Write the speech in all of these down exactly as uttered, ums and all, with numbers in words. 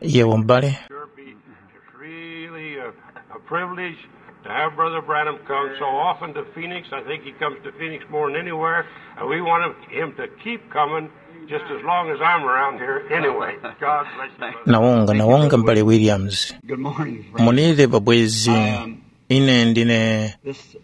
Yewo m'bale. Sure be, it's really a, a privilege to have Brother Branham come so often to Phoenix. I think he comes to Phoenix more than anywhere, and we want him, him to keep coming just as long as I'm around here anyway. God bless you, brother. Nawonga nawonga m'bale Williams. Good morning, friend. Munire pabwezi. Ine ndine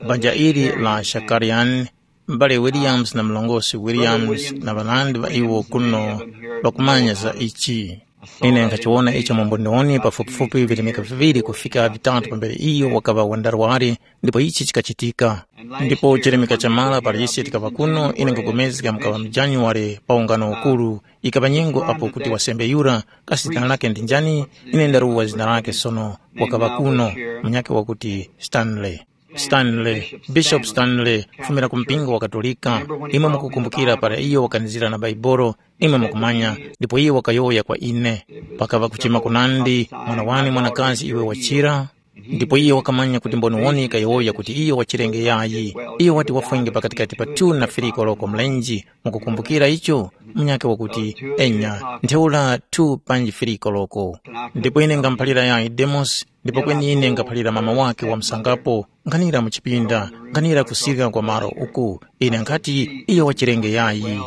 banja ili la Shakarian. M'bale Williams na mlongosi Williams na ŵanandi ŵa iwo kuno ŵakumanya za ichi. Ine nkhachiwona icho mu mboniwoni pafupifupi virimika viŵiri kufika vitatu pambere iyo wakaŵa wandarwari, ndipo ichi chikachitika. Ndipo chirimika chamara para ise tikaŵa kuno, ine nkhupulikana mukaŵa mu Januware pa ungano ukuru, ikaŵa nyengo apo kuti wasembe yura, kasi zina lake ndi njani? Ine ndaruwa zina lake sono, wakaŵa kuno, munyakhe wakuti Stanley. Stanley, Bishop Stanley, kufumira ku mpingo wa Katolika, imwe mukukumbukira para iyo wakanizira na Baibolo, imwe mukumanya, ndipo iye wakayowoya kwa ine. Pakaŵa kuchema kunandi, mwana wane mwanakazi iwe wachira, ndipo iye wakamanya kuti mboniwoni kayowoya kuti iyo wachirenge yayi. Iyo wati wafwenge pakatikati pa two na three koloko mlenji, mukukumbukira icho? Munyakhe wakuti, enya, ntheura two panji three koloko. Ndipo ine ngamuphalira yayi Demosi, ndipo kweni ine nkhaphalira mama wakhe wa msangapo, nkhanira mu chipinda, nkhanira kusirika kwa malo uku. Ine nkhati, iyo wachirenge yayi.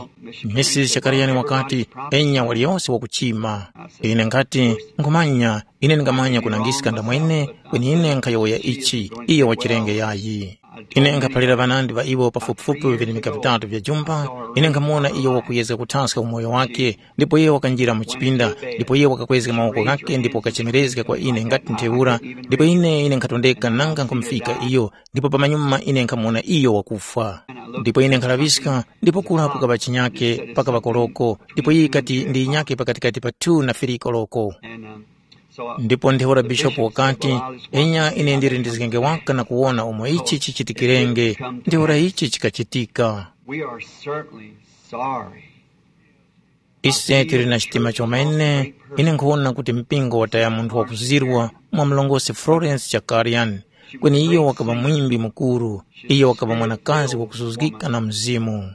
Misisi Shakariyani wakati, enya waliyose wakuchima. Ine nkhati, nkhumanya, ine ndingamanya kunangiska ndamwene, kweni ine nkhayowoya ichi, iyo wachirenge yayi. Ine nkhaphalira ŵanandi ŵa iwo pafupifupi virimika vitatu vya jumba, ine nkhamuwona iyo wakuyezga kuthaska umoyo wake, ndipo iye wakanjira mu chipinda, ndipo iye wakakwezga mawoko ghakhe ndipo wakachemerezga kwa ine ngati ntheura, ndipo ine ine nkhatondeka nanga nkhumufika iyo, ndipo pamanyuma ine nkhamuwona iyo wakufwa. Ndipo ine nkhalaŵiska, ndipo kura kukaŵa chinyake pakaŵa koloko, ndipo iyo ikati ndi yinyake pakatikati pa two na three koloko. Ndipo ntheura bishopu wakati, enya ine ndili ndizgenge waka na kuwona umo ichi chichitikirenge. Ntheura ichi chikachitika. We are certainly sorry. Ise tili na chitima chomene. Ine nkhuwona kuti mpingo wataya munthu wakuzirwa mwa mlongosi Florence Chakarian, kweni iyo wakaŵa mwimbi mukuru. Iyo wakaŵa mwanakazi wakusuzgika na Mzimu.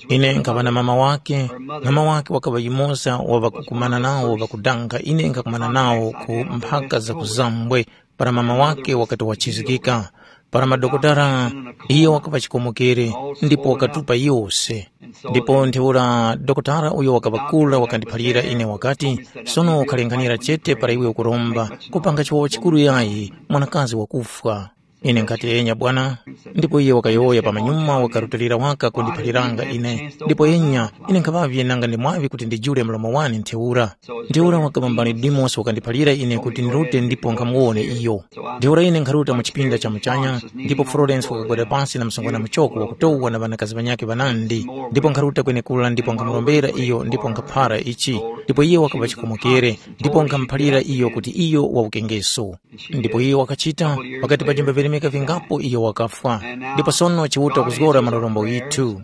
Ine nkhaŵa na mama wake. Mama wake wakaŵa yumoza wa ŵakukumana nawo ŵakudanga ine nkhakumana nawo ku mphaka za kuzambwe, para mama wake wakati wachizgika. Para madokotala, iyo wakaŵa chikomokere, ndipo wakatupa yose. Ndipo ntheura dokotala uyo wakaŵa kura wakandiphalira ine wakati, sono ukhalenghanira chete para iwe ukuromba, kupanga chiwawa chikuru yayi, mwanakazi wakufwa. Ine nkhati, enya bwana. Ndipo iye wakayowoya pamanyuma wakarutilira waka kundiphaliranga ine. Ndipo enya, ine nkhaŵavye nanga ndi mwaŵi kuti ndijule mlomo wane ntheura. Ntheura wakaba mbali Dimosi wakandiphalira ine kuti ndirute ndipo nkhamuwone iyo. Ntheura ine nkharuta mu chipinda cha muchanya, ndipo Florence wakagwada pasi na msungwana muchoko wakutowa na ŵanakazi ŵanyakhe ŵanandi, ndipo nkharuta kwenekura ndipo nkhamurombera iyo ndipo nkhaphara ichi. Ndipo iye wakaba chikomokere, ndipo nkhamuphalira iyo kuti iyo wawukengeso. Ndipo iyo wakachita, pakati pa jimba virimika vingapo iyo wakafwa. Ndipo sono Chiuta kuzgora malorombo ghithu.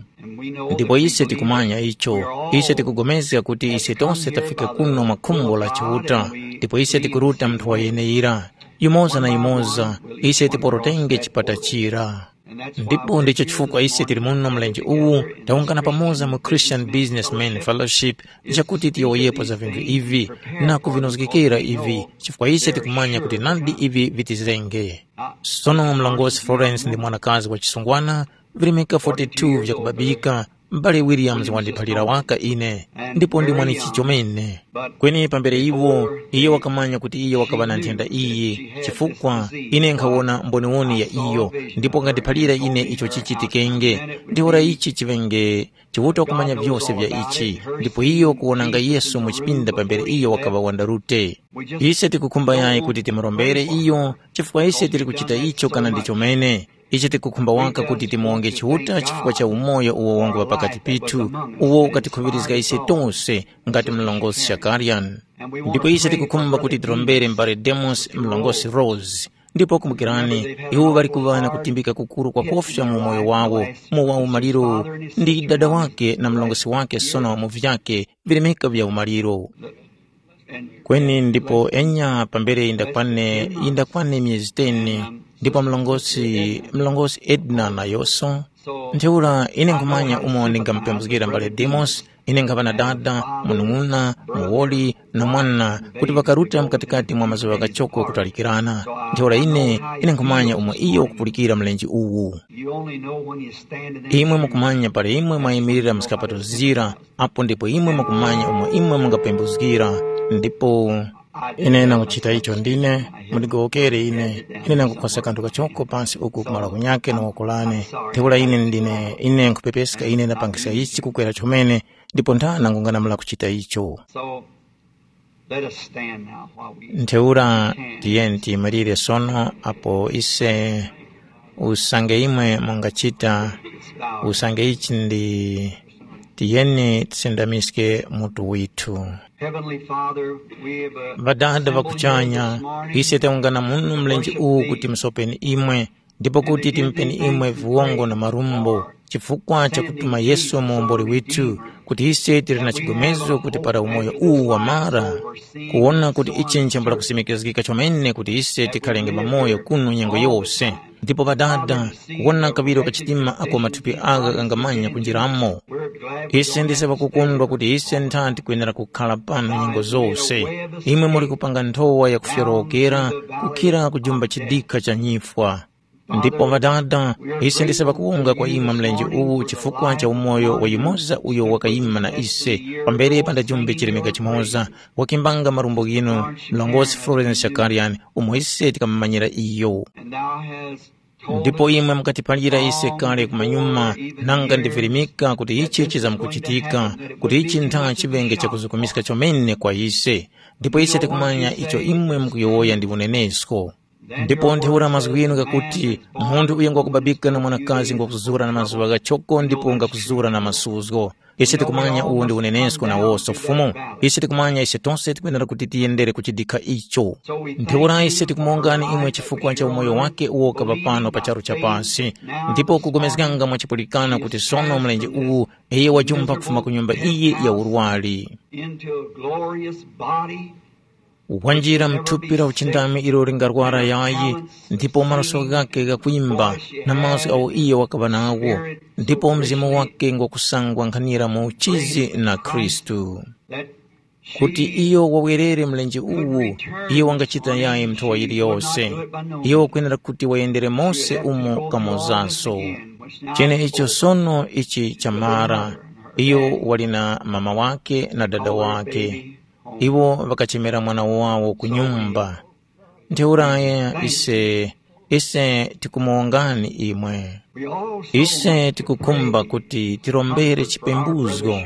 Ndipo ise tikumanya icho. Ise tikupulikana kuti ise tose tafika kuno mwa khumbo la Chiuta, ndipo ise tikuruta munthu wa yeneyira. Yumoza na yumoza, ise tiporotenge chipata chira. Ndipo ndicho chifukwa ise tili muno mlenje uwu, tawungana pamoza mu Christian Businessmen Fellowship, chakuti tiyowoyepo za vinthu ivi na kuvinozgekera ivi, chifukwa ise tikumanya kuti nadi ivi vitizenge. Sono mlongosi Florence ndi mwanakazi wa chisungwana, virimika forty-two vyakubabika, m'bale Williams wandiphalira waka ine, ndipo ndi mwanichi chomene. Kweni pambere iwo, iye wakamanya kuti iye wakaŵa na nthenda iyi, chifukwa ine nkhawona mboniwoni ya iyo, ndipo wakandiphalira ine icho chichitikenge. Ntheura ichi chiŵenge Chiuta wakumanya vyose vya ichi, ndipo iyo kuwonanga Yesu mu chipinda pambere iyo wakaŵa wandarute. Ise tikukhumba yayi kuti timurombere iyo, chifukwa ise tili kuchita icho kana ndi chomene. Ise tikukhumba waka kuti timuwonge Chiuta chifukwa cha umoyo uwo wanguŵa pakati pithu, uwo ukatikhuŵirizga ise tose ngati mlongosi Shakarian. Ndipo ise tikukhumba kuti tirombere m'bale Demos, mlongosi Rose. Ndipo kumbukirani, iwo ŵali kuŵa na kutimbika kukuru kwakofya mu umoyo wawo, mu wa umaliro ndi dada wake na mlongosi wake sono mu vyake virimika vya umaliro. Kweni ndipo enya pambere yindakwane, yindakwane myezi ten, ndipo mlongosi, mlongosi Edna nayonso. Ntheura ine nkhumanya umo ndingamupembuzgira mbale Demos, Ine nkhaŵa na dada, munung'una, muwoli, na mwana kuti ŵakaruta mkatikati mwa mazuŵa ghachoko kutalikirana. Ntheura ine, ine nkhumanya umo iyo wakupulikira mlenje uwu. You only know when you stand in that Imwe mukumanya pali imwe mwayimirira mu zikapato zira, apo ndipo imwe mukumanya umo imwe mungapembuzgira. Ndipo ine nanguchita icho ndine, mundigowokere ine, ine nangukhosa kanthu kachoko pansi uku kumala kunyake na woko lane. Ntheura ine ndine, ine nkhupepeska ine ndapangisa ichi kukwera chomene, ndipo ntha nangungana mula kuchita icho. So let us stand now while we Ntheura tiyeni tiyimirire sono apo ise usange imwe mungachita, usange ichi ndi tiyeni tisindamiske mutu withu. Heavenly Father, we have uh, Ŵadada ŵakuchanya, ise taungana muno mlenje uwu kuti musopeni imwe, ndipo kuti timpeni imwe viwongo na marumbo, chifukwa chakutuma Yesu muomboli withu, kuti ise tili na chigomezo kuti para umoyo uwu wamara, kuwona kuti ichi nchambula kusimikizgika chomene kuti ise tikhalenge pamoyo kuno nyengo yose. Ndipo Ŵadada, kuwona kaŵiro ka chitima ako mathupi agha ghangamanya kunjiramo. Ise ndise ŵakukondwa kuti ise ntha tikwenera kukhala pano nyengo zose. Imwe muli kupanga nthowa ya kufyorowokera, kukhira kujumba chidikha cha nyifwa. Ndipo Ŵadada, ise ndise ŵakuwonga kwa imwe mlenje uwu chifukwa cha umoyo wa yumoza uyo wakayima na ise, pambere pandajumbe chilemeka chimoza, wakimbanga marumbo ghinu, mlongosi Florence Shakarian, umo ise tikamumanyira iyo. Ndipo imwe mukatiphalira ise kale kumanyuma, nanga ndivirimika kuti ichi chizamkuchitika, kuti ichi ntha chiŵenge chakuzukumiska chomene kwa ise. Ndipo ise tikumanya icho imwe mukuyowoya ndi unenesko. Ndipo ntheura mazgu ghinu ghakuti, munthu uyo ngwakubabika na mwanakazi ngwakuzura na mazuŵa ghachoko ndipo ngakuzura na masuzgo. Ise tikumanya uwu ndi unenesko na woso Fumu. Ise tikumanya ise tose tikwenera kuti tiyendere ku chidikha icho. Ntheura ise tikumongani imwe chifukwa cha umoyo wake uwo kaŵa pano pa charu cha pasi. Ndipo kugomezganga mwa chipulikano kuti sono mlenje uwu iyo wajumba kufuma ku nyumba iyi ya urwari. Into a glorious body Wanjira mu thupi la uchindami ilo lingarwara yayi, ndipo maluso ghakhe ghakwimba na mazgu agho iyo wakaŵa nagho, ndipo mzimu wakhe ngwakusangwa nkhanira mu uchizi na Khristu. Kuti iyo wawerere mlenje uwu, iyo wangachita yayi nthowa yiliyose. Iyo wakwenera kuti wayendere mose umo kamozaso. Cheneicho sono ichi chamara, iyo wali na mama wakhe na dada wakhe. Iwo ŵakachemera mwana wawo ku nyumba. Ntheura ise, ise tikumuwongani imwe. Ise tikukhumba kuti tirombere chipembuzgo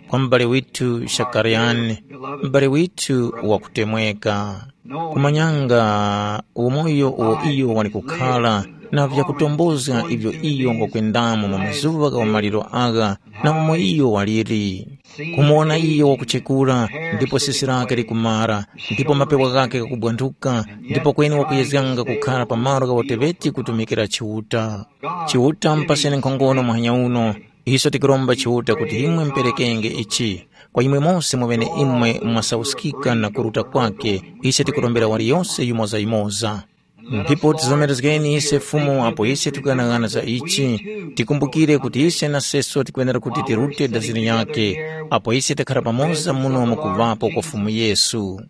kwa m'bale withu Shakaryani, m'bale withu wakutemweka. Kumanyanga umoyo uwo iyo wali kukhara na vyakutombozga ivyo iyo ngwakwendamo mu mazuŵa gha umaliro agha na umo iyo waliri. Kumuwona iyo wakuchekura, ndipo sisi lake likumara, ndipo mapewa ghakhe ghakubwanthuka, ndipo kweni wakuyezganga kukhara pa malo gha uteŵeti kutumikira Chiuta. Chiuta mupaseni nkhongono muhanya uno, iso tikuromba Chiuta kuti imwe muperekenge ichi. Kwa imwe mose mweneimwe mwasauskika na kuruta kwake, ise tikurombera waliyose yumozayumoza. Ndipo tizomerezgeni ise Fumu apo ise tikughanagana za ichi, tikumbukire kuti ise naseso tikwenera kuti tirute dazini yake, apo ise takhara pamoza muno mukuvapo kwa Fumu Yesu.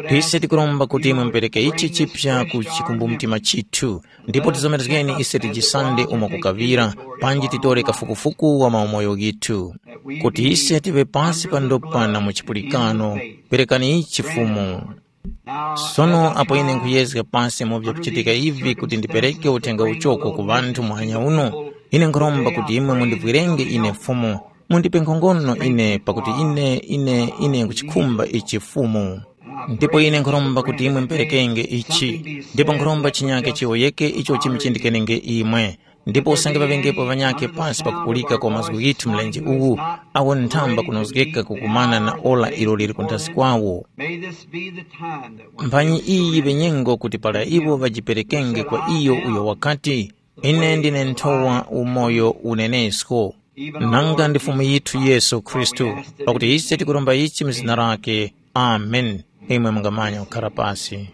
Ise tikuromba kuti imwe mupereke ichi chipya ku chikumbumtima chithu, ndipo tizomerezgeni ise tijisande umo kukaŵira, panji titore kafukufuku wa maumoyo ghithu, kuti ise tive pasi pa ndopa na mu chipulikano. Perekani ichi Fumu. Sono apo ine nkhuyezga pasi mu vyakuchitika ivi kuti ndipereke uthenga uchoko ku ŵanthu muhanya uno, ine nkhuromba kuti imwe mundivwirenge ine Fumu, mundipe nkhongono ine pakuti ine ine ine nkhuchikhumba ichi Fumu. Ndipo ine nkhuromba kuti imwe muperekenge ichi, ndipo nkhuromba chinyake chiwoyeke icho chimuchindikenenge imwe. Ndipo usange ŵaŵengepo ŵanyakhe pasi pakupulika kwa mazgu ghithu mlenje uwu, awo nthamba kunozgeka kukumana na ora ilo liri kunthazi kwawo. May this be the time that when Mphanyi iyi yiŵe nyengo kuti para iwo ŵajiperekenge kwa iyo uyo wakati, ine ndine nthowa, umoyo, unenesko, nanga ndi Fumu yithu Yesu Khristu, pakuti ise tikuromba ichi mu zina lake. Amen. Imwe mungamanya kukhara pasi.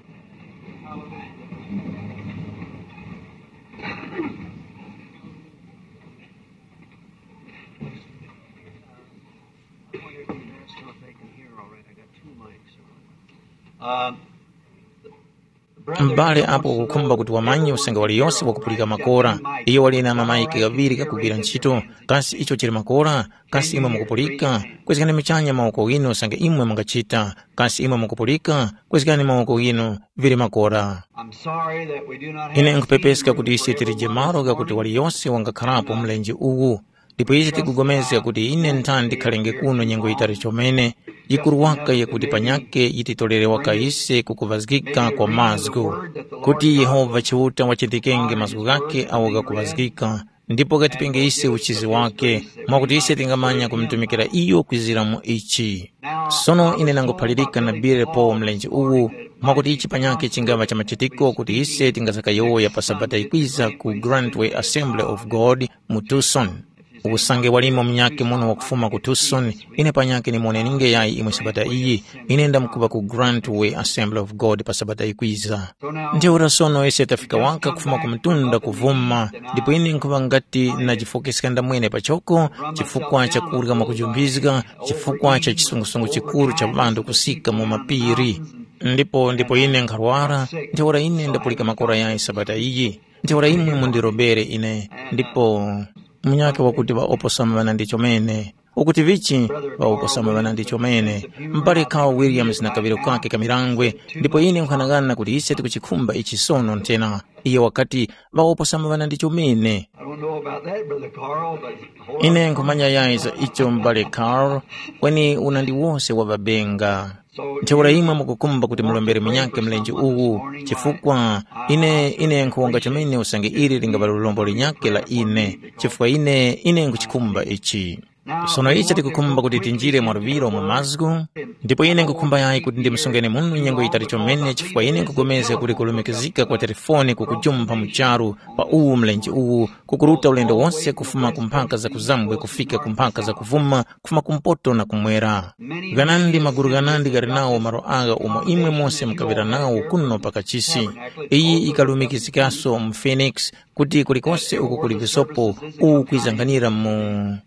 M'bale apo ukukhumba kuti wamanye usange waliyose wakupulika makora, iyo wali na mamayiki ghaŵiri ghakugwira ntchito, kasi icho chili makora? Kasi imwe mukupulika? Kwezgani muchanya mawoko ghinu usange imwe mungachita. Kasi imwe mukupulika? Kwezgani mawoko ghinu, vili makora. I'm sorry that we do not have Ine nkhupepeska kuti ise tilije malo ghakuti waliyose wangakharapo mlenje uwu. Ndipo ise tikupulikana kuti ine ntha ndikhalenge kuno nyengo yitali chomene, yikuru waka yakuti panyake yititolere waka ise kukuŵazgika kwa mazgu, kuti Yehova Chiuta wachitikenge mazgu ghakhe agho ghakuŵazgika, ndipo ghatipenge ise uchizi wake, mwakuti ise tingamanya kumutumikira iyo kwizira mu ichi. Sono ine nanguphalirika na Billy Paul mlenje uwu, mwakuti ichi panyakhe chingaŵa cha machitiko kuti ise tingazakayowoya pa Sabata yikwiza ku Grantway Assembly of God mu Tucson. Usange walimo munyakhe muno wakufuma ku Tucson, ine panyakhe nimuwoneninge yayi imwe Sabata iyi, ine ndamkupa ku Grantway Assembly of God pa Sabata yikwiza. Ntheura sono ise tafika waka kufuma ku mtunda kuvuma, ndipo ine nkhuŵa ngati najifokeska ndamwene pachoko chifukwa cha kurya mwakujumbizga, chifukwa cha chisungusungu chikuru cha ŵanthu kusika mu mapiri. Ndipo ndipo ine nkharwara, ntheura ine ndapulika makora yayi Sabata iyi. Ntheura imwe mundirobere ine, ndipo munyakhe wakuti ŵaoposama ŵanandi chomene. Ukuti vichi? Ŵaoposama ŵanandi chomene. M'bale Carl Williams na kaŵiro kake kamirangwe, ndipo ine nkhanang'ana kuti ise tikuchikhumba ichi sono nthena. Iye wakati, ŵaoposama ŵanandi chomene. I don't know about that, Brother Carl, but Ine nkhumanya yayi za icho m'bale Carl, kweni unandi wose waŵabenga. Ntheura imwe mukukhumba kuti mulombere munyakhe mlenje uwu, chifukwa ine ine nkhuwonga chomene usange ili lingaŵa lulombo linyakhe la ine, chifukwa ine ine nkhuchikhumba ichi. Sono ichi tikukhumba kuti tinjire mwa luŵiro mu mazgu, ndipo ine nkhukhumba yayi kuti ndimusungeni muno nyengo yitali chomene chifukwa ine nkhupulikana kuti kulumikizika kwa telefoni kukujumpha mu charu pa uwu mlenje uwu, kukuruta ulendo wose kufuma ku mphaka za kuzambwe kufika ku mphaka za kuvuma, kufuma kumpoto na kumwera. Ghanandi maguru ghanandi ghali nawo malo agha umo imwe mose mukaŵira nawo kuno pa kachisi. Iyi ikalumikizikaso mu Phoenix, kuti kulikose uko kuli visopo uwu kwizanganira mu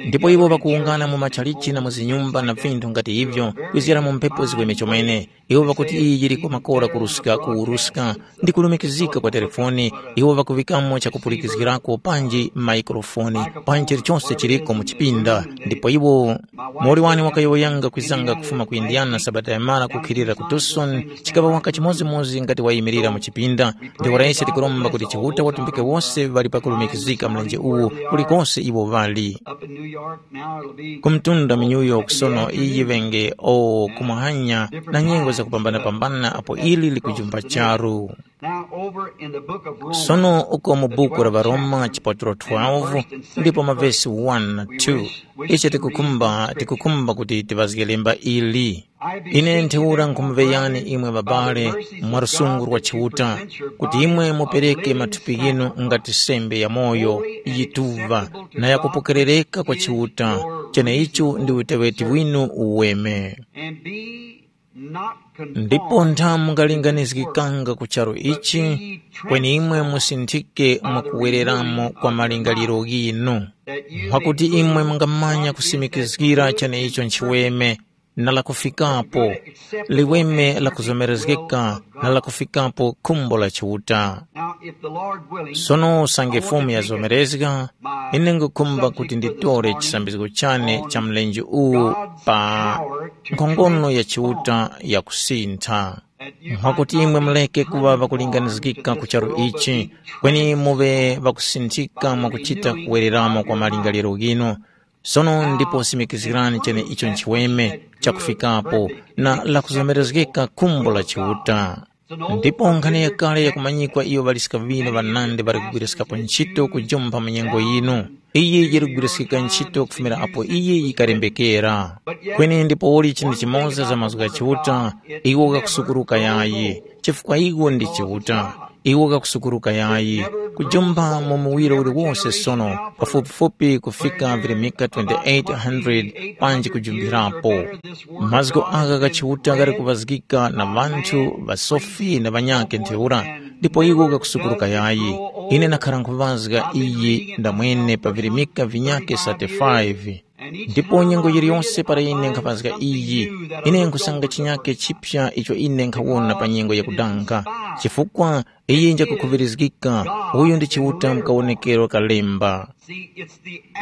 ndipo iwo ŵakuwungana mu matchalichi na mu zinyumba na vinthu ngati ivyo, kwizira mu mphepo ziweme chomene. Iwo ŵakuti iyi yiriko makora kuruska kuwuruska, ndi kulumikizika kwa telefoni. Iwo ŵakuŵikamo chakupulikizgirako panji maikrofoni, panji chilichonse chiliko mu chipinda. Ndipo iwo, muwoli wane wakayowoyanga kwizanga kufuma ku Indiana sabata yamara kukhilira ku Tucson, chikaŵa waka chimodzimodzi ngati wayimirira mu chipinda. Ndipo ise tikuromba kuti Chiuta watumbike wose ŵali pakulumikizika mlenje uwu kulikose iwo ŵali. Up in New York now, it'll be ku mtunda mu New York sono iyi ŵenge o kumuhanya na nyengo zakupambanapambana apo ili likujumba charu. Now over in the book of Romans, sono uko mu buku la Varoma chipaturo twelve ndipo mavesi one na two, ichi tikukhumba tikukhumba kuti tiŵazge lemba ili. Ine ntheura nkhumuŵeyani imwe ŵabale, mwa lusungu lwa Chiuta, kuti imwe mupereke mathupi ghinu ngati sembe yamoyo, yituŵa, na yakupokerereka kwa Chiuta, cheneicho ndi uteŵeti winu uweme. Ndipo ntha mungalinganizgikanga ku charu ichi, kweni imwe musinthike mwakuwereramo kwa malingaliro ghinu, mwakuti imwe mungamanya kusimikizgira cheneicho nchiweme, na lakufikapo, liweme lakuzomerezgeka na lakufikapo khumbo la Chiuta. Now, if the Lord willing, sono usange Fumu yazomerezga, ine ngukhumba kuti nditore chisambizgo chane cha mlenje uwu pa nkhongono ya Chiuta yakusintha, mwakuti imwe muleke kuŵa ŵakulinganizgika ku charu ichi, kweni muŵe ŵakusinthika mwakuchita kuwereramo kwa malingaliro ghinu. Sono ndipo simikizgirani chene icho nchiweme chakufikapo na lakuzomerezgeka khumbo la Chiuta. Ndipo nkhani yakale yakumanyikwa iyo ŵaliska ŵinu ŵanandi ŵali kugwiriskapo ntchito kujumpha mu nyengo yinu. Iyi yiri kugwiriskika ntchito kufumira apo iyi yikalembekera. Kweni ndipouli chinthu chimoza za mazgu gha Chiuta, iwo ghakusukuruka yayi, chifukwa iwo ndi Chiuta. Iwo ghakusukuruka yayi, kujumba mu muwiro uliwose sono, pafupifupi kufika virimika twenty-eight hundred panji kujumbirapo. Mazgu agha gha Chiuta ghali kuŵazgika na ŵanthu, ŵasofi na ŵanyakhe ntheura, ndipo iwo ghakusukuruka yayi. Ine nakhara nkhuŵazga iyi ndamwene pa virimika vinyakhe thirty-five. Ndipo nyengo yiliyonse para ine nkhapazga iyi, ine nkhusanga chinyake chipya icho ine nkhawona pa nyengo yakudanga, chifukwa iyi njakukhuŵirizgika, uyu ndi Chiuta mu kawonekero ka lemba.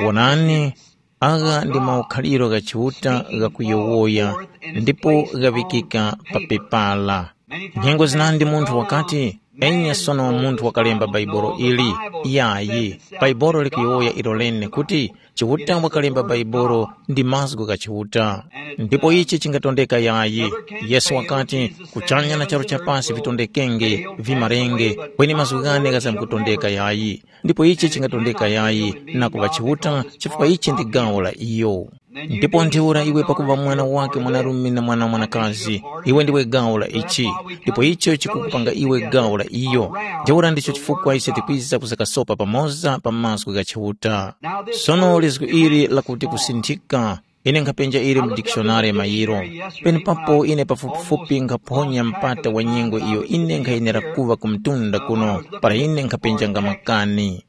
Wonani, agha ndi maukhaliro gha Chiuta ghakuyowoya ndipo ghaŵikika pa pepala. Nyengo zinandi munthu wakati, enya sono munthu wakalemba Baibolo ili. Yayi, Baibolo likuyowoya ilo lene kuti Chiuta wakalemba Baibolo ndi mazgu gha Chiuta. Ndipo ichi chingatondeka yayi. Yesu wakati, kuchanya na charu cha pasi vitondekenge, vimarenge, kweni mazgu ghane ghazamkutondeka yayi. Ndipo ichi chingatondeka yayi na kuŵa Chiuta, chifukwa ichi ndi gawo la iyo. Ndipo ntheura iwe pakuŵa mwana wake mwanarume na mwana mwanakazi, iwe ndiwe gawo la ichi, ndipo icho chikukupanga iwe gawo la iyo. Ntheura ndicho chifukwa ise tikwiza kuzakasopa pamoza pa mazgu gha Chiuta. Sono lizgu ili lakuti kusinthika, ine nkhapenja ili mu dikishonari mayiro. Penepapo ine pafupifupi nkhaphonya mpata wa nyengo iyo ine nkhayenera kuŵa ku mtunda kuno para ine nkhapenjanga makani.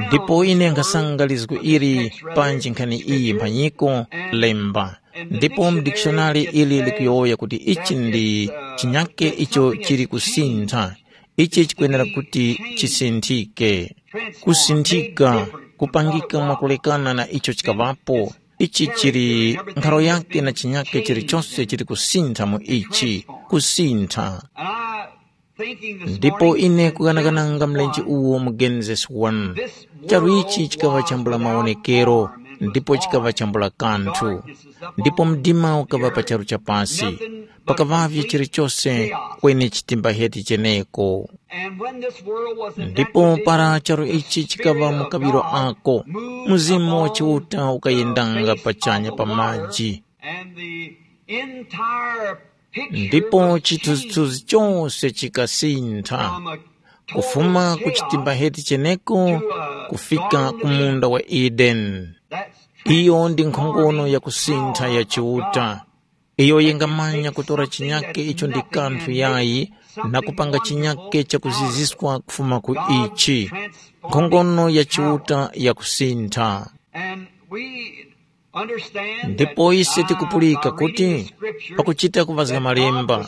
Ndipo ine nkhasanga lizgu ili panji nkhani iyi mphanyiko, lemba. Ndipo mu dikishonari ili likuyowoya kuti ichi ndi chinyake icho chili kusintha. Ichi chikwenera kuti chisinthike. Kusinthika, kupangika mwakulekana na icho chikaŵapo. Ichi chili nkharo yake na chinyake chilichose chili kusintha mu ichi, kusintha. Ndipo ine kuganagananga mlenje uwo mu Genesis one, charu ichi chikaŵa chambula mawonekero, ndipo chikaŵa chambula kanthu. Ndipo mdima ukaŵa pa charu cha pasi, pakaŵavye chilichose, kweni chitimbaheti cheneko. Ndipo para charu ichi chikaŵa mu kaŵiro ako, Mzimu wa Chiuta ukayendanga pachanya pa maji. Ndipo chithunzithunzi chose chikasintha, kufuma ku chitimbaheti cheneko kufika ku munda wa Edeni. Iyo ndi nkhongono yakusintha ya Chiuta. Iyo yingamanya kutora chinyake icho ndi kanthu yayi na kupanga chinyake chakuziziswa kufuma ku ichi. Nkhongono ya Chiuta yakusintha. Ndipo ise tikupulika kuti pakuchita kuvazga malemba,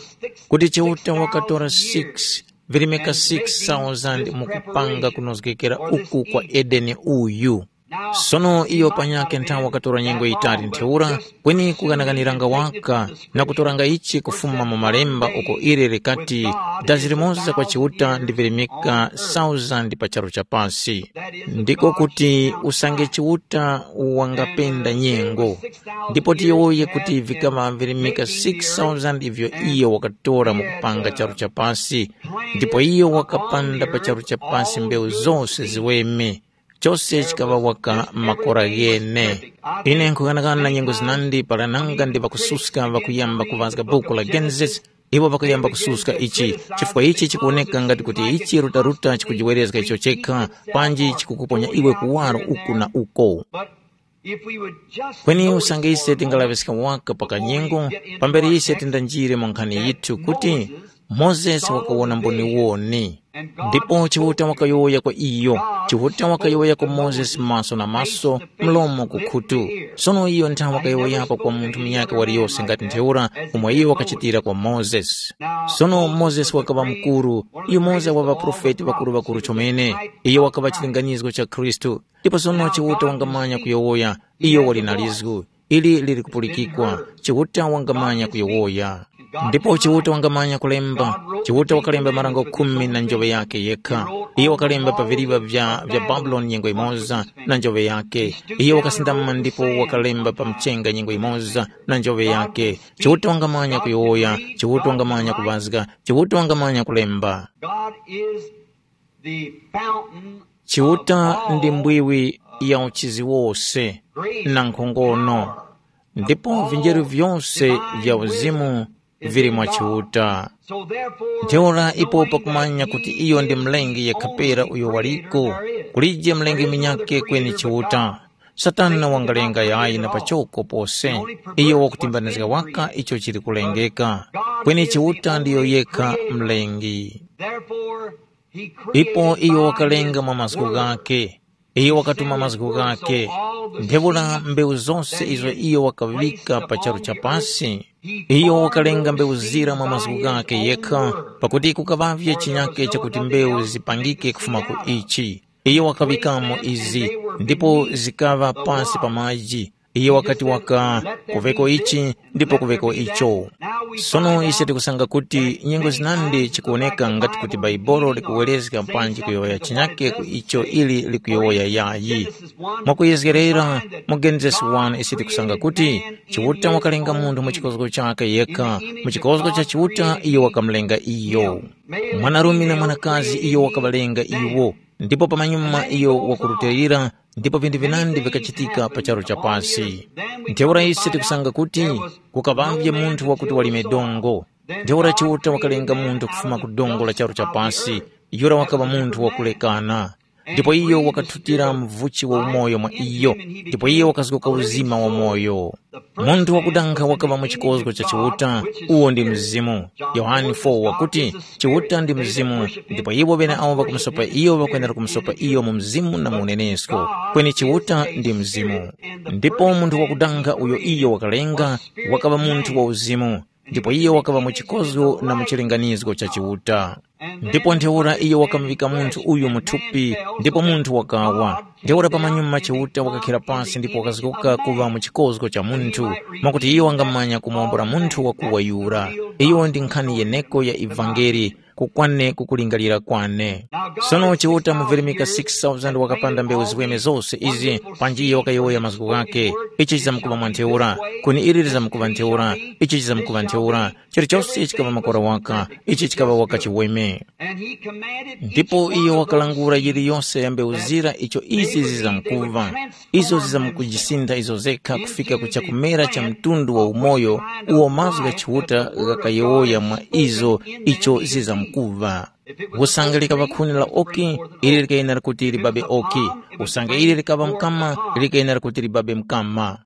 kuti Chiuta wakatora six, virimika six thousand mukupanga kunozgekera uku kwa Edeni uyu. Sono iyo panyakhe nthawi wakatora nyengo yitali ntheura, kweni kuganaganiranga waka na kutoranga ichi kufuma mu malemba uko ili likati, dazi limoza kwa Chiuta ndi virimika thousand pa charu cha pasi. Ndiko kuti usange Chiuta wangapenda nyengo, ndipo tiyowoye kuti vikaŵa virimika six thousand ivyo iyo wakatora mu kupanga charu cha pasi, ndipo iyo wakapanda pa charu cha pasi mbewu zose ziweme. Chose chikaŵa waka makora ghene. Ine nkhughanaghana nyengo zinandi para nanga ndi ŵakususka ŵakuyamba kuvazga buku la Genesis, iwo ŵakuyamba kususka ichi, chifukwa ichi chikuwoneka ngati kuti ichi rutaruta chikujiwerezga icho chekha, panji chikukuponya iwe kuwaro uku na uko. Kweni usange ise tingalaŵiska waka pa kanyengo, pambere ise tindanjire mu nkhani yithu kuti, Mozesi wakawona mboniwoni. Ndipo Chiuta wakayowoya kwa iyo, Chiuta wakayowoya kwa Mozesi maso na maso, mlomo ku khutu. Sono iyo nthawe wakayowoyapo kwa munthu munyakhe waliyose ngati ntheura umo iyo wakachitira kwa Mozesi. Sono Mozesi wakaŵa mukuru, yumoza wa ŵaprofeti ŵakuru-ŵakuru chomene. Iyo wakaŵa chilinganizo cha Khristu. Ndipo sono Chiuta wangamanya kuyowoya, iyo wali na lizgu. Ili lili kupulikikwa, Chiuta wangamanya kuyowoya. Ndipo Chiuta wangamanya kulemba. Chiuta wakalemba marango khumi na njoŵe yakhe yekha. Iyo wakalemba pa viliva vya, vya Babuloni nyengo imoza na njoŵe yakhe. Iyo wakasindama ndipo wakalemba pa mchenga nyengo imoza na njoŵe yakhe. Chiuta wangamanya kuyowoya, Chiuta wangamanya kuŵazga, Chiuta wangamanya kulemba. God is the fountain Chiuta ndi mbwiwi ya uchizi wose na nkhongono, ndipo vinjeru vyose vya uzimu vili mwa Chiuta. Ntheura ipo pakumanya kuti iyo ndi mlengi yekhapera uyo waliko, kulije mlengi munyakhe kweni Chiuta. Satana wangalenga yayi na pachoko pose, iyo wakutimbanizga waka icho chili kulengeka, kweni Chiuta ndiyo yekha mlengi. Ipo iyo wakalenga mwa mazgu ghakhe, Iyo wakatuma mazgu ghakhe. Ntheura mbewu zose izo iyo wakaŵika pa charu cha pasi, iyo wakalenga mbewu zira mwa mazgu ghakhe yekha, pakuti kukaŵavye chinyake chakuti mbewu zipangike kufuma ku ichi. Iyo wakaŵikamo izi, ndipo zikaŵa pasi pa maji. Iyo wakati waka, kuveko ichi, ndipo kuveko icho. Sono ise tikusanga kuti nyengo zinandi chikuwoneka ngati kuti Baibolo likuwerezga panji kuyowoya chinyake ku icho ili likuyowoya yayi. Mwakuyezgerera, mu Genesis wani ise tikusanga kuti Chiuta wakalenga munthu mu chikozgo chakhe yekha, mu chikozgo cha Chiuta iyo wakamulenga iyo. Mwanarume na mwanakazi iyo wakaŵalenga iwo, ndipo pamanyuma iyo wakurutilira, ndipo vinthu vinandi vikachitika pa charu cha pasi. Ntheura ise tikusanga kuti kukaŵavye munthu wakuti walime dongo. Ntheura Chiuta wakalenga munthu kufuma ku dongo la charu cha pasi, yura wakaŵa munthu wakulekana. Ndipo iyo wakathutira mvuchi wa umoyo mwa iyo, ndipo iyo wakazgoka uzima wa moyo. Munthu wakudanga wakaŵa mu chikozgo cha Chiuta, uwo ndi Mzimu. Yohane four wakuti, Chiuta ndi Mzimu, ndipo iwo ŵeneawo ŵakumusopa iyo ŵakwenera kumusopa iyo mu Mzimu na mu unenesko, kweni Chiuta ndi Mzimu. Ndipo munthu wakudanga uyo iyo wakalenga, wakaŵa munthu wa uzimu, ndipo iyo wakaŵa mu chikozgo na mu chilinganizgo cha Chiuta. Ndipo ntheura iyo wakamuŵika munthu uyu mu thupi, ndipo munthu wakawa. Ntheura pamanyuma Chiuta wakakhira pasi ndipo wakazgoka kuŵa mu chikozgo cha munthu, mwakuti iyo wangamanya kumuwombora munthu wakuwa yura. Iyo ndi nkhani yeneko ya ivangeli, kukwane kukulingalira kwane. Sono Chiuta mu virimika six thousand wakapanda mbewu ziweme zose izi, panji iyo wakayowoya mazgu ghakhe, ichi chizamkuŵa mwa ntheura, kweni ili lizamkuŵa ntheura, ichi chizamkuŵa ntheura, chilichose chikaŵa makora waka, ichi chikaŵa waka chiweme. Ndipo iyo wakalangula yiliyose ya mbewu zira icho izi zizamkuŵa. Izo zizamkujisintha izo zekha kufika ku chakumera cha mtundu wa umoyo uwo mazgu gha Chiuta ghakayowoya mwa izo icho zizamkuŵa. Usange likaŵa khuni la oki, ili likayenera kuti libabe oki. Usange ili likaŵa mkama, likayenera kuti libabe mkama.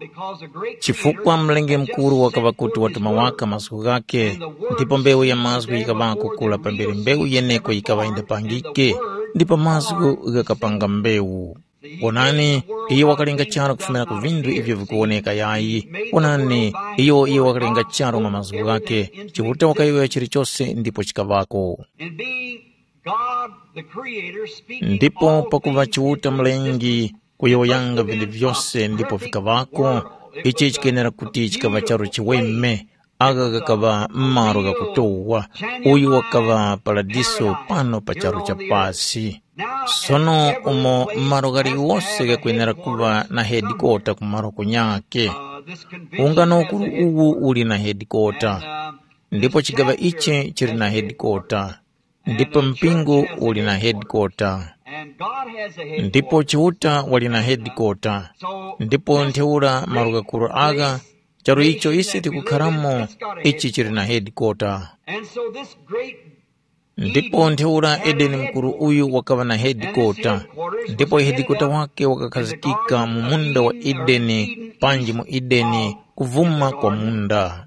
Chifukwa mlengi mukuru wakaŵa kuti watuma waka mazgu ghakhe, ndipo mbewu ya mazgu yikaŵako kura pambere mbewu yeneko yikaŵa yindapangike, ndipo mazgu ghakapanga mbewu. Wonani, iyo wakalenga charu kufumira ku vinthu ivyo vikuwoneka yayi. Wonani, iyo iyo wakalenga charu mwa mazgu ghakhe, Chiuta wakayowoya chilichose ndipo chikaŵako. And being God the Creator speaking Ndipo all pakuva things Chiuta into existence, Mlengi kuyowoyanga vinthu vyose ndipo vikaŵako, ichi chikenera kuti chikaŵa charu chiweme, agha ghakaŵa malo ghakutowa, uyu wakaŵa paradiso pano pa charu cha pasi. Sono umo malo ghaliwose ghakwenera kuŵa na hedikota ku malo kunyakhe. Ungano ukuru uwu uli na hedikota, ndipo chigaŵa ichi chili na hedikota, ndipo mpingo uli na hedikota, ndipo Chiuta wali na hedikota, ndipo ntheura malo ghakuru agha, charu icho ise tikukharamo, ichi chili na hedikota. And so this great Ndipo ntheura Edeni mukuru uyu wakaŵa na hedikota, ndipo hedikota wake wakakhazikika mu munda wa Edeni, panji mu Edeni, kuvuma kwa munda.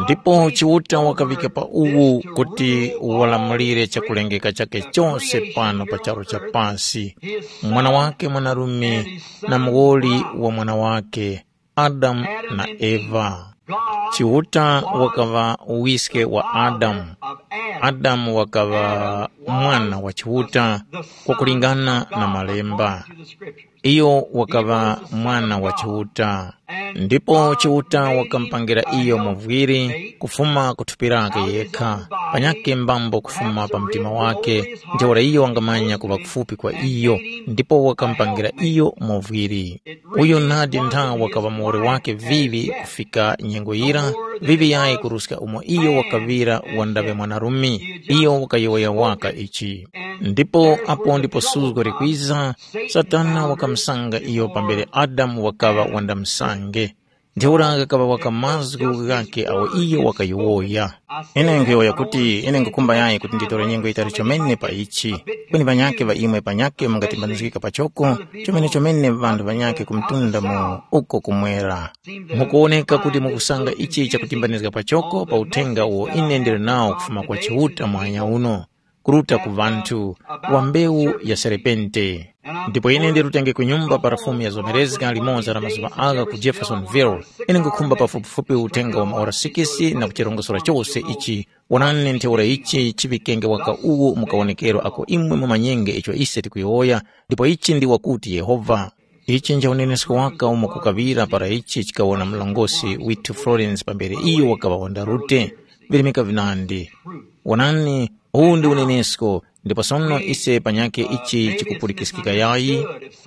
Ndipo Chiuta wakaŵika pa uwu kuti walamulire chakulengeka chake chose pano pa charu cha pasi, mwana wake mwanarume na muwoli wa mwana wake, Adamu na Eva. Chiuta wakaŵa wiske wa Adamu. Adamu wakaŵa mwana wa Chiuta kwakulingana na Malemba. Iyo wakaŵa mwana wa Chiuta. Ndipo Chiuta wakamupangira iyo muvwiri kufuma ku thupi lake yekha, panyakhe mbambo kufuma pa mtima wake, ntheura iyo wangamanya kuŵa kufupi kwa iyo, ndipo wakamupangira iyo muvwiri. Uyo nadi ntha wakaŵa muwoli wake vivi kufika nyengo yira, vivi yayi kuruska umo iyo wakaŵira wandaŵe mwanarume, iyo wakayowoya waka ichi. Ndipo apo ndipo suzgo likwiza, Satana wakamusanga iyo pambere Adamu wakaŵa wandamsange. Ntheura ghakaŵa waka mazgu ghakhe awo iyo wakayowoya. Ine nkhuyowoya kuti ine nkhukhumba yayi kuti nditore nyengo yitali chomene pa ichi. Kweni ŵanyakhe ŵa imwe panyakhe mungatimbanizgika pachoko, chomene chomene ŵanthu ŵanyakhe ku mtunda mu uko kumwera. Mukuwoneka kuti mukusanga ichi chakutimbanizga pachoko pa uthenga uwo ine ndili nawo kufuma kwa Chiuta muhanya uno. kuruta ku ŵanthu, wa mbewu ya serepente. Ndipo ine ndirutenge ku nyumba para Fumu ya Zomerezga limoza la mazuŵa agha ku Jeffersonville. Ine nkhukhumba pafupifupi uthenga wa maora sikisi na kuchirongosora chose ichi. Wonani ntheura ichi chiŵikenge waka uwu mu kawonekero ako imwe mumanyenge icho ise tikuyowoya, ndipo ichi ndi wakuti Yehova. Ichi nja unenesko waka umo kukaŵira para ichi chikawona mlongosi withu Florence pambere iyo wakaŵa wandarute. Virimika vinandi. Wonani, uwu ndi unenesko, ndipo sono ise panyakhe ichi chikupulikiskika yayi.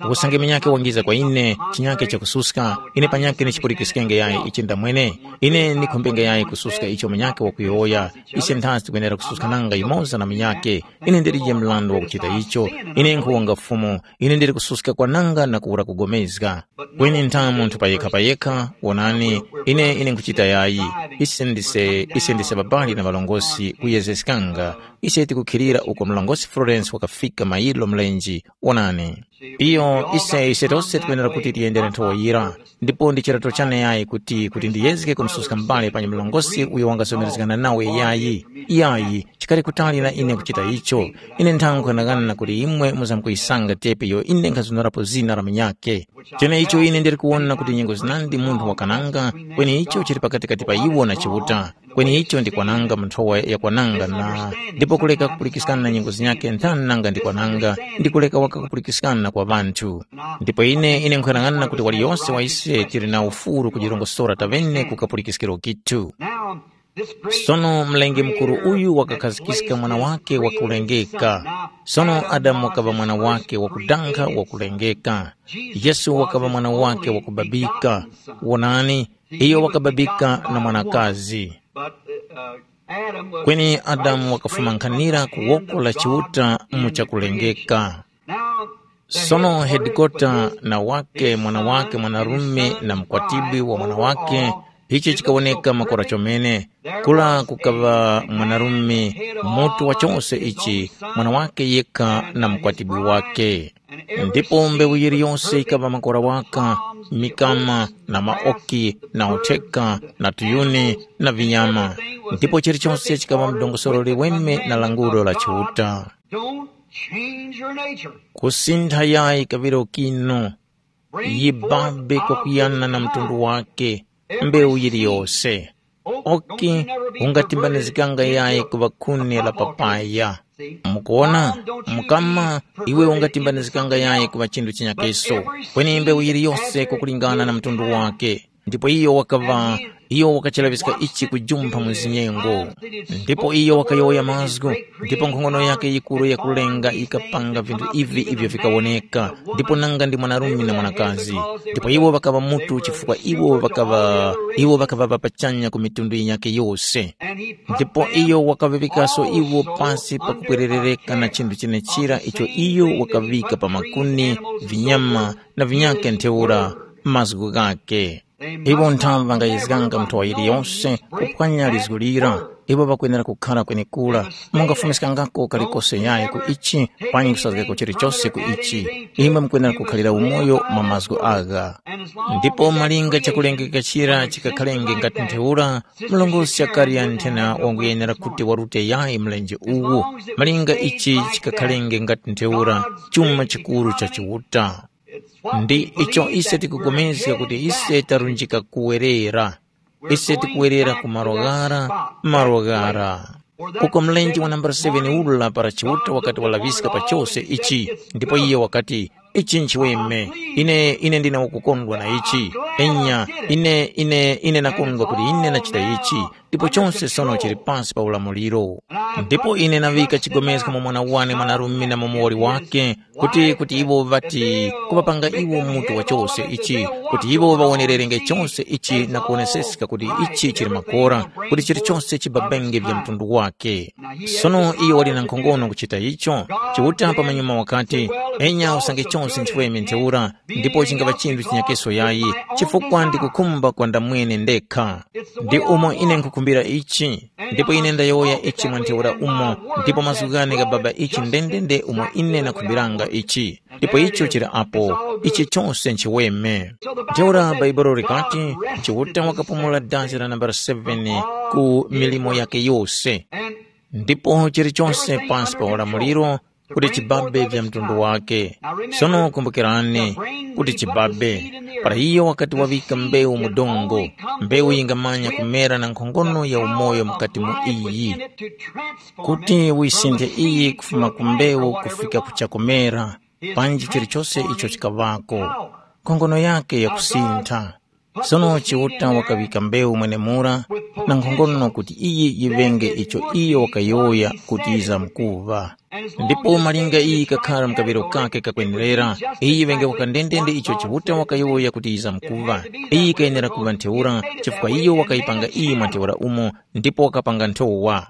Usange minyakhe wangiza kwa ine, chinyakhe chakususka, ine panyakhe ndichipulikiskenge yayi ichi ndamwene. Ine ndikhumbenge yayi kususka icho minyakhe wakuyowoya. Ise nthazi tikwenera kususka nanga yumoza na minyakhe. Ine ndilije mrandu wakuchita icho. Ine nkhuwonga Fumu. Ine ndili kususka kwananga na kuwura kugomezga. Kweni ntha munthu payekha-payekha, wonani, ine ine nkhuchita yayi. Ise ndise ise ndise babali na ŵalongosi kuyezgeskanga. Ise tikukhilira uko mlongosi Florence wakafika mayilo mlenji. Wonani. Iyo ise ise tose tikwenera kuti tiyendere nthowa yira. Ndipo ndi chirato chane yayi kuti kuti ndiyezge kumususka m'bale panyi mlongosi uyo wangasomerezgana nawe yayi. Yayi, chikali kutali na ine kuchita icho. Ine nthankhu ghanaghana kuti imwe muzamkuyisanga tepi iyo ine nkhazunurapo zina la munyakhe. Cheneicho ine ndili kuwona kuti nyengo zinandi munthu wakananga, kweni icho chili pakatikati pa iwo na Chiuta. Kweni icho ndi kwananga mu nthowa ya kwananga na ndipo kuleka kupulikiskana na nyengo zinyakhe nthani nanga ndi kwananga, ndi kuleka waka kupulikiskana kwa ŵanthu. Ndipo ine ine nkhuyang'ana kuti waliyose wa ise tili na ufuru kujirongosora tavene ku kapulikiskiro kithu. Sono mlengi mukuru uyu wakakhazikiska mwana wake wakulengeka. Sono Adamu wakaŵa mwana wake wakudankha wakulengeka. Yesu wakaŵa mwana wake wakubabika. Wonani, iyo wakababika na mwanakazi. Kweni Adamu wakafumankhanira ku woko la Chiuta mu chakulengeka. Sono hedikota na wake mwana wake mwanarume na mukwatibwi wa mwana wake, ichi chikawoneka makora chomene. Kula kukaŵa mwanarume mutu wa chose ichi, mwana wake yekha na mukwatibwi wake. Ndipo mbewu yiliyose yikaŵa makora waka, mikama na maoki na utheka na tuyuni na vinyama. Ndipo chilichose chikaŵa mdongosoro liweme na langulo la Chiuta. Don't change your nature. Kusintha yayi kaŵiro kinu. Yibabe kwakuyana na mtundu wake, mbewu yiliyose. Oki ungatimbanizikanga yayi kuŵa khuni la papaya. Mukuwona, mukama, iwe ungatimbanizikanga yayi kuŵa chinthu chinyakeso, kweni mbewu yiliyose kukulingana na mtundu wake. Ndipo iyo wakaŵa, iyo wakachalaŵiska ichi kujumpha mu zinyengo. Ndipo iyo wakayowoya mazgu, ndipo nkhongono yake yikuru yakulenga yikapanga vinthu ivi ivyo vikawoneka, ndipo nanga ndi mwanarume na mwanakazi. Ndipo iwo ŵakaŵa mutu chifukwa iwo ŵakaŵa, iwo ŵakaŵapa pachanya ku mitundu yinyakhe yose. Ndipo iyo wakaŵavikaso iwo pasi pakupwererereka na chinthu chenechira icho iyo wakaŵika pa makuni, vinyama na vinyakhe ntheura mazgu ghakhe. Iwo nthawe ŵangayezganga nthowa yiliyose kuphwanya lizgu lira. Iwo ŵakwenera kukhara kwenekura. Mungafumiskangako kalikose yayi ku ichi, panyi kusazgako chilichose ku ichi. Imwe mukwenera kukhalira umoyo mwa mazgu agha. Ndipo malinga chakulengeka chira chikakhalenge ngati ntheura, mlongosi Zakariya nthena wanguyenera kuti warute yayi mlenje uwu. Malinga ichi chikakhalenge ngati ntheura, chuma chikuru cha Chiuta. Ndi icho ise tikupulikana kuti ise tarunjika kuwerera. Ise tikuwerera ku malo ghara, malo ghara. Uko mlenje wa nambala seven ula para Chiuta wakati walaŵiska pa chose ichi, ndipo iye wakati, ichi nchiweme. Ine, ine ndine wakukondwa na ichi. Enya, ine, ine, ine nakondwa kuti ine nachita ichi. Ndipo chose sono chili pasi pa ulamuliro. Ndipo ine naŵika chigomezgo mu mwana wane mwanarume na mu muwoli wake, kuti, kuti iwo ŵati kuŵapanga iwo mutu wa chose ichi, kuti iwo ŵawonererenge chose ichi na kuwoneseska kuti ichi chili makora, kuti chilichose chibabenge vya mtundu wake. Sono iyo wali na nkhongono kuchita icho. Chiuta pamanyuma wakati, enya usange chose nchiweme ntheura, ndipo chingaŵa chinthu chinyakeso yayi, chifukwa ndikukhumba kwa ndamwene ndekha. Ndi umo ine nkukhumbira ichi, ndipo ine ndayowoya ichi mwa ntheura umo, ndipo mazgu ghane gha Baba ichi ndendende umo ine nakhumbiranga ichi. Ndipo icho chili apo, ichi chose nchiweme. Ntheura Bhaibuli likati, Chiuta wakapumula dazi la nambala seven ku milimo yake yose. Ndipo chilichonse pansi pa ulamuliro kuti chibabe vya mtundu wake. Sono kumbukirani kuti chibabe, para iyo wakati waŵika mbewu mu dongo, mbewu yingamanya kumera na nkhongono ya umoyo mukati mu iyi, kuti wisinthe iyi kufuma ku mbewu kufika ku chakumera, panji chilichose icho chikaŵako, nkhongono yake yakusintha. Sono Chiuta wakaŵika mbewu mwenemura na nkhongono kuti iyi yiŵenge icho iyo wakayowoya kuti yizamkuŵa. Ndipo malinga iyi yikakhala mu kaŵiro kakhe kakwenerera, iyi yiŵenge waka ndendende icho Chiuta wakayowoya kuti yizamkuŵa. Iyi yikayenera kuŵa ntheura chifukwa iyo wakayipanga iyi mwa ntheura umo ndipo wakapanga nthowa.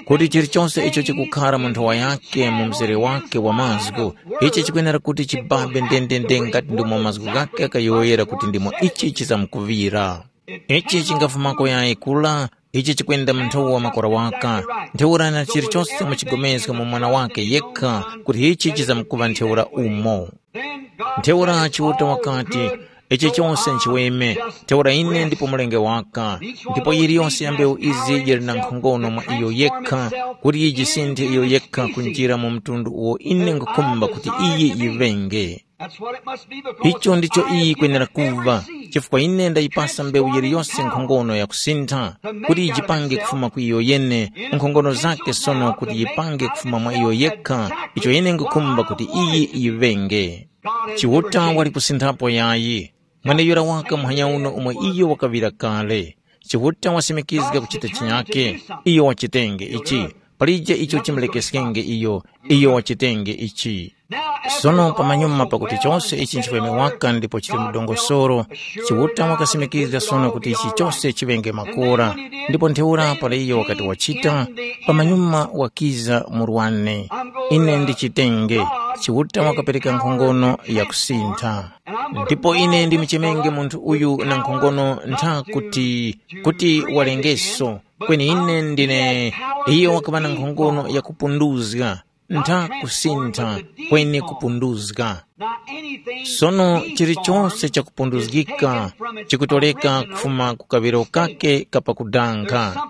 Kuti chilichonse icho chikukhara mu nthowa yake mu mzere wake wa mazgu, ichi chikwenera kuti chibabe ndendende ngati ndimo mazgu ghake ghayowoyera kuti ndimo ichi chizamkuŵira. Ichi chingafumako yayi kula, ichi chikwenda mu nthowa wa makora waka, ntheura na chilichonse muchigomezge mu mwana wake yekha kuti ichi chizamkuŵa ntheura umo. Ntheura Chiuta wakati, ichi chose nchiweme, ntheura ine ndipo mulenge waka, ndipo yiliyose ya mbewu izi yili na nkhongono mwa iyo yekha, kuti yijisinthe iyo yekha kunjira mu mtundu uwo ine nkhukhumba kuti iyi yiŵenge. Icho ndicho iyi yikwenera kuŵa, chifukwa ine ndayipasa mbewu yiliyose nkhongono yakusintha, kuti yijipange kufuma ku iyo yene, nkhongono zake sono kuti yipange kufuma mwa iyo yekha, icho ine nkhukhumba kuti iyi yiŵenge. Chiuta wali kusinthapo yayi. Mweneyura waka muhanya uno umo iyo wakaŵira kale. Chiuta wasimikizga kuchita chinyake, iyo wachitenge ichi. Palije icho chimulekeskenge iyo, iyo wachitenge ichi. Sono pamanyuma pakuti chose ichi nchifweme waka ndipo chili mu dongosolo, Chiuta wakasimikizga sono kuti ichi chose chiŵenge makora. Ndipo ntheura para iyo wakati wachita, pamanyuma wakiza murwane. Ine ndichitenge, Chiuta wakapereka nkhongono yakusintha. Ndipo ine ndimuchemenge munthu uyu na nkhongono ntha kuti, kuti walengeso, kweni ine ndine, iyo wakaŵa na nkhongono yakupunduzga, ntha kusintha, kweni kupunduzga. Sono chilichonse chakupunduzgika chikutoleka kufuma ku kaŵiro kake kapakudanga.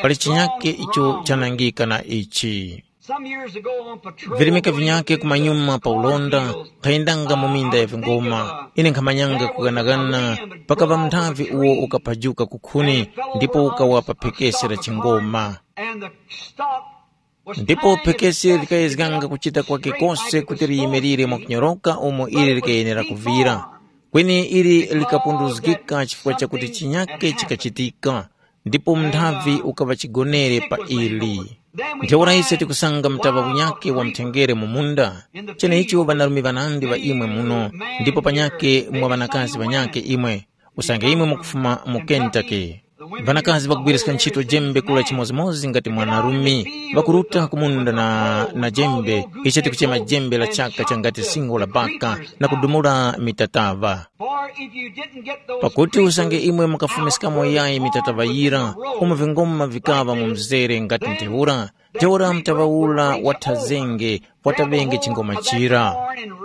Pali chinyake icho chanangika na ichi. Virimika vinyake kumanyuma pa ulonda, nkhayendanga mu minda ya vingoma. Ine nkhamanyanga kughanaghana, pakaŵa munthavi uwo ukaphajuka kukhuni ndipo ukawa pa phekesi la chingoma. Ndipo phekesi likayezganga kuchita kwake kose kuti liyimirire mwakunyoroka umo ili likayenera kuvira. Kweni ili likapunduzgika chifukwa chakuti chinyake chikachitika, ndipo munthavi ukaŵa chigonere pa ili. Ntheura ise tikusanga mtaŵa unyakhe wa mthengere mu munda. Cheneicho ŵanarume ŵanandi ŵa imwe muno, ndipo panyakhe mwa ŵanakazi ŵanyakhe imwe, usange imwe mukufuma mu Kentucky. Ŵanakazi ŵakugwiriska ntchito jembe kula chimodzimodzi ngati mwanarume, ŵakuruta ku munda na, na jembe, icho tikuchema jembe la chaka changati singo la baka na kudumula mitataŵa. Pakuti usange imwe mukafumiskamo yayi mitataŵa yira, umo vingoma vikaŵa mu mzere ngati ntheura, ntheura mtaŵa ura wathazenge, wataŵenge chingoma chira,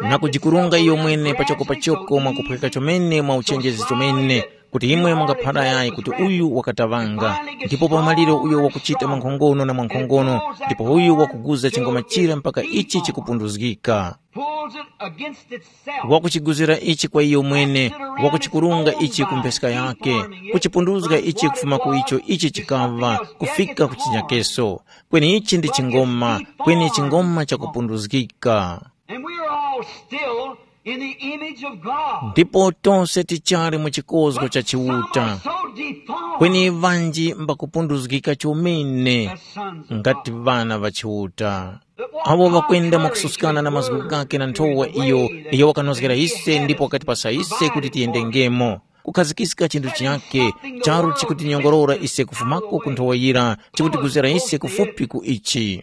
na kujikurunga iyo mwene pachoko pachoko mwakuphweka chomene mwa uchenjezi chomene, kuti imwe mungaphara yayi kuti uyu wakataŵanga, ndipo pamaliro uyo wakuchita mwankhongono na mwankhongono, ndipo uyu wakuguza chingoma chira mpaka ichi chikupunduzgika. Pulls it against itself. Wakuchiguzira ichi kwa iyo mwene, wakuchikurunga ichi ku mpheska yake, kuchipunduzga ichi kufuma ku icho ichi chikava, kufika ku chinyakeso. Kweni ichi ndi chingoma, kweni chingoma chakupunduzgika. And we are all still in the image of God. Ndipo tonse tichali mu chikozgo cha Chiuta. So deformed. Kweni vanji mbakupunduzgika chomene as sons of ngati God. Vana va Chiuta. Abo ŵakwenda mwakususkana na mazgu ghake na nthowa iyo, iyo wakanozgera ise ndipo wakatipasa ise kuti tiyendengemo. Kukhazikiska chinthu chinyakhe, charu chikutinyongorora ise kufumako ku nthowa yira, chikutiguzira ise kufupi ku ichi.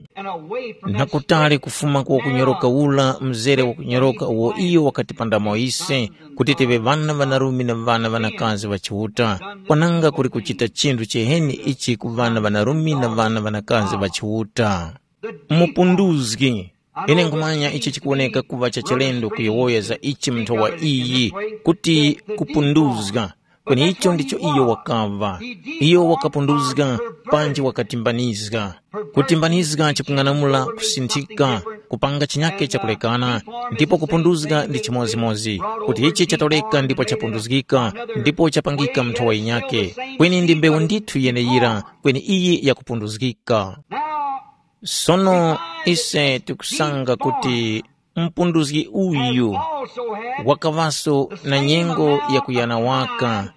Na kutali kufuma ku wakunyoroka ula, mzere wakunyoroka uwo iyo wakatipandamo ise, kuti tive ŵana ŵanarume na ŵana ŵanakazi ŵa Chiuta, kwananga kuli kuchita chinthu chiheni ichi ku ŵana ŵanarume na ŵana ŵanakazi ŵa Chiuta. Mupunduzgi. Ine nkhumanya ichi chikuwoneka kuŵa cha chilendo kuyowoya za ichi mu nthowa iyi, kuti kupunduzga. Kweni icho ndicho iyo wakaŵa. Iyo wakapunduzga panji wakatimbanizga. Kutimbanizga chikung'anamula kusinthika, kupanga chinyake chakulekana, ndipo kupunduzga ndi chimodzimodzi, kuti ichi chatoleka ndipo chapunduzgika, ndipo chapangika munthu wa yinyake. Kweni ndi mbewu ndithu yeneyira, kweni iyi yakupunduzgika. Sono ise tikusanga kuti mpunduzgi uyu wakaŵaso na nyengo yakuyana waka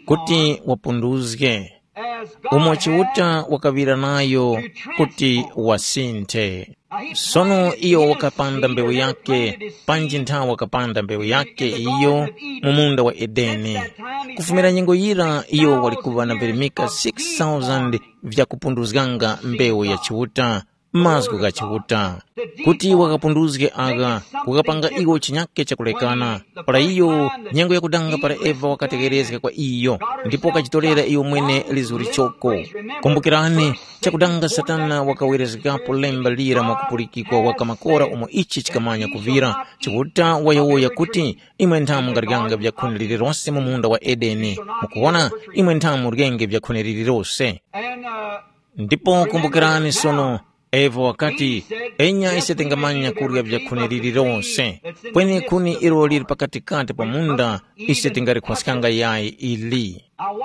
kuti wapunduzge, umo Chiuta wakaŵira nayo kuti wasinthe. Sono iyo wakapanda mbewu yake, panji nthawe wakapanda mbewu yake iyo mu munda wa Edeni. Kufumira nyengo yira iyo wali kuŵa na virimika six thousand vyakupunduzganga mbewu ya Chiuta, mazgu gha Chiuta, kuti wakapunduzge agha, kukapanga iwo chinyake chakulekana. Para iyo, nyengo yakudanga para Eva wakategherezga kwa iyo, ndipo wakajitorera iyo mwene lizuri choko. Kumbukirani, chakudanga Satana wakawerezgapo lemba lira mwakupulikikwa waka makora umo ichi chikamanya kuvira, Chiuta wayowoya kuti, imwe nthamu mungaryanga vyakhuni lilirose mu munda wa Edeni. Mukuwona, imwe nthamu muryenge vyakhuni lilirose. Ndipo kumbukirani sono, Eva wakati, enya ise tingamanya kurya vyakhuni lilirose, kweni khuni ilo lili pakatikati pa munda, ise tingalikhwaskanga yayi ili.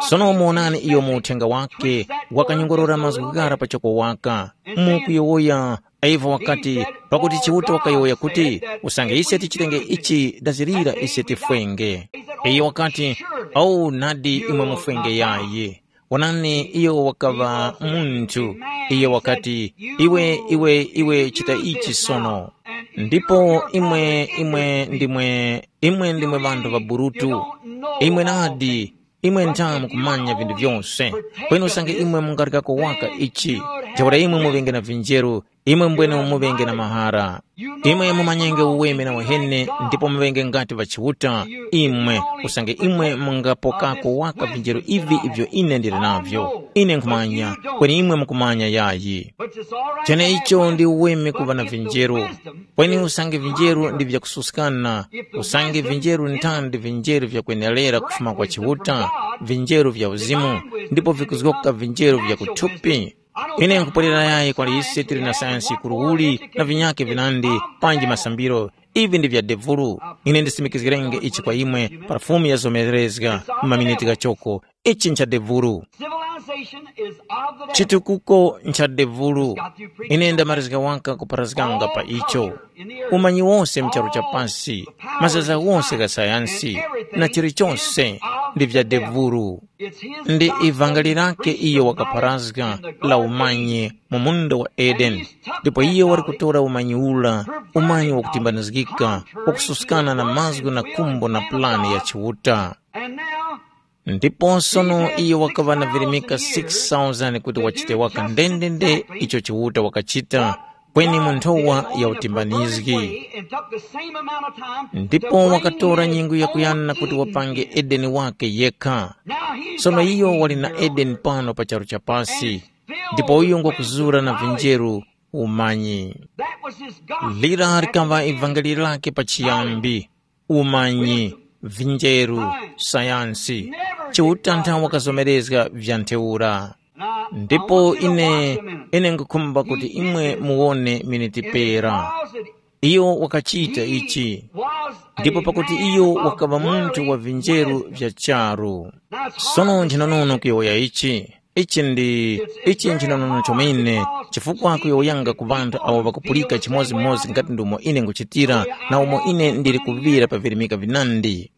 Sono muwonani iyo mu uthenga wake, wakanyongorora mazgu ghara pachoko waka. Mukuyowoya, Eva wakati, pakuti Chiuta wakayowoya kuti, usange ise tichitenge ichi dazirira ise tifwenge. Iyo wakati, au nadi imwe mufwenge yayi. Wonani, iyo wakaŵa munthu. Iyo wakati, iwe, iwe, iwe chita ichi sono. Ndipo imwe, imwe ndimwe, imwe ndimwe ŵanthu ŵaburutu. Imwe nadi, imwe ntha mukumanya vinthu vyose. Kweni usange imwe mungalikako waka ichi, ntheura imwe muŵenge na vinjeru, imwe mbwene muŵenge na mahara. Imwe mumanyenge uweme na uheni ndipo muŵenge ngati ŵa Chiuta, imwe, usange imwe mungapokako waka vinjeru ivi ivyo ine ndili navyo. Ine nkhumanya, kweni imwe mukumanya yayi. Cheneicho ndi uweme kuŵa na vinjeru. Kweni usange vinjeru ndi vyakususkana, usange vinjeru ntandi vinjeru vyakwenerera kufuma kwa Chiuta, vinjeru vya uzimu, ndipo vikuzgoka vinjeru vya kuthupi. Ine nkupwerera yayi kwali ise tili na sayansi yikuru uli na vinyake vinandi, panji masambiro, ivi ndi vya devulu. Ine ndisimikizgirenge ichi kwa imwe pa fumu ya zomerezga mu maminiti ghachoko. Ichi ncha devulu. Civilization is of the devil. Chitukuko ncha devulu. Ine ndamarizga waka kupharazganga pa icho. Umanyi wonse mcharu cha pasi, mazaza wonse gha sayansi, na chilichonse ndi vya devulu. Ndi ivangeli lake iyo wakapharazga la umanyi mu munda wa Edeni. Ndipo iyo wali kutora umanyi ula, umanyi wakutimbanizgika, wakususkana na mazgu na kumbo na pulani ya Chiuta. Ndipo sono iyo wakaŵa na virimika six thousand kuti wachite waka ndendende icho Chiuta wakachita, kweni mu nthowa ya utimbanizgi. Ndipo wakatora nyengo yakuyana kuti wapange Edeni wake yekha. Sono iyo wali na Edeni pano pa charu cha pasi, ndipo iyo ngwakuzura na vinjeru umanyi. Lira likaŵa ivangeli lake pachiyambi, umanyi, vinjeru, sayansi, Chiuta nthawe wakazomerezga vya ntheura. Ndipo ine, ine nkukhumba kuti imwe muwone miniti pera. Iyo wakachita ichi, ndipo pakuti iyo wakaŵa munthu wa vinjeru vya charu. Sono nchinonono kuyowoya ichi. Ichi ndi, ichi nchinonono chomene, chifukwa kuyowoyanga ku ŵanthu awo ŵakupulika chimodzimodzi ngati ndumo ine nguchitira, na umo ine ndili kuŵira pa virimika vinandi.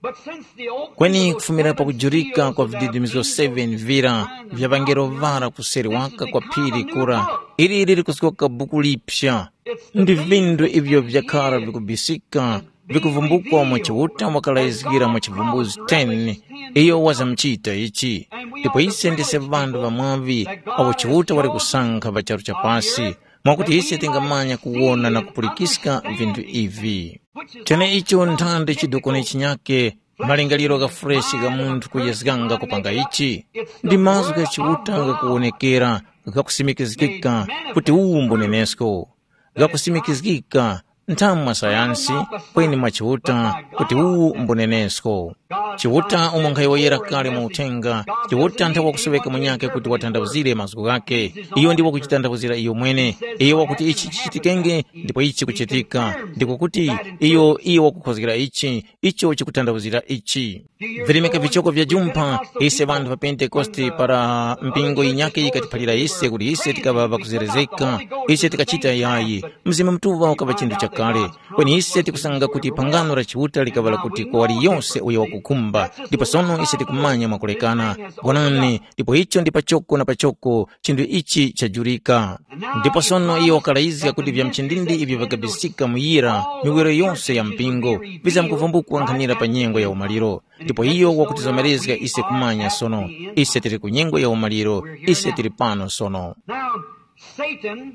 Kweni kufumira pakujurika kwa vididimizgo seven vira vya ŵangelo ŵara kuseri waka kwa phiri kura, ili liri kusoka buku liphya. Ndi vindu ivyo vyakhara vikubisika, vikuvumbukwa mwa Chiuta wakalayizgira mwa chivumbuzi ten, iyo wazamuchita ichi. Ndipo ise ndise ŵanthu ŵamwaŵi awo Chiuta wali kusankha pa charu cha pasi, mwakuti ise tingamanya kuwona na kupulikiska vinthu ivi. Cheneicho nthandi chidukoni chinyake, malingaliro gha freshi gha munthu kuyezganga kupanga ichi, ndi mazgu gha Chiuta ghakuwonekera, ghakusimikizgika kuti uwu mbunenesko, ghakusimikizgika nthamu mwa sayansi, kweni mwa Chiuta, kuti uwu mbunenesko. Chiuta umo nkhayowoyera kale mu uthenga, Chiuta nthakuwa kusuŵeka munyakhe kuti watanthauzire mazgu ghakhe. Iyo ndi wakuchitanthauzira iyo mwene. Iyo wakuti ichi chichitikenge, ndipo ichi chikuchitika. Ndiko kuti iyo, iyo wakukhozgera ichi, icho chikutanthauzira ichi. Virimika vichoko vya jumpha, ise ŵanthu pa Pentekoste para mpingo yinyakhe yikatiphalira ise kuti ise tikaŵa ŵakuzerezeka, ise tikachita yayi. Mzimu Mutuŵa ukava chinthu chakale. Kweni ise tikusanga kuti phangano la Chiuta likaŵa lakuti kwa waliyose uyo wakukhumba, ndipo sono ise tikumanya mwakulekana. Wonani, ndipo icho ndi pachoko na pachoko chinthu ichi chajurika. Ndipo sono iyo wakalayizga kuti vya mchindindi ivyo vikabisika muyira miwiro yose ya mpingo vizamkuvumbukwa nkhanira pa nyengo ya umaliro. Ndipo iyo wakutizomerezga ise kumanya sono, ise tili ku nyengo ya umaliro, ise tili pano sono. Now, Satan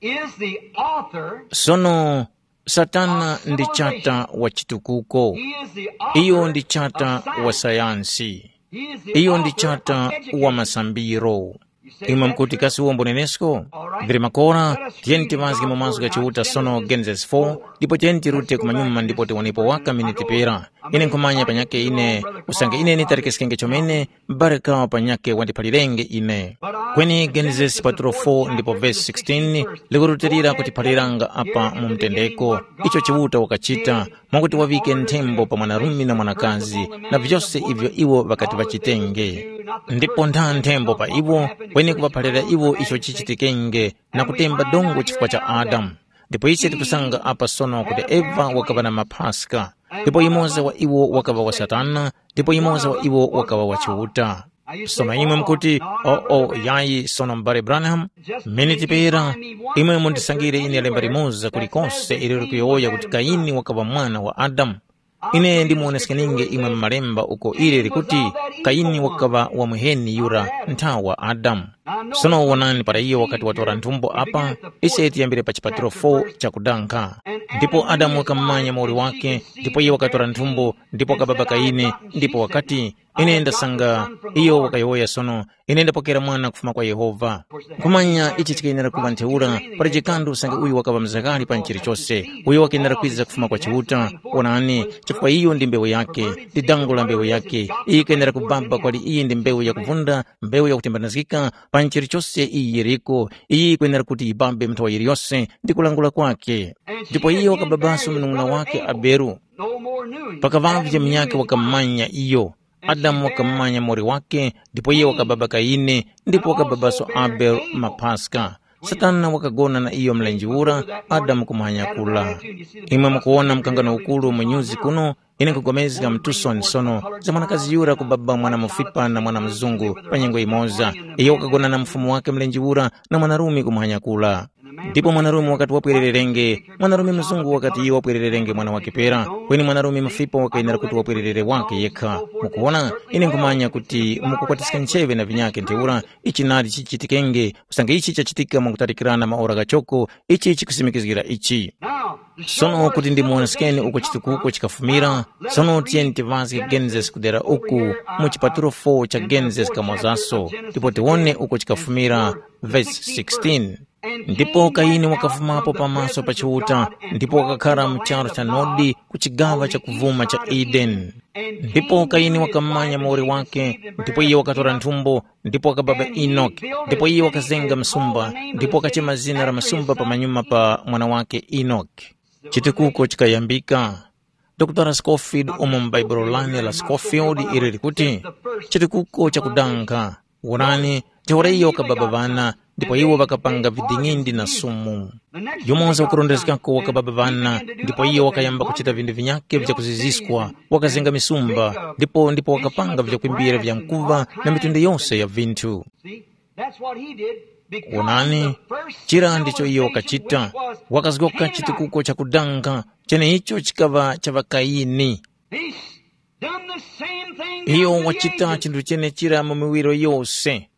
is the author Sono, Satana ndi chata wa chitukuko. He is the author Iyo ndi chata of science. Wa sayansi. He is the Iyo ndi author chata of education. Wa masambiro. Imwe mukuti kasi uwo mbonenesko? Vili makora, tiyeni tiŵazge mu mazgu gha Chiuta sono Genesis four, ndipo tiyeni tirute kumanyuma ndipo tiwonepo waka miniti pera. Ine nkhumanya panyakhe ine, usange ine nitarekeskenge chomene, m'bale kawo panyakhe wandiphalirenge ine. Kweni Genesis paturo four ndipo vesi sixteen likurutilira kutiphaliranga apa mu mtendeko, icho Chiuta wakachita, mwakuti waŵike nthembo pa mwanarume na mwanakazi, na vyose ivyo iwo ŵakati ŵachitenge. Ndipo ntha nthembo pa iwo, kweni kuŵaphalira iwo icho chichitikenge, na kutemba dongo chifukwa cha Adamu. Ndipo ise tikusanga apa sono kuti Eva wakaŵa na maphaska, ndipo yumoza wa iwo wakaŵa wa Satana, ndipo yumoza wa iwo wakaŵa wa Chiuta. Sono imwe mukuti, “Oo, yayi, sono m'bale Branham, miniti pera, imwe mundisangire ine lemba limoza kulikose ilo likuyowoya kuti Kayini wakaŵa mwana wa Adamu.” Ine ndimuwoneskeninge imwe mu malemba uko ili likuti Kayini wakaŵa wa muheni yura nthawa wa Adamu. Sono wonani para iyo wakati watora nthumbo apa, ise tiyambire pa chipatiro four chakudankha. Ndipo Adamu wakamumanya muwoli wake, ndipo iye wakatora nthumbo, ndipo wakababa Kayini, ndipo wakati, ine ndasanga, iyo wakayowoya sono, ine ndapokera mwana kufuma kwa Yehova. Nkhumanya ichi chikayenera kuŵa ntheura, pali chikandu usange uyu wakaŵa mzakali pa chilichose, uyo wakenera kwiza kufuma kwa Chiuta. Wonani, chifukwa iyo ndi mbewu yake, ndi dango la mbewu yake. Iyo ikayenera kubaba kwali iyi ndi mbewu yakuvunda, mbewu yakutembanazgika, pa chilichose iyi yiriko, iyi ikwenera kuti yibabe nthawa yiliyose ndi kulangula kwake. Ndipo iyo wakababaso munung'una wake Aberu. Pakaŵavye munyakhe wakamanya iyo. Adamu wakamanya muwoli wake, ndipo iye wakababa Kayini, ndipo wakababaso Abele mapaska. Satana wakagona na iyo mlenje ura, Adamu kumanyakula. Imwe mukuwona mkangano ukuru mu nyuzi kuno, ine nkupulikana mu Tucson sono za mwanakazi yura kubaba mwana mufipa na mwana mzungu pa nyengo imoza. Iyo wakagona na mfumu wake mlenje ura na mwanarume kumanyakula. Ndipo mwanarume wakati wapwerererenge, mwanarume mzungu wakati iyo wapwerererenge mwana wake pera, kweni mwanarume mufipa wakayenera kuti wapwererere wake yekha. Mukuwona, ine nkhumanya kuti mukukwatiska ncheŵe na vinyakhe ntheura, ichi nadi chichitikenge, usange ichi chachitika mwakutalikirana maora ghachoko, ichi chikusimikizgira ichi. Sono kuti ndimuwonesekeni uko chitukuko chikafumira, sono tiyeni tiŵazge Genesis kudera uku mu chipatulo four cha Genesis kamozaso, ndipo tiwone uko chikafumira, vesi sixteen. Ndipo Kayini wakafumapo pamaso pa Chiuta, ndipo wakakhara mu charu cha Nodi ku chigaŵa chakuvuma cha Edeni. Ndipo Kayini wakamanya muwoli wake, ndipo iye wakatora nthumbo, ndipo wakababa Enoki, ndipo iye wakazenga msumba, ndipo wakachema zina la msumba pamanyuma pa mwana wake Enoki. Chitukuko chikayambika. Dokotala Scofield umo mu Baibulo lane la Scofield ili likuti, chitukuko chakudanga. Wonani, ntheura iyo wakababa ŵana, ndipo iwo ŵakapanga viding'indi na sumu. Yumoza wakurondezgako wakababa ŵana, ndipo iyo wakayamba kuchita vinthu vinyakhe vya kuziziskwa, wakazenga misumba, ndipo ndipo wakapanga vyakwimbira vya nkuŵa na mitundu yose ya vinthu. That's what he did. Wonani, chira ndicho iyo wakachita, wakazgoka chitukuko chakudanga, cheneicho chikaŵa cha ŵaKayini. He's done the same thing. Iyo wachita chinthu chenechira mu miwiro yose.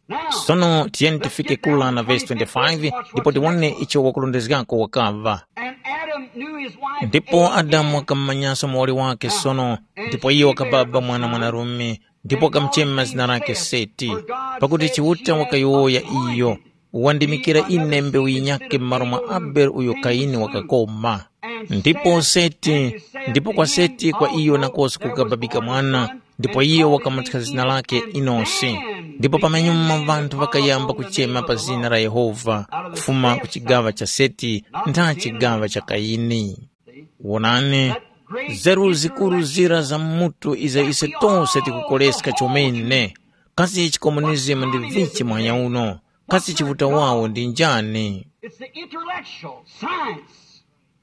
Sono tiyeni tifike kula na vesi twenty-five, ndipo tiwone icho wakulondezgako wakaŵa. And Adam knew his wife. Ndipo Adamu wakamumanyanso muwoli wake sono, ndipo iyo wakababa mwana mwanarume, ndipo wakamuchema zina lake Seti, pakuti Chiuta wakayowoya iyo. wandimikira ine mbewu yinyakhe m'malo mwa Abele uyo Kayini wakakoma. Ndipo Seti, ndipo kwa Seti kwa iyo nakoso kukababika mwana, ndipo iyo wakamuthya zina lakhe Enosi. Ndipo pamenyuma ŵanthu ŵakayamba kuchema pa zina la Yehova, kufuma ku chigaŵa cha Seti ntha chigaŵa cha Kayini. Wonani, zeru zikuru zira za mutu izo ise tose tikukoleska chomene. Kasi chikomunizimu ndi vichi muhanya uno? Kasi Chiuta wawo ndi njani? It's the intellectual, science.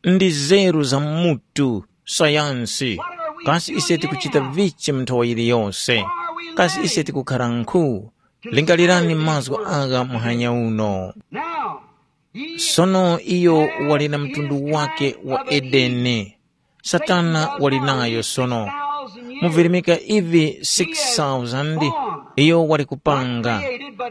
Ndi zeru za mutu, sayansi. Kasi ise tikuchita vichi mu nthawi yiliyose? Kasi ise tikukhara nkhu? Lingalirani mazgu agha muhanya uno. Now, he Sono iyo wali na mtundu wake wa Edeni. Satana wali nayo sono. Mu virimika ivi six thousand iyo wali kupanga,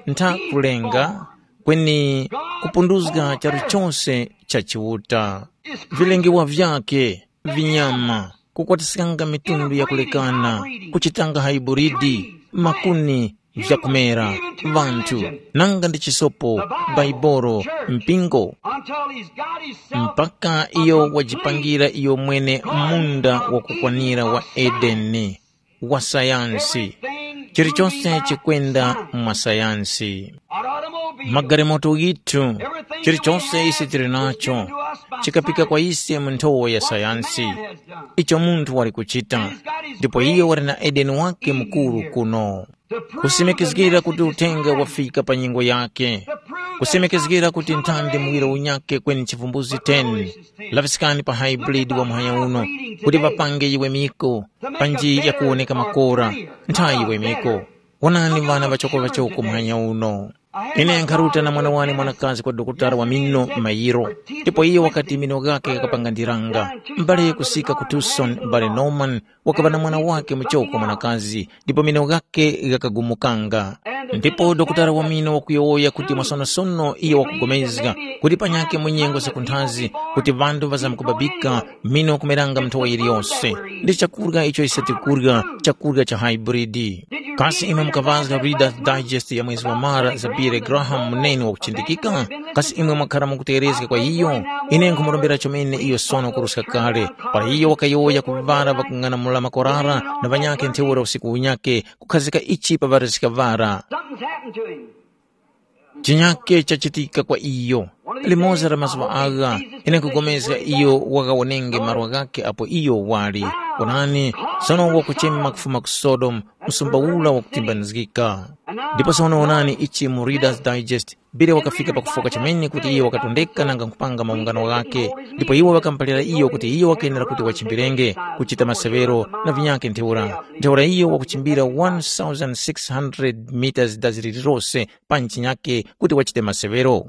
ntha kulenga, kweni kupunduzga charu chose cha Chiuta. Vilengewa vyake, vinyama, kukwatiskanga mitundu yakulekana, kuchitanga haiburidi, makuni, vyakumera, vanthu, nanga ndi chisopo, Baibolo, mpingo, until he's got himself mpaka iyo wajipangira iyo mwene munda wakukwanira wa Edeni, wa sayansi. Chilichonse chikwenda mwa sayansi. Magalimoto ghithu, chilichonse ise tili nacho, chikapika kwa ise mu nthowa ya sayansi. Icho munthu wali kuchita, ndipo iyo wali na Edeni wake mukuru kuno. Kusimikizgira kuti uthenga wafika pa nyengo yake. Kusimikizgira kuti nthandi muwiro unyake kweni chivumbuzi ten. Laŵiskani pa hybrid wa muhanya uno, kuti ŵapange yiwemiko, panji yakuwoneka makora, nthayi yiwemiko. Wonani ŵana ŵachoko-ŵachoko muhanya uno. Ine nkharuta na mwana wane mwanakazi kwa dokotala wa mino mayiro, ndipo iye wakati mino ghakhe ghakapanga ndiranga. Mbale kusika ku Tucson, mbale Norman wakaŵa na mwana wake muchoko mwanakazi, ndipo mino ghakhe ghakagumukanga. Ndipo dokotala wa mino wakuyowoya kuti mwasonosono iyo wakugomezga kuti panyake mu nyengo zakunthazi kuti ŵanthu ŵazamkubabika mino kumeranga nthowa yiliyose. Ndi chakurya icho ise tikurya, chakurya cha hybrid. Kasi imwe mukaŵazga Reader's Digest ya mwezi wa Mara za Billy Graham, muneni wakuchindikika? Kasi imwe mwakhara mukuteghezga kwa iyo? Ine nkhumurombera chomene iyo sono kuruska kale. Para iyo wakayowoya ku ŵara ŵakung'anamula makorara na ŵanyakhe ntheura usiku unyakhe, kukhazika ichi pa ŵarizika ŵara. Something's happened to him. Chinyakhe chachitika kwa iyo. Limodzi la mazuŵa agha, ine nkupulikana iyo wakawonenge malo ghakhe apo iyo wali. Onani, sono wakuchema kufuma ku Sodomu, msumba ura wakutimbanizgika. Ndipo sono wonani ichi mu Reader's Digest, Billy wakafika pakufoka chomene kuti iyo wakatondeka nanga nkupanga maungano ghakhe. Ndipo iwo ŵakamuphalira iyo kuti iyo wakenera kuti wachimbirenge, kuchita maseŵero na vinyakhe ntheura. Ntheura iyo wakuchimbira one thousand six hundred meters dazi lililose pa ntchinyake kuti wachite maseŵero.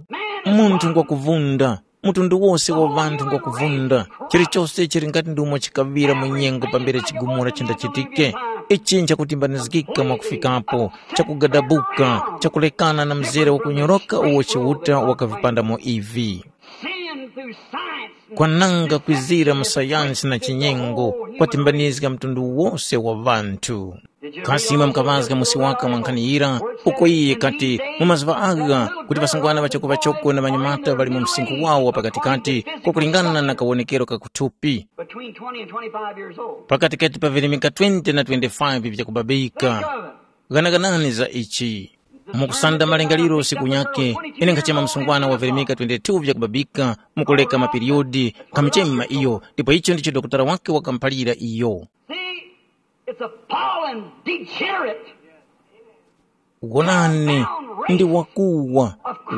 Munthu ngwakuvunda, mtundu wose wa ŵanthu ngwakuvunda, chilichose chili ngati ndumo chikaŵira mu nyengo pambere chigumula chindachitike. Ichi nchakutimbanizgika mwakufikapo, chakugadabuka, chakulekana na mzere wakunyoroka uwo Chiuta wakavipandamo ivi. Sin through science and kwananga kwizira mu sayansi na chinyengo kwatimbanizga mtundu wose wa ŵanthu. Kasi imwe mukaŵazga musi waka mwa nkhani yira, uko iye kati, mu mazuŵa agha kuti ŵasungwana ŵachoko-ŵachoko na ŵanyamata ŵali mu msinkhu wawo wa pakatikati, kwakulingana na kawonekero ka kuthupi, between twenty and twenty-five years old. Pakatikati pa virimika twenty na twenty-five vyakubabika. Ghanaganani za ichi. Mukusanda malingaliro usiku unyake, ine nkhachema msungwana wa virimika twenty-two vyakubabika, mukuleka mapiriyodi, nkhamuchema iyo, ndipo icho ndicho dokotala wake wakamuphalira iyo. See, it's a fallen, degenerate. Wonani, ndi wakuwa,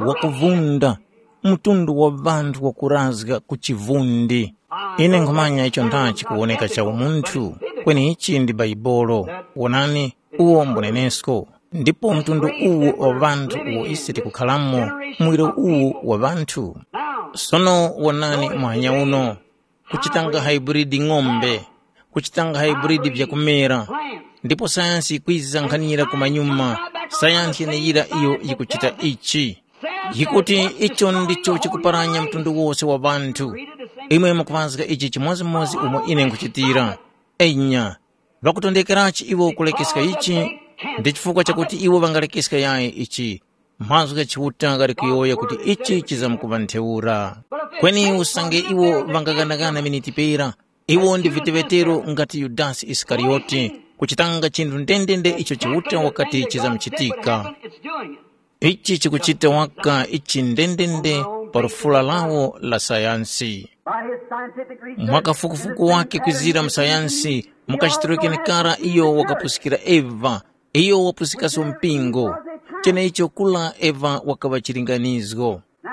wakuvunda, mtundu wa ŵanthu wakurazga ku chivundi. Ine nkhumanya icho ndachi kuwoneka cha umunthu, kweni ichi ndi Baibolo. Wonani, uwo mbunenesko. Ndipo mtundu uwu wa ŵanthu uwo ise tikukhalamo, muwiro uwu wa ŵanthu. Sono wonani muhanya uno, kuchitanga hybrid ng'ombe, kuchitanga hybrid vyakumera. Ndipo sayansi yikwiza nkhanira kumanyuma, sayansi yeneyira iyo yikuchita ichi. Yikuti icho ndicho chikuparanya mtundu wose wa ŵanthu. Imwe mukuŵazga ichi chimodzimodzi umo ine nkhuchitira. Enya, ŵakutondekerachi iwo kulekeska ichi? Ndi chifukwa chakuti iwo ŵangalekeska yayi ichi. Mazgu gha Chiuta ghali kuyowoya kuti ichi chizamkuŵa ntheura. Kweni usange iwo ŵangakanakana miniti pera, iwo ndi viteŵetero ngati Yudasi Isikariyoti, kuchitanga chinthu ndendende icho Chiuta wakati chizamuchitika. Ichi chikuchita waka ichi ndendende pa lufula lawo la sayansi. By his scientific research, mwa kafukufuku wake kwizira mu sayansi, mukachitiro kenekara iyo wakapusikira Eva, iyo wapusikanso mpingo. Cheneicho kula Eva wakaŵa chilinganizgo. Now,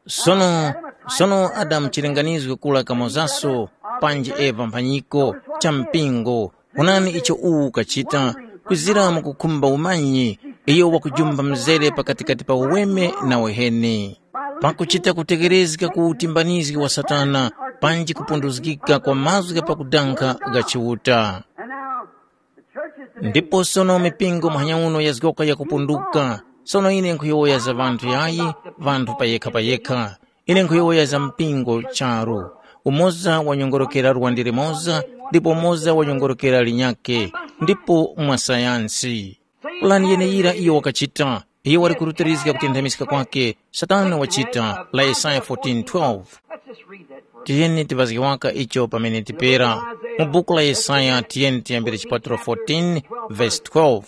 sono sono Adamu chilinganizgo kula kamozaso, panji Eva mphanyiko cha mpingo. Onani icho uwu ukachita, kwizira mukukhumba umanyi, iyo wakujumba mzere pakatikati pa uweme na uheni. Pakuchita kutekerezga ku utimbanizgi wa Satana, panji kupunduzgika kwa mazgu gha pakudankha gha Chiuta. Ndipo sono mipingo muhanya uno yazgoka yakupunduka. Sono ine nkhuyowoya za ŵanthu yayi, ŵanthu payekha payekha. Ine nkhuyowoya za mpingo charu. Umoza wanyongorokera lwande limoza, ndipo umoza wanyongorokera linyakhe, ndipo mwa sayansi. Pulani yeneyira iyo wakachita, iyo wali kurutirizga kutenthamizga kwake, Satana wachita, la Yesaya fourteen twelve. Let's just read that for a Tiyeni tiŵazge waka icho pamene tipera. Mu buku la Yesaya tiyeni tiyambire chipatulo fourteen, verse twelve.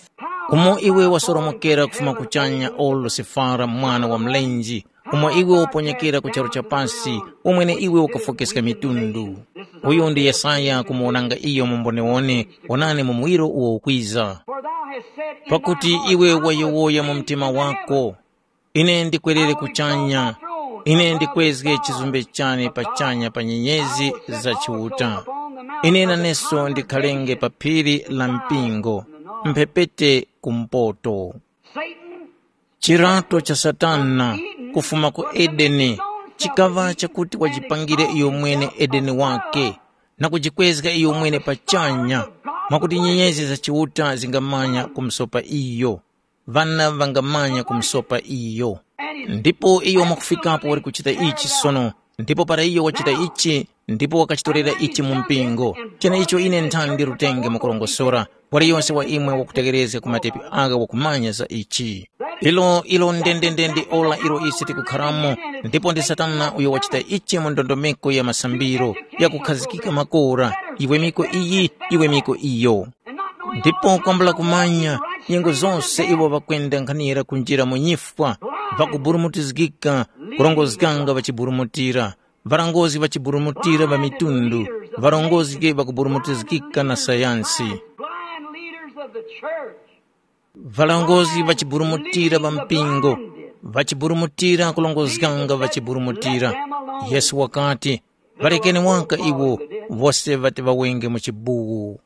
Umo iwe wasoromokera kufuma kuchanya, o Lusifara mwana wa mlenje, umo iwe waponyekera ku charu cha pasi, umwene iwe ukafokeska mitundu. Uyu ndi Yesaya kumuwonanga iyo mu mbonewone, wonani mu muwiro uwo ukwiza. For thou hast said in Pakuti thy heart, iwe I will wayowoya mu ascend mtima into the wako, heavens. Ine ndikwerere kuchanya, ine ndikwezge chizumbe chane pachanya pa nyenyezi za Chiuta. Ine naneso ndikhalenge pa phiri la mpingo, mphepete kumpoto. Satan, chirato cha Satana, kufuma ku Edeni, chikaŵa chakuti wajipangire iyo mwene Edeni wake, na kujikwezga iyo mwene pachanya, mwakuti nyenyezi za Chiuta zingamanya kumusopa iyo. Ŵana ŵangamanya kumusopa iyo. Ndipo iyo mwakufikapo wali kuchita ichi sono, ndipo para iyo wachita ichi, ndipo wakachitorera ichi mu mpingo, cheneicho ine nthani ndi lutenge mukurongosora, waliyonse wa imwe wakutegerezga ku matepi agha wakumanya za ichi. Ilo ilo ndendende ndi ora ilo ise tikukharamo, ndipo ndi Satana uyo wachita ichi mu ndondomeko ya masambiro, yakukhazikika makora, iwe miko iyi, iwe miko iyo. Ndipo kwambula kumanya, nyengo zose iwo ŵakwenda nkhanira kunjira mu nyifwa, ŵakuburumutizgika, kurongozganga ŵachiburumutira, ŵarongozgi ŵachiburumutira ŵa mitundu, ŵarongozgi ŵakuburumutizgika na sayansi. Blind leaders of the church. Ŵarongozgi ŵachiburumutira ŵa mpingo, ŵachiburumutira kurongozganga ŵachiburumutira. Yesu wakati, ŵalekeni waka iwo, wose ŵati ŵawenge mu chibuwu.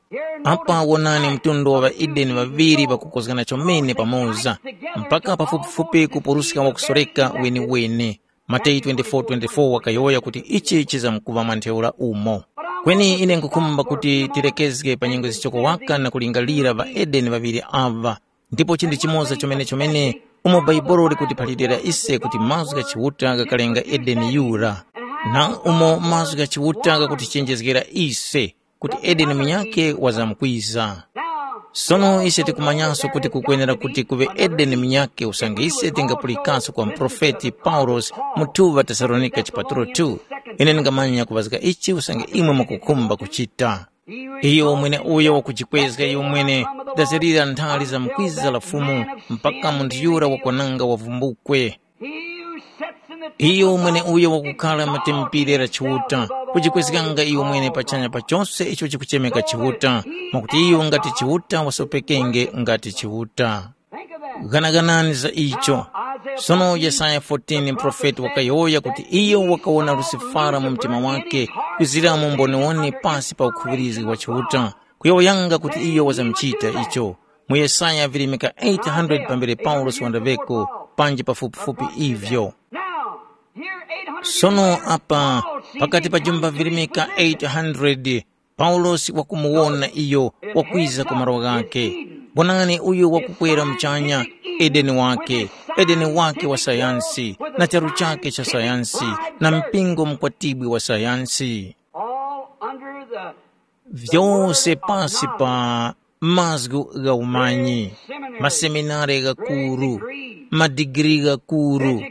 Apa wonani mtundu wa ŵaEdeni ŵaŵiri ŵakukozgana chomene pamoza, mpaka pafupifupi kupuruska wakusoreka wenewene. Mateyu twenty-four twenty-four wakayowoya kuti ichi chizamkuŵa mwa ntheura umo. Kweni ine nkhukhumba kuti tirekezge pa nyengo zichoko waka na kulingalira ŵaEdeni ŵaŵiri aŵa, ndipo chinthu chimoza chomene-chomene umo Bhaibuli likutiphalirira ise kuti mazgu gha Chiuta ghakalenga Edeni yura, na umo mazgu gha Chiuta ghakutichenjezgera ise kuti Edeni munyakhe wazamkwiza. Sono ise tikumanyanso kuti kukwenera kuti kuŵe Edeni munyakhe usange ise tingapulikanso kwa muprofeti Paulosi mu two Tesalonika chipatulo two. Ine ndingamanya kuŵazga ichi usange imwe mukukhumba kuchita. Iyo mwene uyo wakujikwezga iyo mwene, ndazirira nthali za mkwiza la Fumu, mpaka munthu yura wakwananga wavumbukwe. Iyo mwene uyo wakukhala mu tempere la Chiuta, kujikwezganga iyo mwene pachanya pa chose icho chikuchemeka Chiuta, mwakuti iyo ngati Chiuta wasopekenge ngati Chiuta. Ghanaganani za icho. Sono Yesaya fourteen muprofeti wakayowoya kuti iyo wakawona Lusifara mu mtima wake, kwizira mu mboniwoni pasi pa ukhuŵirizgi wa Chiuta, kuyowoyanga kuti iyo wazamuchita icho. Mu Yesaya virimika eight hundred pambere Paulosi wandaŵeko, panji pafupifupi ivyo. Sono apa, pakati pa jumba virimika eight hundred, Paulosi wakumuwona iyo wakwiza ku malo ghakhe. Wonani uyo wakukwera muchanya, Edeni wake, Edeni wake wa sayansi, na charu chake cha sayansi, na mpingo mukwatibwi wa sayansi. All under the Vyose pasi pa mazgu gha umanyi, maseminare ghakuru, madigiri ghakuru,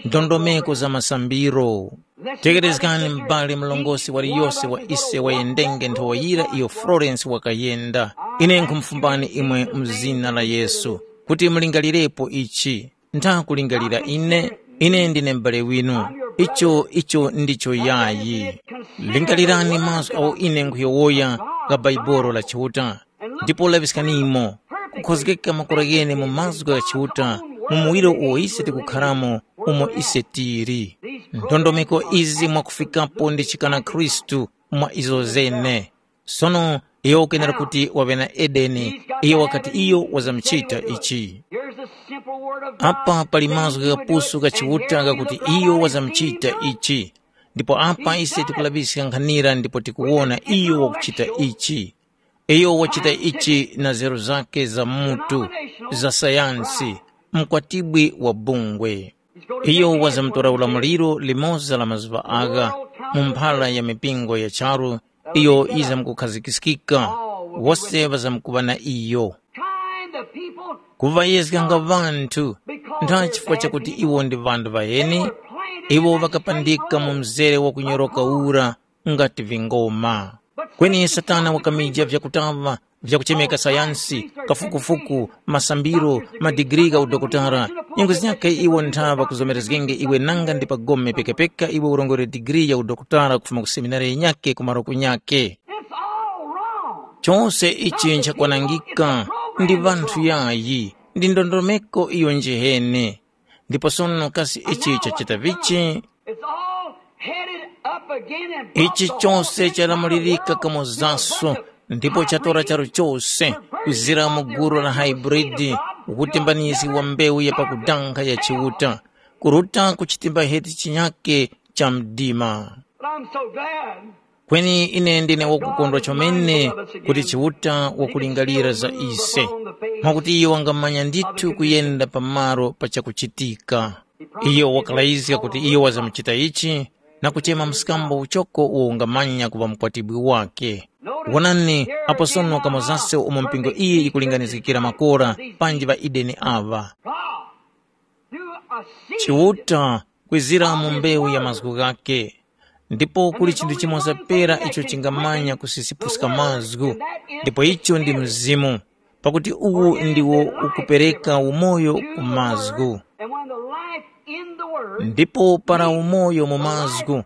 ndondomeko za masambiro. Tekerezgani m'bale mlongosi waliyose wa ise wayendenge nthowa yira iyo Florence wakayenda. Ine nkhumufumbani imwe mu zina la Yesu kuti mulingalirepo ichi. Ntha kulingalira ine, ine ndine m'bale winu. Icho icho ndicho yayi. Lingalirani mazgu agho ine nkhuyowoya gha Baibolo la Chiuta, ndipo laŵiskanimo kukhozgeka makora ghene mu mazgu gha Chiuta mu muwiro uwo ise tikukharamo, umo ise tili. Ndondomeko izi mwakufikapo ndi chikana Khristu mwa izo zene. Sono iyo ukenera kuti waŵe na Edeni, iyo wakati iyo wazamuchita ichi. Here's a simple word of God. Apa pali mazgu ghapusu gha Chiuta ghakuti iyo wazamuchita ichi. Ndipo apa ise tikulaŵiska nkhanira ndipo tikuwona iyo wakuchita ichi. Iyo wachita ichi na nzeru zakhe za mutu, za sayansi, mkwatibwi wa bungwe. Iyo wazamutora ulamuliro limoza la mazuŵa agha mu mphara ya mipingo ya charu iyo yizamkukhazikiskika, wose ŵazamkuŵa na iyo. Kind of people. Kuŵayezganga ŵanthu ntha chifukwa chakuti iwo ndi ŵanthu ŵaheni, iwo ŵakapandika mu mzere wa kunyoroka ura ngati vingoma. Kweni Satana wakamija vyakutaŵa vyakuchemeka sayansi, kafukufuku, masambiro, madigiri gha udokotala. Nyengo zinyakhe iwo ntha ŵakuzomerezgenge iwe nanga ndi pagome pekapeka iwe urongore digiri ya udokotala kufuma ku seminari yinyakhe ku maroku nyakhe. It's all wrong. Chose ichi nchakwanangika, ndi vanthu yayi, ndi ndondomeko iyo njihene. Ndipo sono kasi ichi chachita vichi? It's all headed up again and ichi chose chalamulirika kamozaso, ndipo chatora charu chose kuzira mu gulu la hybrid, ukutimbanizgi wa mbewu ya pakudanga ya Chiuta, kuruta ku chitimba heti chinyake cha mdima. But I'm so glad. Kweni ine ndine wakukondwa chomene kuti Chiuta wakulingalira za ise, mwakuti iyo wangamanya ndithu kuyenda pamalo pa chakuchitika. Iyo wakalayizga kuti iyo wazamuchita ichi, na kuchema mskambo uchoko uwo ungamanya kuŵa mukwatibwi wake. Wonani, apo sono kamozase umo mpingo iyi yikulinganizgikira makora panji ŵa Edeni aŵa. Chiuta kwizira mu mbewu ya mazgu ghakhe, ndipo kuli chinthu chimoza pera icho chingamanya kusisipuska mazgu, ndipo icho ndi Mzimu, pakuti uwu ndiwo ukupereka umoyo ku mazgu. And when the life in the word Ndipo para umoyo mu mazgu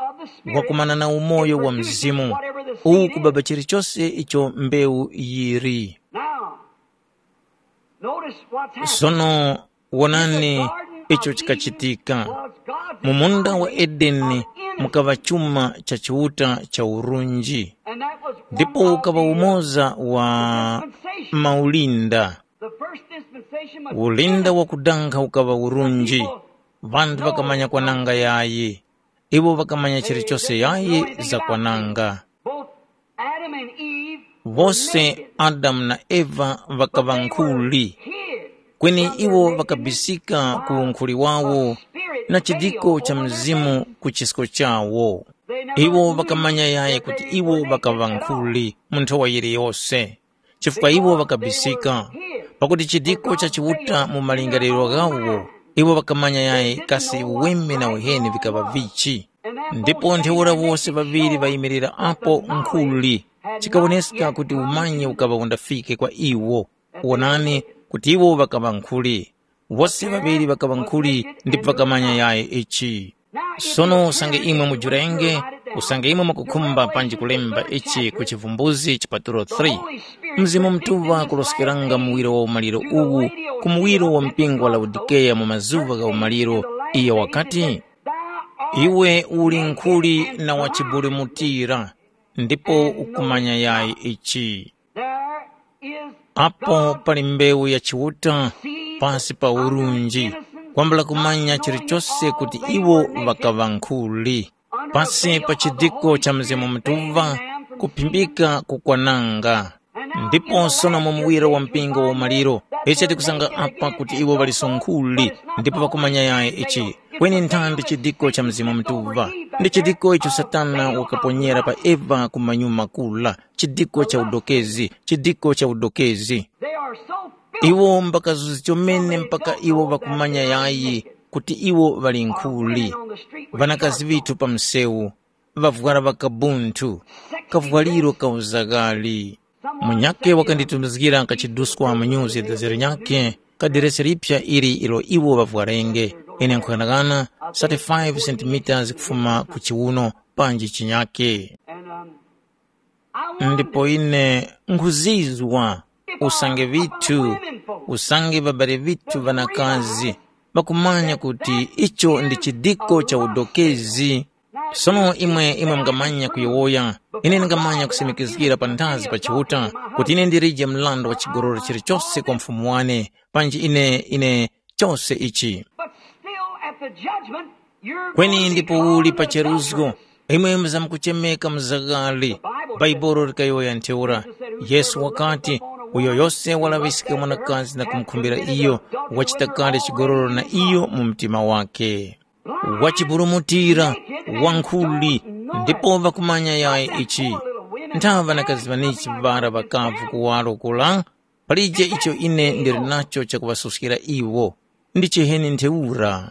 wakumana na umoyo wa Mzimu, uwu kubaba chilichose icho mbewu yiri. Now, notice what's happened. Sono wonani icho chikachitika. Mu munda wa Edeni mukaŵa chuma cha Chiuta cha urunji, ndipo ukaŵa umoza wa maulinda. Ulinda wakudanga ukaŵa urunji. Ŵanthu ŵakamanya kwananga yayi. Iwo ŵakamanya chilichose yayi za kwananga. Both Adam and Eve Wose Adamu na Eva ŵakaŵa nkhuli, hid kweni iwo ŵakabisika ku unkhuli wawo na chidiko cha Mzimu ku chisko chawo. Iwo ŵakamanya yayi kuti iwo ŵakaŵa nkhuli mu nthowa yiliyose, chifukwa iwo ŵakabisika, pakuti chidiko cha Chiuta mu malingaliro ghawo, iwo ŵakamanya yayi kasi uweme na uheni vikaŵa vichi. Ndipo ntheura wose ŵaŵiri ŵayimirira apo nkhuli, chikawoneska kuti umanyi ukaŵa undafike kwa iwo. Wonani kuti iwo ŵakaŵa nkhuli. Wose ŵaŵiri ŵakaŵa nkhuli ndipo ŵakamanya yayi ichi. Sono usange imwe mujurenge, usange imwe mukukhumba panji kulemba ichi ku Chivumbuzi chipatulo three, Mzimu Mutuŵa wakuroskeranga muwiro wa umaliro uwu ku muwiro wa mpingo wa Laodikeya mu mazuŵa gha umaliro, iyo wakati, Iwe uli nkhuli na wachiburumutira, ndipo ukumanya yayi ichi. There is Apo pali mbewu ya Chiuta pasi pa urunji, kwambula kumanya chilichose kuti iwo ŵakaŵa nkhuli. Pasi pa chidiko cha Mzimu Mutuŵa, kuphimbika kukwananga. Ndipo sono mu muwiro wa mpingo wa umaliro, icho tikusanga apa kuti iwo ŵaliso nkhuli, ndipo ŵakumanya yayi ichi. Kweni nthambi chidiko cha Mzimu Mutuŵa. Ndi chidiko icho Satana wakaponyera pa Eva ku manyuma kula, chidiko cha udokezi, chidiko cha udokezi. They are so filled Iwo mbakazuzi chomene mpaka iwo ŵakumanya yayi kuti iwo ŵali nkhuli. Ŵanakazi ŵithu pa msewu, ŵavwara ŵakabunthu, kavwaliro ka uzaghali. Munyakhe wakanditumizgira kachiduskwa mu nyuzi ya dezero nyakhe, kadiresi liphya ili ilo iwo ŵavwarenge. Ine nkhughanaghana thirty-five centimeters kufuma ku chiwuno panji chinyakhe. And, um, I want Ndipo ine nkhuzizwa usange vithu, usange babale vithu vanakazi ŵakumanya kuti icho ndi chidiko cha udokezi. Sono imwe imwe mungamanya kuyowoya, ine ndingamanya kusimikizgira panthazi pa Chiuta kuti ine ndilije mlandu wa chigololo chilichose kwa mfumu wane, panji ine ine chose ichi. But still at the judgment, you're Kweni going to be ndipo called uli pa a cheruzgo, adulteress. Imwe muzamkuchemeka muzagari. Baibulo likayowoya ntheura. Yesu wakati, uyo yose walaŵiska mwanakazi na kumukhumbira iyo, wachita kale chigololo na iyo mu mtima wake. Wachipulumutira, wankhuli, ndipo ŵakumanya yayi ichi. Nthawa ŵanakazi ŵanichi ŵara ŵakavu kuwaro kula, palije icho ine ndili nacho chakuŵasuskira iwo. Ndi chiheni ntheura.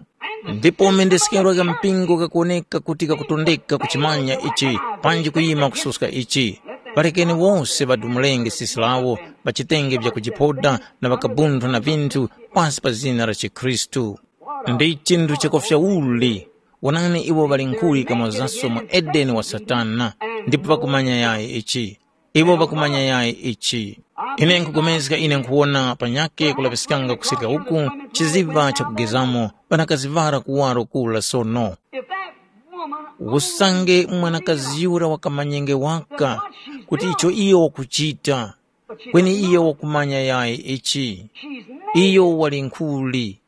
Ndipo mendeskero gha mpingo ghakuwoneka kuti ghakutondeka kuchimanya ichi, panji kuyima kususka ichi. Palekeni wose ŵadumulenge sisi lawo pa chitenge vya kujiphoda na ŵakabunthu na vinthu pasi pa zina la chikhristu. Ndi chinthu chakofya uli! Wonani iwo ŵali nkhuli kamozaso mu Edeni wa Satana, ndipo ŵakumanya yayi ichi. Iwo ŵakumanya yayi ichi. Ine nkhupulikana ine nkhuwona panyakhe kulaŵiskanga kusirika uku chiziŵa chakugezamo ŵanakazi ŵara kuwaro kula sono. If that woman Usange mwanakazi yura wakamanyenge waka kuti icho iyo wakuchita, kweni iyo wakumanya yayi ichi. She's naked. Iyo wali nkhuli,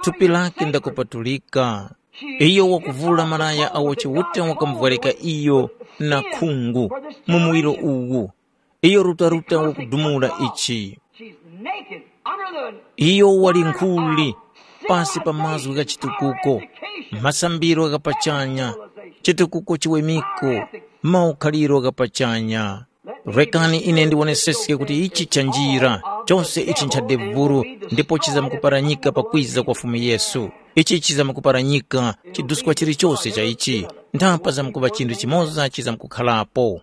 thupi lake ndakupatulika. Iyo wakuvula malaya awo Chiuta wakamuvwarika iyo na khungu mu muwiro uwu. Iyo rutaruta wakudumula ichi. Iyo wali nkhuli pasi pa mazgu gha chitukuko, masambiro gha pachanya, chitukuko chiwemiko, maukhaliro gha pachanya. Rekani ine ndiwoneseske kuti ichi chanjira, chose ichi ncha devuru, ndipo chizamkuparanyika pakwiza kwa Fumu Yesu. Ichi chizamkuparanyika, chiduskwa chilichose cha ichi, nthapa zamkuŵa chinthu chimoza chizamkukhalapo.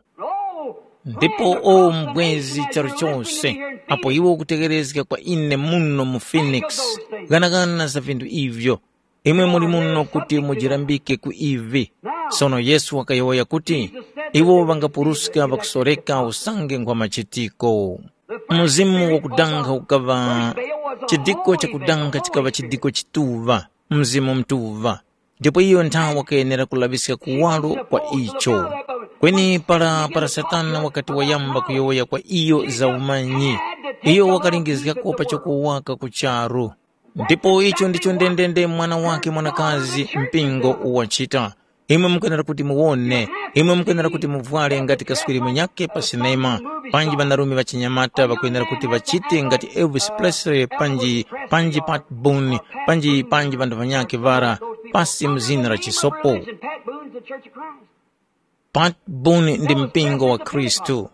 Ndipo o mbwezi charu chose, apo iwe ukutegherezga kwa ine muno mu Phoenix, ghanaghana za vinthu ivyo, imwe muli muno kuti mujirambike ku ivi. Sono Yesu wakayowoya kuti, iwo ŵangapuruska ŵakusoreka usange ngwa machitiko. Mzimu wakudankha ukaŵa chidiko chakudankha chikaŵa chidiko chituŵa, Mzimu Mutuŵa. Ndipo iyo nthawe wakayenera kulaŵiska kuwaro kwa icho. Kweni para para Satana wakati wayamba kuyowoya kwa iyo za umanyi, iyo wakalingizgako pa chakowaka ku charu. Ndipo icho ndicho ndendende mwana wake mwanakazi mpingo uwachita. Imwe mukwenera kuti muwone, imwe mukwenera kuti muvwale ngati kaswiri munyakhe pa sinema, panji ŵanarume ŵachinyamata ŵakwenera kuti ŵachite ngati Elvis Presley panji panji Pat Boone panji panji ŵanthu ŵanyakhe ŵara pasi mu zina la chisopo. Pat Boone ndi mpingo wa Khristu.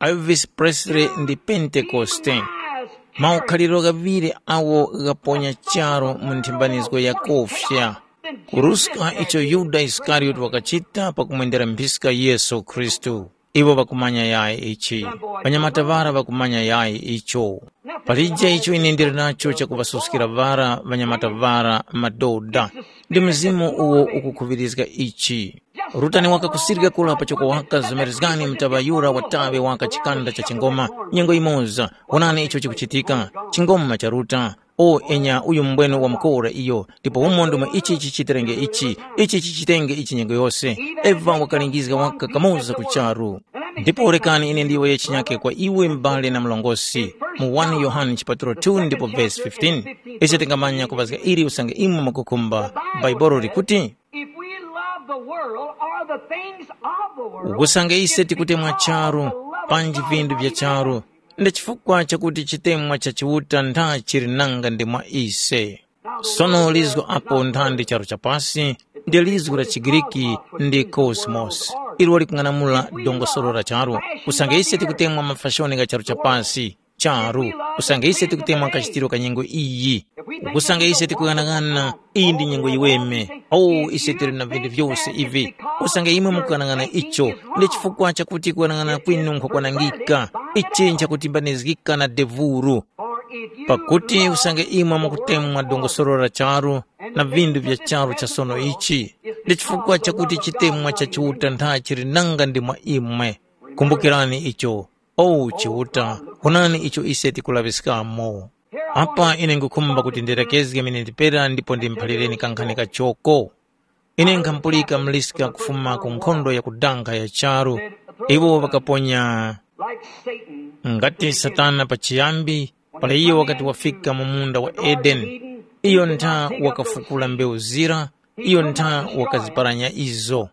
Elvis Presley ndi Pentekoste. Maukhaliro ghaŵiri awo ghaponya charu mu nthimbanizgo ya kofya. Kuruska icho Yuda Isikariyoti wakachita pakumwendera mphiska Yesu Khristu. Iwo ŵakumanya yayi ichi. Ŵanyamata ŵara ŵakumanya yayi icho. Palije icho ine ndili nacho chakuŵasuskira ŵara ŵanyamata ŵara madoda. Ndi mzimu uwo ukukhuŵirizga ichi. Rutani waka kusirika kula pachoko waka zomerezgani mtaŵa yura wataŵe waka chikanda cha chingoma. Nyengo imoza, wonani icho chikuchitika. Chingoma cha ruta. O enya uyu mbwene wamukora iyo, ndipo umo ndimo ichi chichiterenge ichi, ichi chichitenge ichi nyengo yose. Eva wakalingizga waka kamoza ku charu. Ndipo rekani ine ndiyowoye chinyake kwa iwe m'bale na mlongosi, mu wani Yohane chipatulo two ndipo vesi fifteen. Ise tingamanya kuŵazga ili usange imwe mukukhumba. Bhaibuli likuti, If we love the world or the things of the world, usange ise tikutemwa charu panji vinthu vya charu, ndi chifukwa chakuti chitemwa cha Chiuta ntha chili nanga ndi mwa ise. Sono lizgo apo nthandi charu cha pasi, ndi lizgo la chiGriki ndi cosmos, ilo likung'anamula dongosolo la charu. Usange ise tikutemwa mafashoni gha charu cha pasi, charu, usange ise tikutemwa kachitiro ka nyengo iyi, usange ise tikuyang'ana iyi ndi nyengo yiweme, o ise tili na vinthu vyose ivi, usange imwe mukuyang'ana icho, ndi chifukwa chakuti kuyang'ana kwinu nkhwakwanangika, ichi nchakutimbanizgika na devuru. Pakuti usange imwe mukutemwa dongosolo la charu na vinthu vya charu cha sono ichi, ndi chifukwa chakuti chitemwa cha Chiuta ntha chili nanga ndi mwa imwe. Kumbukirani icho, o Chiuta, wonani icho ise tikulaŵiskamo. Apa ine nkhukhumba kuti ndirekezge mene ndipera ndipo ndimuphalireni kankhani kachoko. Ine nkhampulika muliska kufuma ku nkhondo ya kudankha ya charu, iwo ŵakaponya like Satan. Ngati Satana pachiyambi, pala iyo wakati wafika mu munda wa Edeni, iyo ntha wakafukula mbewu zira, iyo ntha wakaziparanya izo.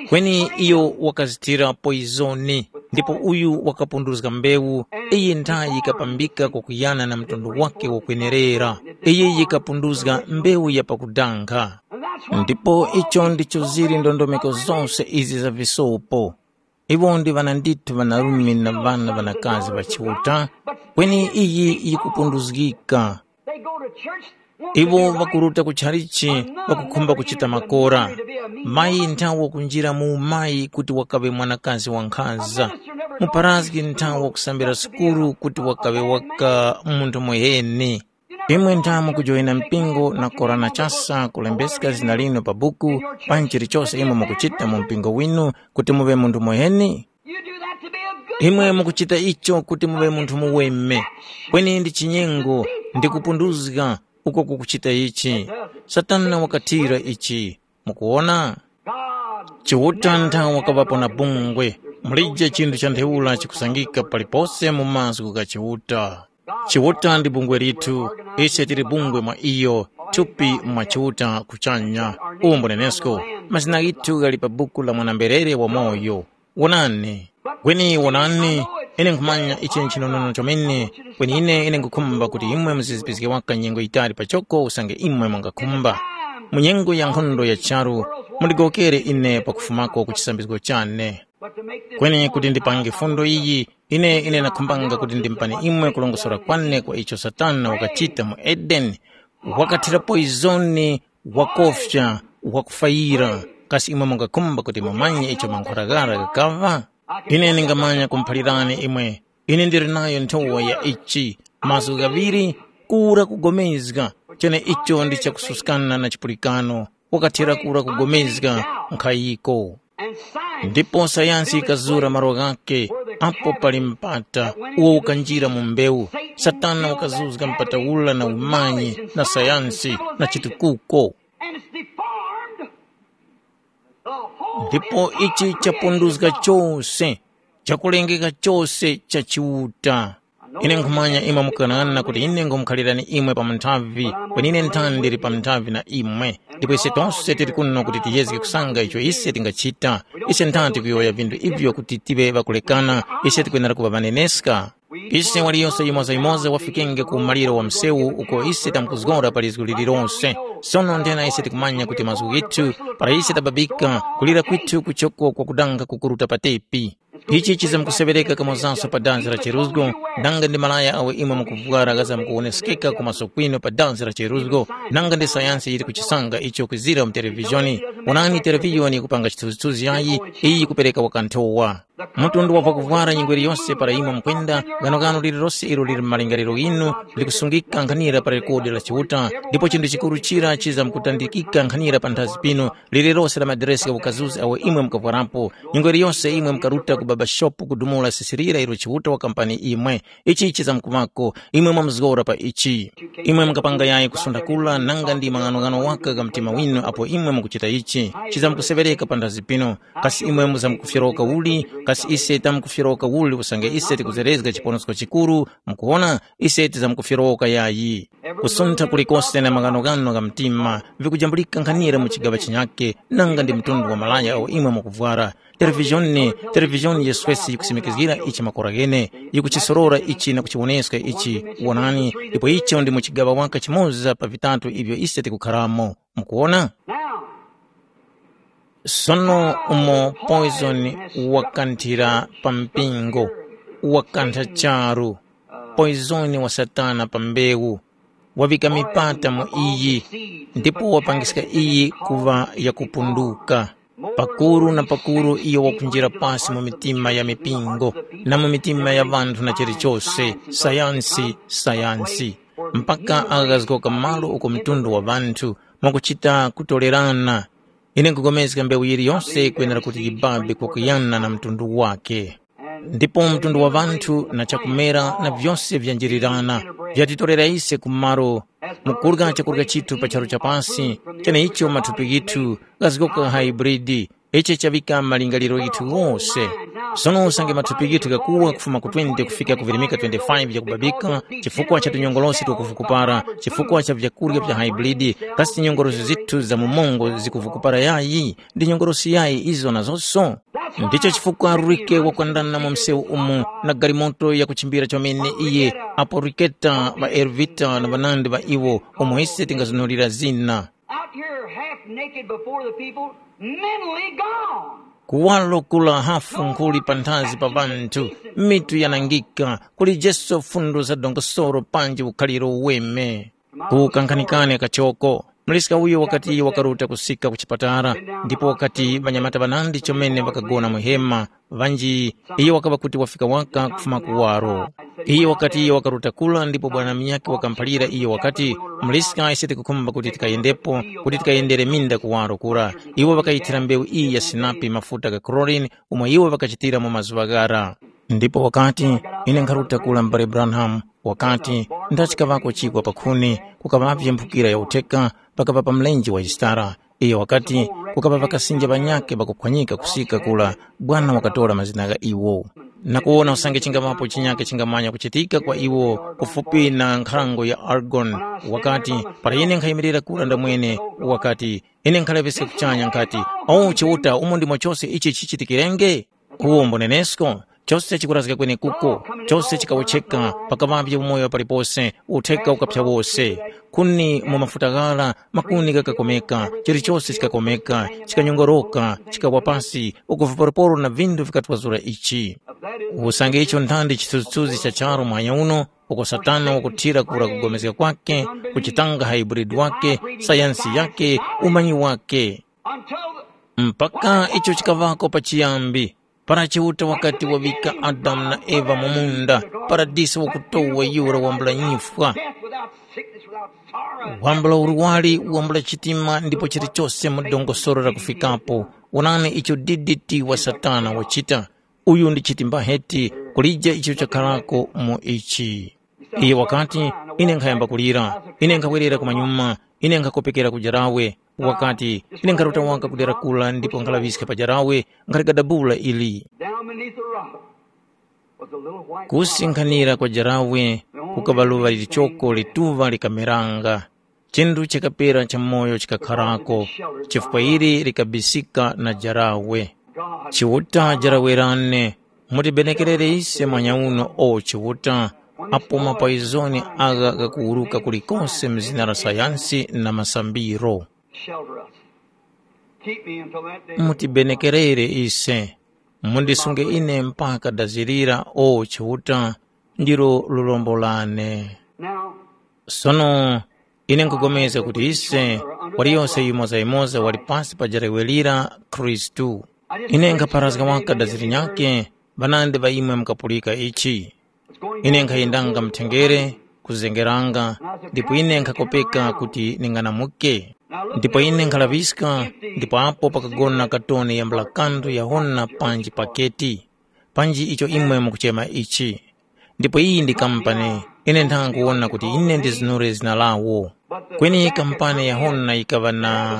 Kweni iyo wakazithira poizoni, ndipo uyu wakapunduzga mbewu, iyi ntha yikapambika kwakuyana na mtundu wake wakwenerera. Iyi yikapunduzga mbewu ya pakudankha. Ndipo icho ndicho zili ndondomeko zose izi za visopo. Iwo ndi ŵana ndithu ŵanarume na ŵana ŵanakazi ŵa Chiuta, kweni iyi yikupunduzgika. Iwo ŵakuruta ku tchalichi ŵakukhumba kuchita makora. Mayi nthawe wakunjira mu umayi kuti wakaŵe mwanakazi wankhanza. Muparazgi nthawe wakusambira sukulu kuti wakaŵe waka munthu muheni. Imwe ntha mukujoyina mpingo na korana chasa kulembeska zina linu pa buku, panji chilichose imwe mukuchita mu mpingo winu kuti muŵe munthu muheni? You do that to be a good Imwe mukuchita icho kuti muŵe munthu muweme. Kweni ndi chinyengo ndi kupunduzga uko kukuchita ichi. Satana wakathira ichi. Mukuwona? God Chiuta ntha wakaŵapo na bungwe. Mulije chinthu cha ntheura chikusangika palipose mu mazgu gha Chiuta. Chiuta ndi bungwe lithu, ise tili bungwe mwa iyo, thupi mwa Chiuta kuchanya. Umo nenesko, mazina ghithu ghali pa buku la mwana-mberere wamoyo. Wonani, kweni wonani, ine nkhumanya ichi nchinonono chomene, kweni ine ine nkhukhumba kuti imwe muzizipizge waka nyengo yitali pachoko usange imwe mungakhumba. Mu nyengo ya nkhondo ya charu, mundigowokere ine pakufumako ku chisambizgo chane. Kweni kuti ndipange fundo iyi, ine ine nakhumbanga kuti ndimupani imwe kulongosora kwane kwa icho Satana wakachita mu Edeni. Wakathira poizoni, wakofya, wakufayira. Kasi imwe mungakhumba kuti mumanye icho mankhwaragara ghakaŵa? Ine ndingamanya kumuphalirani imwe. Ine ndili nayo nthowa ya ichi, mazgu ghaŵiri, kura kugomezga, chene icho ndi chakususkana na chipulikano. Wakathera kura kugomezga nkhayiko. Ndipo sayansi yikazura malo ghakhe apo pali mpata uwo ukanjira mu mbewu. Satana wakazuzga mpata ula na umanyi na sayansi na chitukuko. And it's deformed. Ndipo ichi chapunduzga chose, chakulengeka chose cha Chiuta. Ine nkhumanya imwe mukanana kuti ine ngumukhalirani imwe pa munthavi, kweni ine nthani ndili pa munthavi na imwe. Ndipo ise tose tili kuno kuti tiyezge kusanga icho ise tingachita. Ise nthani tikuyowoya vinthu ivyo kuti tive ŵakulekana, ise tikwenera kuŵa ŵaneneska. Ise waliyose yimoza-yimoza wafikenge ku maliro wa msewu uko ise tamkuzgora pa lizgu lililonse. Sono nthena ise tikumanya kuti mazgu ghithu, para ise tababika, kulira kwithu kuchoko kwakudanga kukuruta pa tepi. Ichi chizamkuseŵereka kamozanso pa danzi la cheruzgo, nanga ndi malaya awo imwe mukuvwara ghazamkuwonesekeka ku maso kwinu pa danzi la cheruzgo, nanga ndi sayansi yili kuchisanga icho kwizira mu televizhoni. Wonani televizhoni yikupanga chithunzithunzi yayi, iyi yikupereka wakanthowa. Mtundu wa vakuvwara nyengo iliyonse para imwe mukwenda, ghanoghano lililose ilo lili mu malingaliro ghinu likusungika nkhanira pa rekodi la Chiuta, ndipo chinthu chikuru chira chizamkutandikika nkhanira panthazi pinu, lililose la madiresi gha ukazuzi awo imwe mukavwarapo. Nyengo iliyose imwe mukaruta ku babashopu kudumula sisirira ilo Chiuta wakampani imwe. Ichi chizamkuŵako, imwe mwamuzgora pa ichi. Imwe mukapanga yayi kusunda kula nanga ndi maghanoghano waka gha mtima winu apo imwe mukuchita ichi, chizamkuseŵereka panthazi pinu. Kasi imwe muzamkufyoroka uli? Kasi ise tamkufyeroka uli usange ise tikuzerezga chiponosko chikuru? Mukuwona, ise tizamkufyeroka yayi. Kusuntha kulikose na maghanoghano gha mtima vikujambulika nkhanira mu chigaŵa chinyakhe, nanga ndi mtundu wa malaya awo imwe mukuvwara. Televizhoni, televizhoni yeswesi yikusimikizgira ichi makora ghene, yikuchisorora ichi na kuchiwoneska ichi. Wonani, ndipo icho ndi mu chigaŵa waka chimoza pa vitatu ivyo ise tikukharamo. Mukuwona? Sono umo poison wakanthira pa mpingo, wakantha charu, poison wa Satana pa mbewu, wavika mipata mu iyi, ndipo wapangiska iyi kuŵa yakupunduka. Pakuru na pakuru iyo wakunjira pasi mu mitima ya mipingo, na mu mitima ya ŵanthu na chilichose, sayansi, sayansi, mpaka aghazgoka malo uko mtundu wa ŵanthu mwakuchita kutorerana. Ine nkupulikana mbewu yiliyose yikwenera kuti yibabe kwakuyana na mtundu wakhe. Ndipo mtundu wa ŵanthu na chakumera na vyose vyanjirirana, vyatitorera ise ku malo mu kurya chakurya chithu pa charu cha pasi, cheneicho mathupi ghithu ghazgoka hybrid, ichi chaŵika malingaliro ghithu ghose. Sono usange mathupi ghithu ghakuwa kufuma ku twenty kufika ku virimika twenty-five yakubabika chifukwa cha tunyongolosi twakuvukupara, chifukwa cha vyakurya vya hybrid, kasi tinyongolosi zithu za mu mongo zikuvukupara yayi? Ndi nyongolosi yayi izo nazonso? Ndicho chifukwa Rurike wakwandana mu msewu umu na galimoto yakuchimbira chomene iye apo Riketa, ŵa Ervita na ŵanandi ŵa iwo umo ise tingazunulira zina. Out here half naked before the people, mentally gone. Kuwalo kula hafu nkhuli panthazi pa ŵanthu, mitu yanangika, kulijeso fundo za dongosolo panji ukhaliro uweme. Kukankhanikane kachoko, muliska uyo wakati wakaruta kusika ku chipatala, ndipo wakati ŵanyamata ŵanandi chomene ŵakagona mu hema, ŵanji, iyo wakaŵa kuti wafika waka kufuma kuwaro. Iyo wakati iyo wakaruta kula ndipo bwana munyakhe wakamuphalira iyo wakati, “Muliska ise tikukhumba kuti tikayendepo, kuti tikayendere minda kuwaro kura.” Iwo ŵakayithira mbewu iyi ya sinapi mafuta gha chlorine umo iwo ŵakachitira mu mazuŵa ghara. Ndipo wakati, “Ine nkharuta kula m'bale Branham,” wakati, ndachikaŵako chikwa pa khuni, kukaŵavye mphukira ya utheka, pakapa pa mlenje wa Yisitara. Iyo wakati, kukaŵa ŵakasinja ŵanyakhe ŵakuphwanyika kusika kula, Bwana wakatora mazina gha iwo. Na kuwona usange chingaŵapo chinyakhe chingamanya kuchitika kwa iwo kufupi na nkhalango ya Argon, wakati, para ine nkhayimirira kura ndamwene, wakati, ine nkhalaŵiska kuchanya nkhati, “O Chiuta, umo ndimo chose ichi chichitikirenge?” Uwo mbunenesko, chose chikurazga kwenekuko, chose chikawotcheka, pakaŵavye umoyo palipose, utheka ukaphya wose. Kuni mu mafuta ghara, makuni ghakakomeka, chilichose chikakomeka, chikanyongoroka, chikawa pasi, uku viporoporo na vinthu vikatwazura ichi. Usange icho nthandi chithunzithunzi cha charu muhanya uno, uko Satana wakuthira kura kugomezga kwakhe, kuchitanga hybrid wakhe, sayansi yakhe, umanyi wakhe. Mpaka icho chikaŵako pachiyambi, para Chiuta wakati waŵika Adamu na Eva mu munda, paradiso wakutowa yura wambula nyifwa, wambula urwari, wambula chitima ndipo chilichose mu dongosolo lakufikapo. Wonani icho D D T wa Satana wachita. Uyu ndi chitimba heti kulija icho chakharako mu ichi. Iye wakati, “Ine nkhayamba kulira, ine nkhawerera kumanyuma, ine nkhakopekera ku jarawe.” Wakati, “Ine nkharuta waka ku dera kula ndipo nkhalaŵiska pa jarawe, nkhaligadabula ili.” Down beneath the rock was a little white Kusinkhanira kwa jarawe kukaŵa luŵa lilichoko lituŵa likameranga. Chinthu chakapera cha moyo chikakharako, chifukwa ili likabisika na jarawe. Chiuta jarawe lane, mutibenekerere ise mwanyauno o Chiuta, apo mapoizoni agha ghakuwuruka kulikose mu zina la sayansi na masambiro. Shelter us. Keep me until that day. Mutibenekerere ise, mundisunge ine mpaka dazirira o Chiuta, ndilo lurombo lane. Now, Sono ine nkupulikana kuti ise, waliyose yumoza-yumoza wali pasi pa jarawe lira Khristu. Ine nkhapharazga waka dazi linyakhe, ŵanandi ŵa imwe mukapulika ichi. Ine nkhayendanga mthengere, kuzengeranga, ndipo ine nkhakopeka kuti ning'anamuke. Ndipo ine nkhalaŵiska, ndipo apo pakagona katoni yambula kanthu yahona panji paketi, panji icho imwe mukuchema ichi. Ndipo iyi ndi kampani, Ine ntha nkuwona kuti ine ndizinure zina lawo. Kweni kampani ya Hona yikaŵa na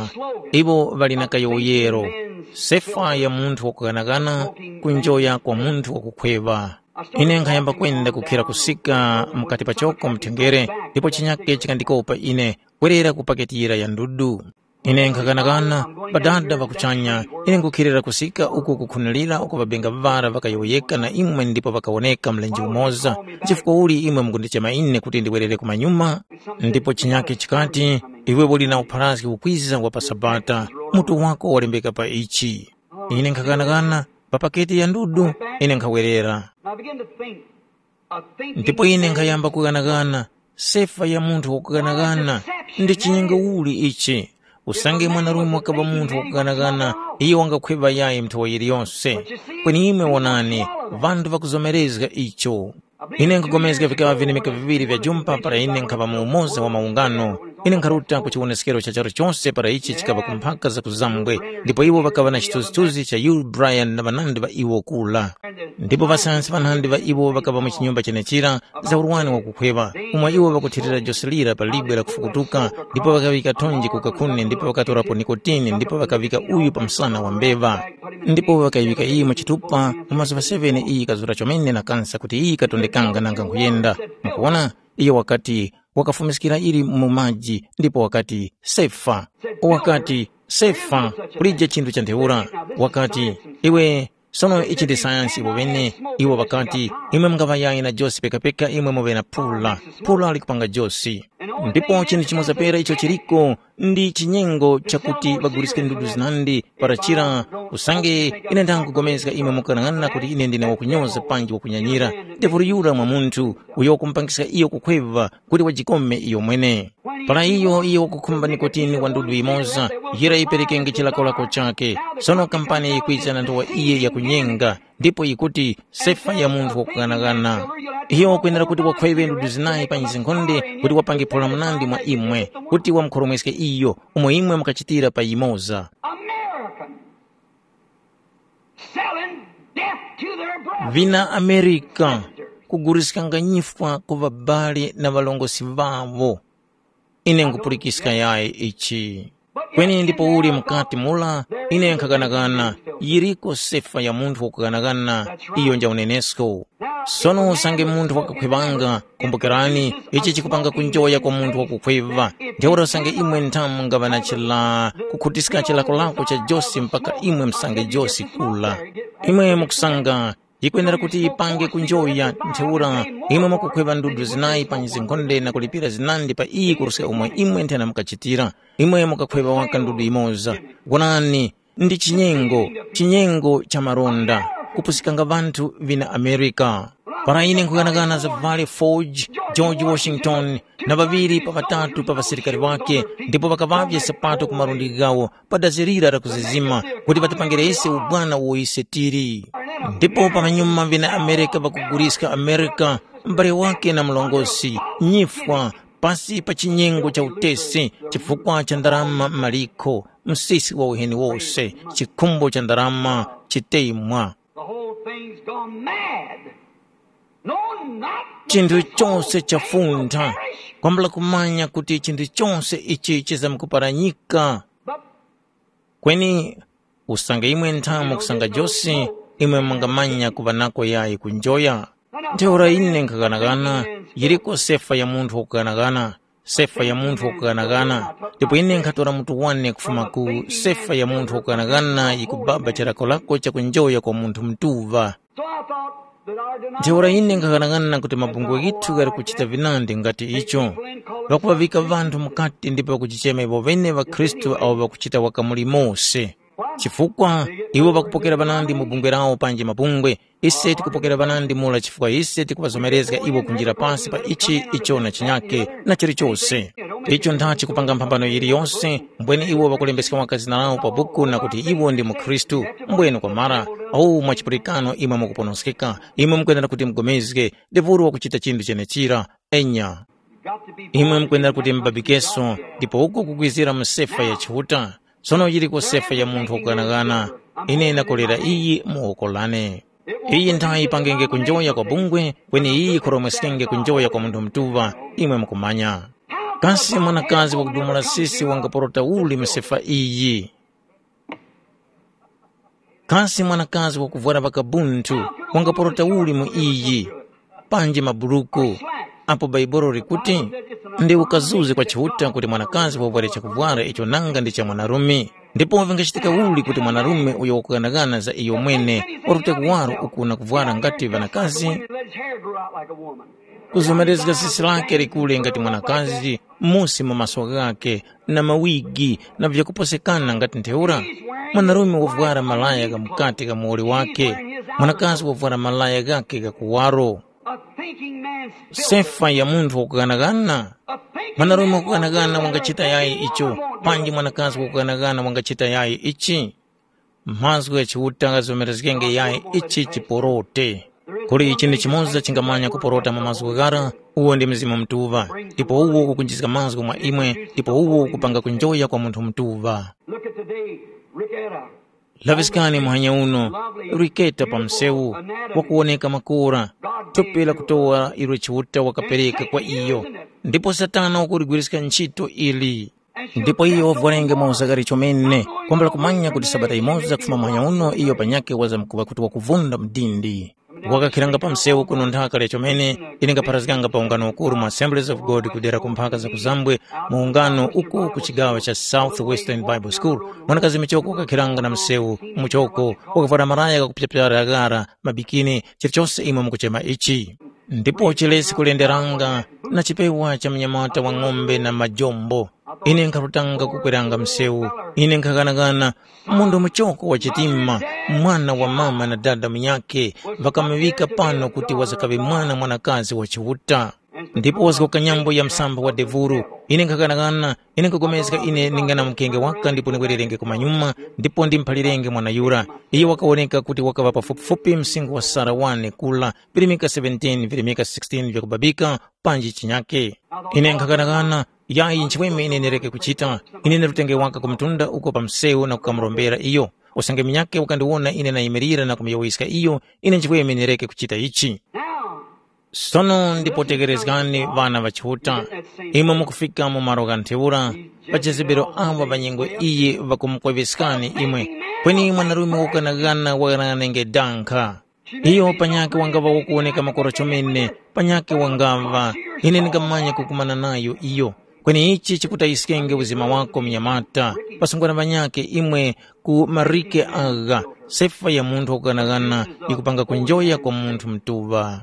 iwo ŵali na kayowoyero, sefa ya munthu wakuganagana, kunjoya kwa munthu wakukhweŵa. Ine nkhayamba kwenda kukhera kusika mukati pachoko mthengere, ndipo chinyake chikandikopa ine, kwerera ku paketi yira ya ndudu. Ine nkhakanakana, Padada pa kuchanya, ine nkukherera kusika uku kukhunulira uko ŵabenga ŵara ŵakayowoyeka na imwe ndipo ŵakawoneka mlenje umoza. Nchifukwa uli imwe mukundichema ine kuti ndiwerere kumanyuma? Ndipo chinyake chikati, iwe uli na upharazgi ukwiza wa pa Sabata, mutu wako walembeka pa ichi. Ine nkhakanakana, pa paketi ya ndudu, ine nkhawerera. Ndipo ine nkhayamba kughanaghana, sefa ya munthu wakughanaghana, ndi chinyengo uli ichi? Usange mwanarume wakaŵa munthu wakughanaghana, iyo wangakhweva yayi nthowa yiliyose. Kweni imwe wonani, ŵanthu ŵakuzomerezga icho. Ine nkugomezga vikaŵa vinemeka viŵiri vya jumpa para ine nkhaŵa mu umoza wa maungano. Ine nkharuta ku chiwoneskero cha charu chose para ichi chikaŵa ku mphaka za kuzambwe, ndipo iwo ŵakaŵa na chithunzithunzi cha Yul Bryan na ŵanandi ŵa iwo kula. Ndipo ŵasayansi ŵanandi ŵa iwo ŵakaŵa mu chinyumba chenechira, za urwani wakukhweŵa, umo iwo ŵakuthirira jose lira pa libwe la kufukutuka, ndipo ŵakaŵika thonje ku kakhuni, ndipo ŵakatorapo nikotini, ndipo ŵakaŵika uyu pa msana wa mbeva. Ndipo ŵakayiŵika iyi mu chitupa, mu mazuŵa seven iyi yikazura chomene na kansa kuti iyi yikatondekanga nanga nkhuyenda. Mukuwona? Iyo wakati, wakafumiskira ili mu maji, ndipo wakati, sefa. Wakati, sefa, kulije chinthu cha ntheura. Wakati, iwe, sono ichi ndi sayansi iwo ŵene. Iwo ŵakati, imwe mungaŵayayi na josi pekapeka imwe muŵe na phula. Phula likupanga josi. Ndipo chinthu chimoza pera icho chiliko, ndi chinyengo chakuti ŵaguliske ndudu zinandi para chira. Usange ine ndangugomezga imwe mukanang'ana kuti ine ndine wakunyoza panji wakunyanyira, ndevuli yura mwa munthu, uyo wakumupangisa iyo kukhweva kuti wajikome iyo mwene. Para iyo iyo wakukhumba nikotini wa ndudu yimoza, yira yiperekenge chilakolako chake. Sono kampani yikwiza na nthowa iye yakunyenga, ndipo yikuti, sefa ya munthu wakughanaghana. Iyo wakwenera kuti wakhweve ndudu zinayi pa nyizinkhonde kuti wapange phula munandi mwa imwe, kuti wamukhoromweske iyo, umo imwe mukachitira pa yimoza. American selling death to their brother. Vina Amerika kuguliskanga nyifwa ku ŵabali na ŵalongosi ŵawo. Ine nkhupulikiska yayi ichi. Kweni ndipo uli mukati mula, ine nkhakanakana, yiriko sefa ya munthu wakukanakana, iyo nja unenesko. Sono usange munthu wakakhwevanga, kumbukirani, ichi chikupanga kunjoya kwa munthu wakukhweva. Ntheura usange imwe nthamu ngaŵa na chila, kukhutiska chilakolako cha josi mpaka imwe musange josi kula. Imwe mukusanga, yikwenera kuti yipange kunjoya. Ntheura imwe mukukhweva ndudu zinayi pa nyizinkhonde na kulipira zinandi pa iyi kuruska umo imwe nthena mukachitira. Imwe mukakhweva waka ndudu yimoza. Wonani, ndi chinyengo, chinyengo cha maronda, kupusikanga ŵanthu vina Amerika. Para ine nkhughanaghana za Valley Forge, George Washington, na ŵaŵiri pa ŵatatu pa ŵasilikari ŵakhe, ndipo ŵakaŵavye sapato ku malundi ghawo, pa dazi lira la kuzizima, kuti ŵatipangire ise ubwana uwo ise tili. Ndipo pamanyuma vina Amerika ŵakuguliska Amerika, m'bale wake na mlongosi, nyifwa, pasi pa chinyengo cha utesi, chifukwa cha ndarama maliko, msisi wa uheni wose, chikhumbo cha ndarama, chitemwa. The whole thing's gone mad. No, not the chinthu best chose old thing will chafuntha, perish. Kwambula kumanya kuti chinthu chose ichi chizamkuparanyika. But kweni usange imwe nthamu kusanga josi, imwe mungamanya kuŵa nako yayi kunjoya. Ntheura ine nkhakanakana, yiriko sefa ya munthu wakukanakana, sefa ya munthu wakukanakana. Ndipo ine nkhatora mutu wane kufuma ku sefa ya munthu wakukanakana yikubaba chirakolako cha kunjoya kwa munthu mtuŵa. So I thought that our denomination Ntheura ine nkhakanakana kuti mabungwe ghithu ghali kuchita vinandi ngati icho, pakuŵavika ŵanthu mukati ndipo pakuchichema iwo ŵene ŵakhristu awo ŵakuchita waka muli mose. Chifukwa iwo ŵakupokera ŵanandi mu bungwe lawo panji mabungwe, ise tikupokera ŵanandi mura chifukwa ise tikuŵazomerezga iwo kunjira pasi pa ichi icho na chinyake na chilichose. Icho nthachi kupanga mphambano yiliyose, mbwene iwo ŵakulembeska waka zina lawo pa buku na kuti iwo ndi mukhristu, mbwene kwamara, awu mwa chipulikano imwe mukuponoskeka, imwe mukwenera kuti mugomezge, ndevuli wakuchita chinthu chenechira. Enya. Imwe mukwenera kuti mubabikeso, ndipo uku kukwizira mu sefa ya Chiuta. Sono yiriko sefa ya munthu wakughanaghana. Ine ndakolera iyi mu woko lane. Iyi nthayi yipangenge kunjoya kwa bungwe, kweni iyi yikhoromweskenge kunjoya kwa munthu mutuŵa, imwe mukumanya. Kasi mwanakazi wakudumula sisi wangaporota uli mu sefa iyi? Kasi mwanakazi wakuvwara ŵakabunthu wangaporota uli mu iyi? Panji maburuku, apo Baibuli likuti, ndi ukazuzi kwa Chiuta kuti mwanakazi wavware chakuvwara icho nanga ndi cha mwanarume. Ndipo vingachitika uli kuti mwanarume uyo wakughanaghana za iyomwene warute kuwaro uku na kuvwara ngati ŵanakazi? Kuzomerezga sisi lake likule ngati mwanakazi, musi mu maso ghakhe, na mawigi, na vyakuposekana ngati ntheura? Mwanarume wavwara malaya gha mukati gha muwoli wakhe, mwanakazi wavwara malaya ghakhe gha kuwaro. Sefa ya munthu wakughanagana. Mwanarume wakughanagana wangachita yayi icho, panji mwanakazi wakughanagana wangachita yayi ichi? Mazgu gha Chiuta ghazomerezgenge yayi ichi chiporote. Kuli chinthu chimoza chingamanya kuporota mu mazgu ghara, uwo ndi Mzimu Mutuŵa, ndipo uwo ukukunjizga mazgu mwa imwe, ndipo uwo ukupanga kunjoya kwa munthu mutuŵa. Look at today, Ricketta. Laŵiskani muhanya uno, Riketa pa msewu, wakuwoneka makora, thupi la kutowa ilo Chiuta wakapereka kwa iyo, ndipo Satana wakuligwiriska ntchito ili. Ndipo iyo wavwarenge mwa uzakari chomene, kwambula kumanya kuti sabata yimoza kufuma muhanya uno iyo panyakhe wazamkuŵa kuti wakuvunda mdindi. Wakakhiranga pa msewu kuno nthaka lya chomene, ine ngapharazganga pa ungano ukuru mu Assemblies of God kudera ku mphaka za kuzambwe, mu ungano uko ku chigaŵa cha South Western Bible School. Mwanakazi michoko wakakhiranga na msewu muchoko, wakavwara malaya ghakupyapyara ghara, mabikini, chilichose imwe mukuchema ichi. Ndipo chilesi kulenderanga na chipewa cha mnyamata wa ng'ombe na majombo. Ine nkharutanga kukweranga msewu. Ine nkhaghanaghana, munthu muchoko wa chitima, mwana wa mama na dada munyakhe, ŵakamuŵika pano kuti wazakaŵe mwana mwanakazi wa Chiuta. Ndipo wazgoka nyambo ya msamba wa devuru. Ine nkhaghanaghana, ine nkhapulikana ine ndingana mukenge waka ndipo ndikwererenge kumanyuma, ndipo ndimuphalirenge mwana yura. Iyo wakawoneka kuti wakaŵa pafupifupi msinkhu wa Sara wane kula, virimika seventeen, virimika sixteen vyakubabika, panji chinyake. Ine nkhaghanaghana, yayi nchimweme ine ndireke kuchita. Ine ndarutenge waka ku mtunda uko pa msewu na kukamurombera iyo. Usange munyakhe wakandiwona ine nayimirira na kumuyowoyeska iyo, ine nchimweme ndireke kuchita ichi. Sono ndipo tekerezgani ŵana ŵa Chiuta, imwe mukufika mu malo gha ntheura, pa chizibiro awo pa nyengo iyi ŵakumukweveskani imwe, kweni mwanarume wakanaghana waghanaghanenge dankha. Iyo panyakhe wangaŵa wakuwoneka makora chomene, panyakhe wangaŵa, ine ndingamanya kukumana nayo iyo. Kweni ichi chikutayiskenge uzima wako munyamata, pasungwana panyakhe imwe ku marike agha, sefa ya munthu wakughanaghana yikupanga kunjoya kwa munthu mutuŵa.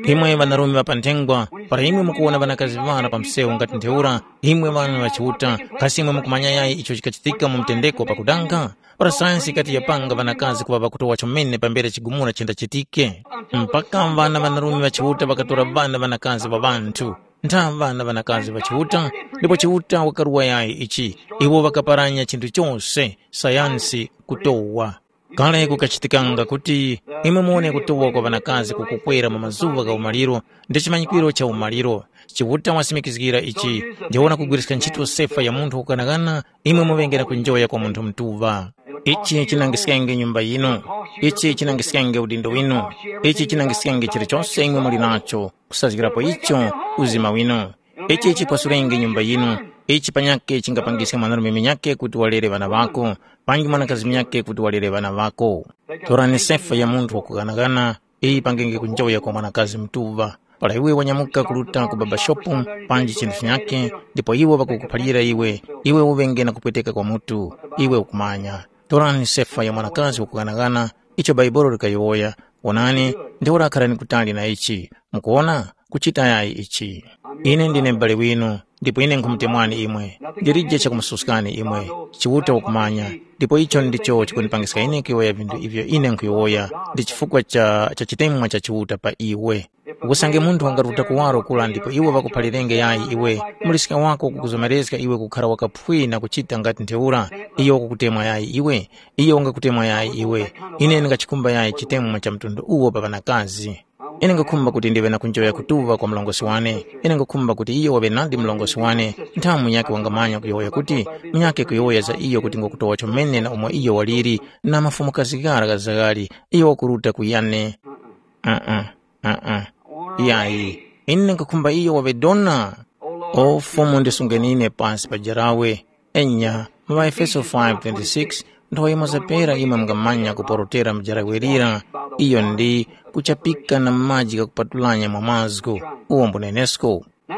Imwe ŵanarume ŵa pa nthengwa, para imwe mukuwona ŵanakazi ŵara pa msewu ngati ntheura, imwe ŵana ŵa Chiuta, kasi imwe mukumanya yayi icho chikachitika mu mtendeko pakudanga? Para sayansi yikati yapanga ŵanakazi kuŵa ŵakutowa chomene pambere chigumula chindachitike. Mpaka ŵana ŵanarume ŵa Chiuta ŵakatora ŵana ŵanakazi ŵa ŵanthu, ntha ŵana ŵanakazi ŵa Chiuta, ndipo Chiuta wakaruwa yayi ichi, iwo ŵakaparanya chinthu chose, sayansi kutowa. Kale kukachitikanga kuti imwe muwone kutowa kwa ŵanakazi kukukwera mu mazuŵa gha umaliro ndi chimanyikwiro cha umaliro. Chiuta wasimikizgira ichi, ndiwona kugwiriska ntchito sefa ya munthu wakughanaghana, imwe muŵenge na kunjoya kwa munthu mutuŵa. Ichi chinangiskenge nyumba yinu, ichi chinangiskenge udindo winu, ichi chinangiskenge chilichose imwe muli nacho, kusazgirapo icho uzima winu. Ichi chikwasurenge nyumba yinu, ichi panyakhe chingapangiske mwanarume munyakhe kuti walere ŵana ŵako, panji mwanakazi munyakhe kuti walere ŵana ŵako. Torani sefa ya munthu wakughanagana, iyi yipangenge kunjoya kwa mwanakazi mutuŵa. Para iwe wanyamuka kuruta ku babashopu panji chinthu chinyakhe, ndipo iwo ŵakukuphalira iwe, iwe uŵenge na kupweteka kwa mutu, iwe ukumanya. Torani sefa ya mwanakazi wakughanagana, icho Bhaibuli likayowoya. Wonani, ntheura kharani kutali na ichi. Mukuwona? Kuchita yayi ichi. Ine ndine m'bale winu, ndipo ine nkhumutemwani imwe. Ndilije chakumususkani imwe. Chiuta wakumanya, ndipo icho ndicho chikundipangiska ine kuyowoya vinthu ivyo ine nkhuyowoya, ndi chifukwa cha, cha chitemwa cha Chiuta pa iwe. Usange munthu wangaruta kuwaro kula ndipo iwo ŵakuphalirenge yayi iwe, muliska wako ukukuzomereska iwe kukhara wakaphwi na kuchita ngati ntheura, iyo wakukutemwa yayi iwe, iyo wangakutemwa yayi iwe. Ine ndingachikhumba yayi chitemwa cha mtundu uwo pa ŵanakazi. Ine nkhukhumba kuti ndiŵe na kunjoya kutuŵa kwa mlongosi wane. Ine nkhukhumba kuti iyo waŵe nadi mlongosi wane. Nthamu munyakhe wangamanya kuyowoya kuti, munyakhe kuyowoya za iyo kuti ngwakutowa chomene na umo iyo waliri, na mafumukazi ghara gha zaghali, iyo wakuruta ku yane. Uh-uh, uh-uh. Yayi, ine nkhukhumba iyo waŵe dona. O Fumu, ndisungeni ine pasi pa jarawe. Enya, mu ŵaEfeso five twenty-six, nthowa yimoza pera imwe mungamanya kuporotera mujarawe lira, iyo ndi kuchapika na maji ghakupatulanya mwa mazgu, uwo mbunenesko. Now,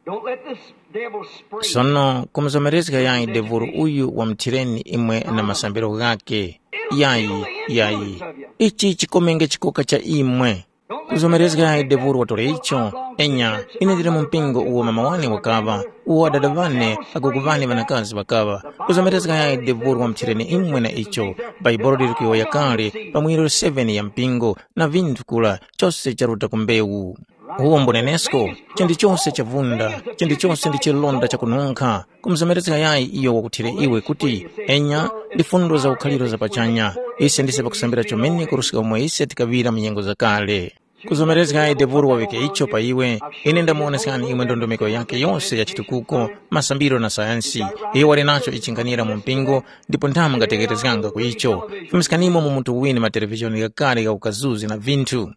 don't let this devil spring. Sono kumuzomerezga yayi devuru uyu wamuthireni imwe na masambiro ghakhe. Yayi, yayi. Ichi chikomenge chikoka cha imwe. Kuzomerezga yayi devuru watore icho. Enya, ine ndili mu mpingo uwo mama wane wakaŵa, uwo adada ŵane, agogo ŵane ŵanakazi ŵakaŵa. Kuzomerezga yayi devuru wamuthireni imwe na icho. Bhaibuli liri kuyowoya kale pa muyeru seven ya mpingo, na vinthu kula, chose charuta ku mbewu. Uwo mbunenesko, chinthu chose chavunda, chinthu chose ndi chilonda chakununkha. Kumuzomerezga yayi iyo wakuthire iwe kuti, enya, ndi fundo za ukhaliro za pachanya. Ise ndise pakusambira chomene kuruska umo ise tikaŵira mu nyengo zakale. Kuzomerezga yayi devuru wawike icho pa iwe. Ine ndamuwoneskani imwe ndondomeko yake yose ya chitukuko, masambiro na sayansi. Iyo wali nacho ichinganira mu mpingo, ndipo nthamu ngatekerezganga ku icho. Fumiskanimo mu mutu wine matelevizhoni ghakale gha ukazuzi na vinthu.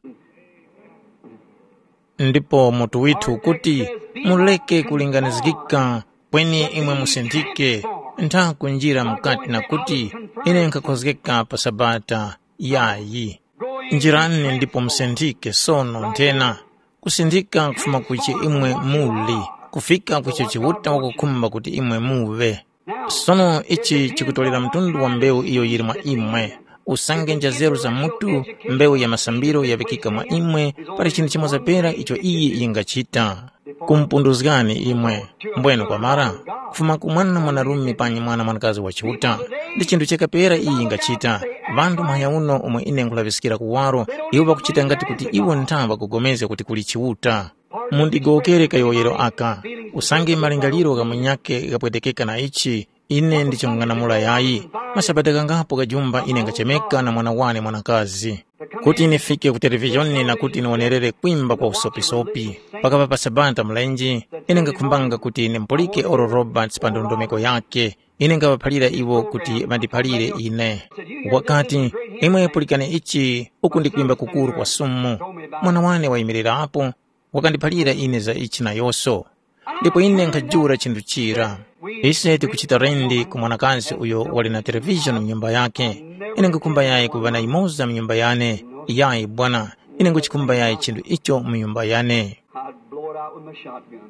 Ndipo mutu withu ukuti, muleke kulinganizgika, kweni imwe musinthike, ntha kunjira mukati na kuti, ine nkhakhozgeka pa Sabata. Yayi. Njirani ndipo musinthike sono nthena, kusinthika kufuma kuche imwe muli, kufika kucho Chiuta wakukhumba kuti imwe muŵe. Sono ichi chikutolera mtundu wa mbewu iyo yili mwa imwe. Usange njazeru za mutu, mbewu ya masambiro yaŵikika mwa imwe, pali chinthu chimoza pera icho iyi yingachita. Kumpunduzgani imwe, mbwenu kwamara, kufuma ku mwana mwanarume panyi mwana mwanakazi wa Chiuta. Ndi chinthu cheka pera iyi yingachita. Ŵanthu mphanya uno omwe ine nkhulaŵiskira kuwaro, iwo ŵakuchita ngati kuti iwo ntha ŵakugomezga kuti kuli Chiuta. Mundigowokere kayowoyero aka, usange malingaliro gha munyakhe ghapwetekeka na ichi, ine ndiching'anamula yayi. Masabata ghangapo gajumba ine ngachemeka na mwana wane mwanakazi, kuti nifike ku televizhoni na kuti niwonerere kwimba kwa usopisopi. Pakapa pa Sabata mulenje, ine ngakhumbanga kuti nimpulike Oral Roberts pa ndondomeko yakhe. Ine ngaŵaphalira iwo kuti ŵandiphalire ine. Wakati, imwe pulikani ichi, uku ndi kwimba kukuru kwa sumu. Mwana wane wayimirirapo, wakandiphalira ine za ichi nayose. Ndipo ine nkhajula chinthu chira. Ise tikuchita rendi ku mwanakazi uyo wali na televishoni mu nyumba yake. Ine nkhukhumba yayi kuŵa na yimoza mu nyumba yane. Yayi bwana, ine nkhuchikhumba yayi chinthu icho mu nyumba yane. I'd blow it out with my shotgun.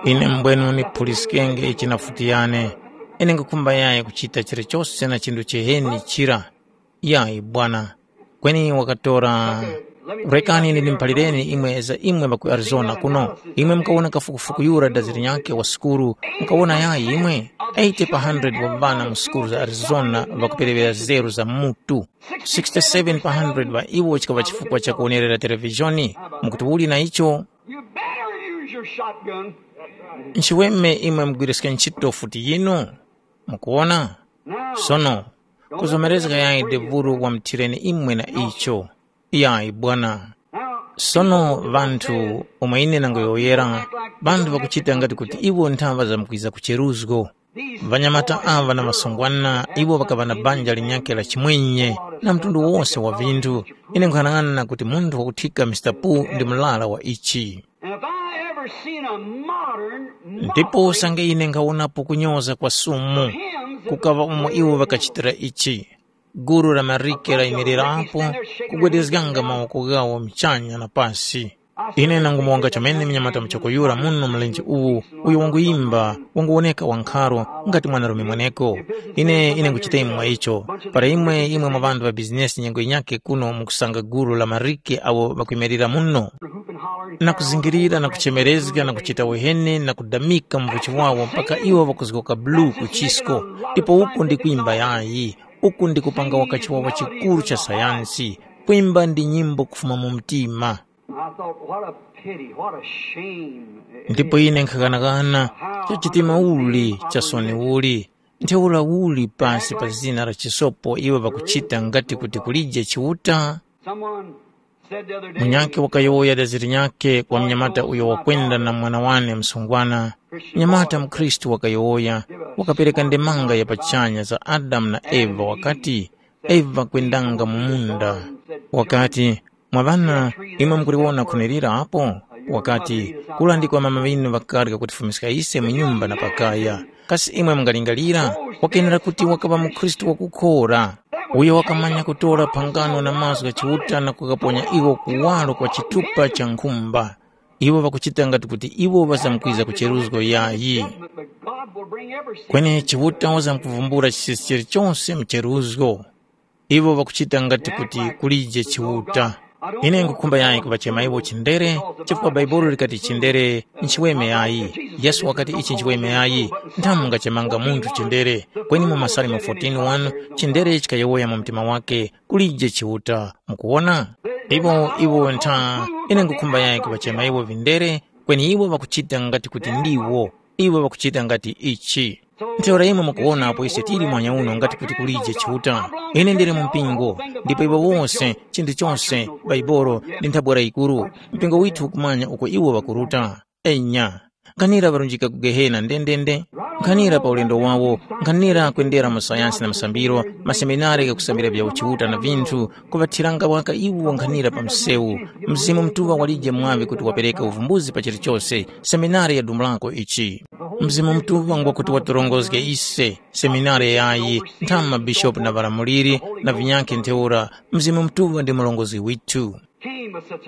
Ine mbwenu niphuliskenge ichi na futi yane. Ine nkhukhumba yayi kuchita chilichose na chinthu chiheni chira. Yayi bwana. Kweni wakatora. Rekani ndimuphalireni imwe za imwe ŵa ku Arizona kuno. Imwe mukawona kafukufuku yura dazi linyakhe wa sukulu, mukawona yayi imwe? eighty pa hundred wa ŵana mu sukulu za Arizona ŵakupereŵera zeru za mutu. sixty-seven pa hundred ŵa iwo chikaŵa chifukwa cha kuwonerera televishoni. Mukuti uli na icho? You better use your shotgun. Nchiweme imwe mugwiriske ntchito futi yinu. Mukuwona? Sono, kuzomerezga yayi devulu wamuthireni imwe na icho. Yayi bwana. Sono ŵanthu omwe ine nangoyowoyera, ŵanthu ŵakuchita ngati kuti iwo nthaŵa zamkwiza kucheruzgo. Ŵanyamata aŵa na masungwana, iwo ŵakaŵa na banja linyakhe la chimwenye na mtundu wose wa vinthu. Ine nkhanang'ana kuti munthu wakuthika Mister Pu ndi murara wa ichi. And if I ever seen a modern ndipo usange ine nkhawonapo kunyoza kwa sumu, kukaŵa umo iwo ŵakachitira ichi. Gulu la marike layimirirapo, kugwedezganga mawoko ghawo mchanya na pasi. Ine nangumuwonga chomene mnyamata muchoko yura muno mlenje uwu, uyo wanguyimba, wanguwoneka wankharo ngati mwanarume mweneko. Ine ine nguchita imwe mwa icho. Para imwe imwe mwa ŵanthu ŵa bizinesi nyengo yinyakhe kuno mukusanga gulu la marike awo ŵakuyimirira muno, na kuzingirira na kuchemerezga na kuchita uheni na kudamika mvuchi wawo mpaka iwo ŵakuzgoka bulu ku chisko. Ndipo uku ndi kwimba yayi, uku ndi kupanga wakachiwawa chikuru cha sayansi. Kwimba ndi nyimbo kufuma mu mtima. I thought, what a pity, what a shame. Ndipo ine nkhakanakana, chachitima uli, cha soni uli, ntheura uli pasi pa zina la chisopo iwo ŵakuchita ngati kuti kulije Chiuta? Someone said the other day, munyakhe wakayowoya dazi linyakhe kwa mnyamata uyo wakwenda na mwana wane msungwana. Mnyamata mkhristu wakayowoya, wakapereka ndemanga ya pachanya za Adamu na Eva wakati, Eva kwendanga mu munda. Wakati, “Mwa ŵana, imwe mukuliwona khuni lira apo?” Wakati, “Kura ndiko mama ŵinu ŵakarya kutifumiska ise mu nyumba na pakaya. Kasi imwe mungalingalira? Wakenera kuti wakaŵa mukhristu wakukhora, uyo wakamanya kutora phangano na mazgu gha Chiuta na kukaponya iwo kuwaro kwa chitupa cha nkhumba. Iwo ŵakuchita ngati kuti iwo ŵazamkwiza ku cheruzgo yayi. Kweni Chiuta wazamkuvumbula chisichiri chose mu cheruzgo. Iwo ŵakuchita ngati kuti kulije Chiuta. Ine nkhukhumba yayi kuŵachema iwo chindere, chifukwa Bhaibuli likati chindere nchiweme yayi. Yesu wakati ichi nchiweme yayi, nthamu mungachemanga munthu chindere. Kweni mu Masalimo fourteen one, chindere chikayowoya mu mtima wake, kulije Chiuta. Mukuwona? Iwo, iwo ntha, ine nkhukhumba yayi kuŵachema iwo vindere, kweni iwo ŵakuchita ngati kuti ndiwo. Iwo ŵakuchita ngati ichi. Ntheura imwe mukuwona apo ise tili mwanya uno ngati kuti kulije Chiuta. Ine ndili mu mpingo, ndipo iwo wose, chinthu chose, Baibolo, ndi nthabwara yikuru. Mpingo withu ukumanya uko iwo ŵakuruta. Enya. Nkhanira ŵarunjika ku Gehena ndendende. Nkhanira pa ulendo wawo, nkhanira kwendera mu sayansi na masambiro, maseminari ghakusambira vya uchiuta na vinthu, kuŵathiranga waka iwo nkhanira pa msewu. Mzimu Mutuŵa walije mwaŵi kuti wapereka uvumbuzi pa chilichose, seminari ya dumulako ichi. Mzimu Mutuŵa ngwakuti watorongozge ise, seminari yayi, ntha mabishopu na ŵalamuliri na vinyakhe ntheura, Mzimu Mutuŵa ndi murongozgi withu.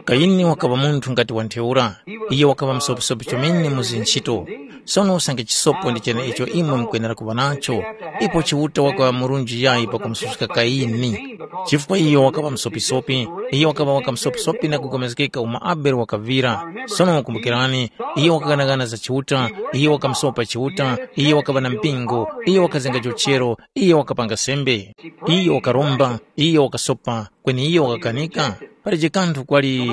Kayini wakaŵa munthu ngati wa ntheura. Iye wakaŵa msopisopi chomene mu zinchito. Sono usange chisopo ndi cheneicho imwe mukwenera kuŵa nacho, ipo Chiuta wakaŵa murunji yayi pakumususka Kayini. Chifukwa iyo wakaŵa msopisopi, iyo wakaŵa waka msopisopi na kugomezgeka umo Abele wakaŵira. Sono kumbukirani, iyo wakaghanaghana za Chiuta, iyo wakamusopa Chiuta, iyo wakaŵa na mpingo, iyo wakazenga chochero, iyo wakapanga sembe, iyo wakaromba, iyo wakasopa, kweni iyo wakakanika. Palije kanthu kwali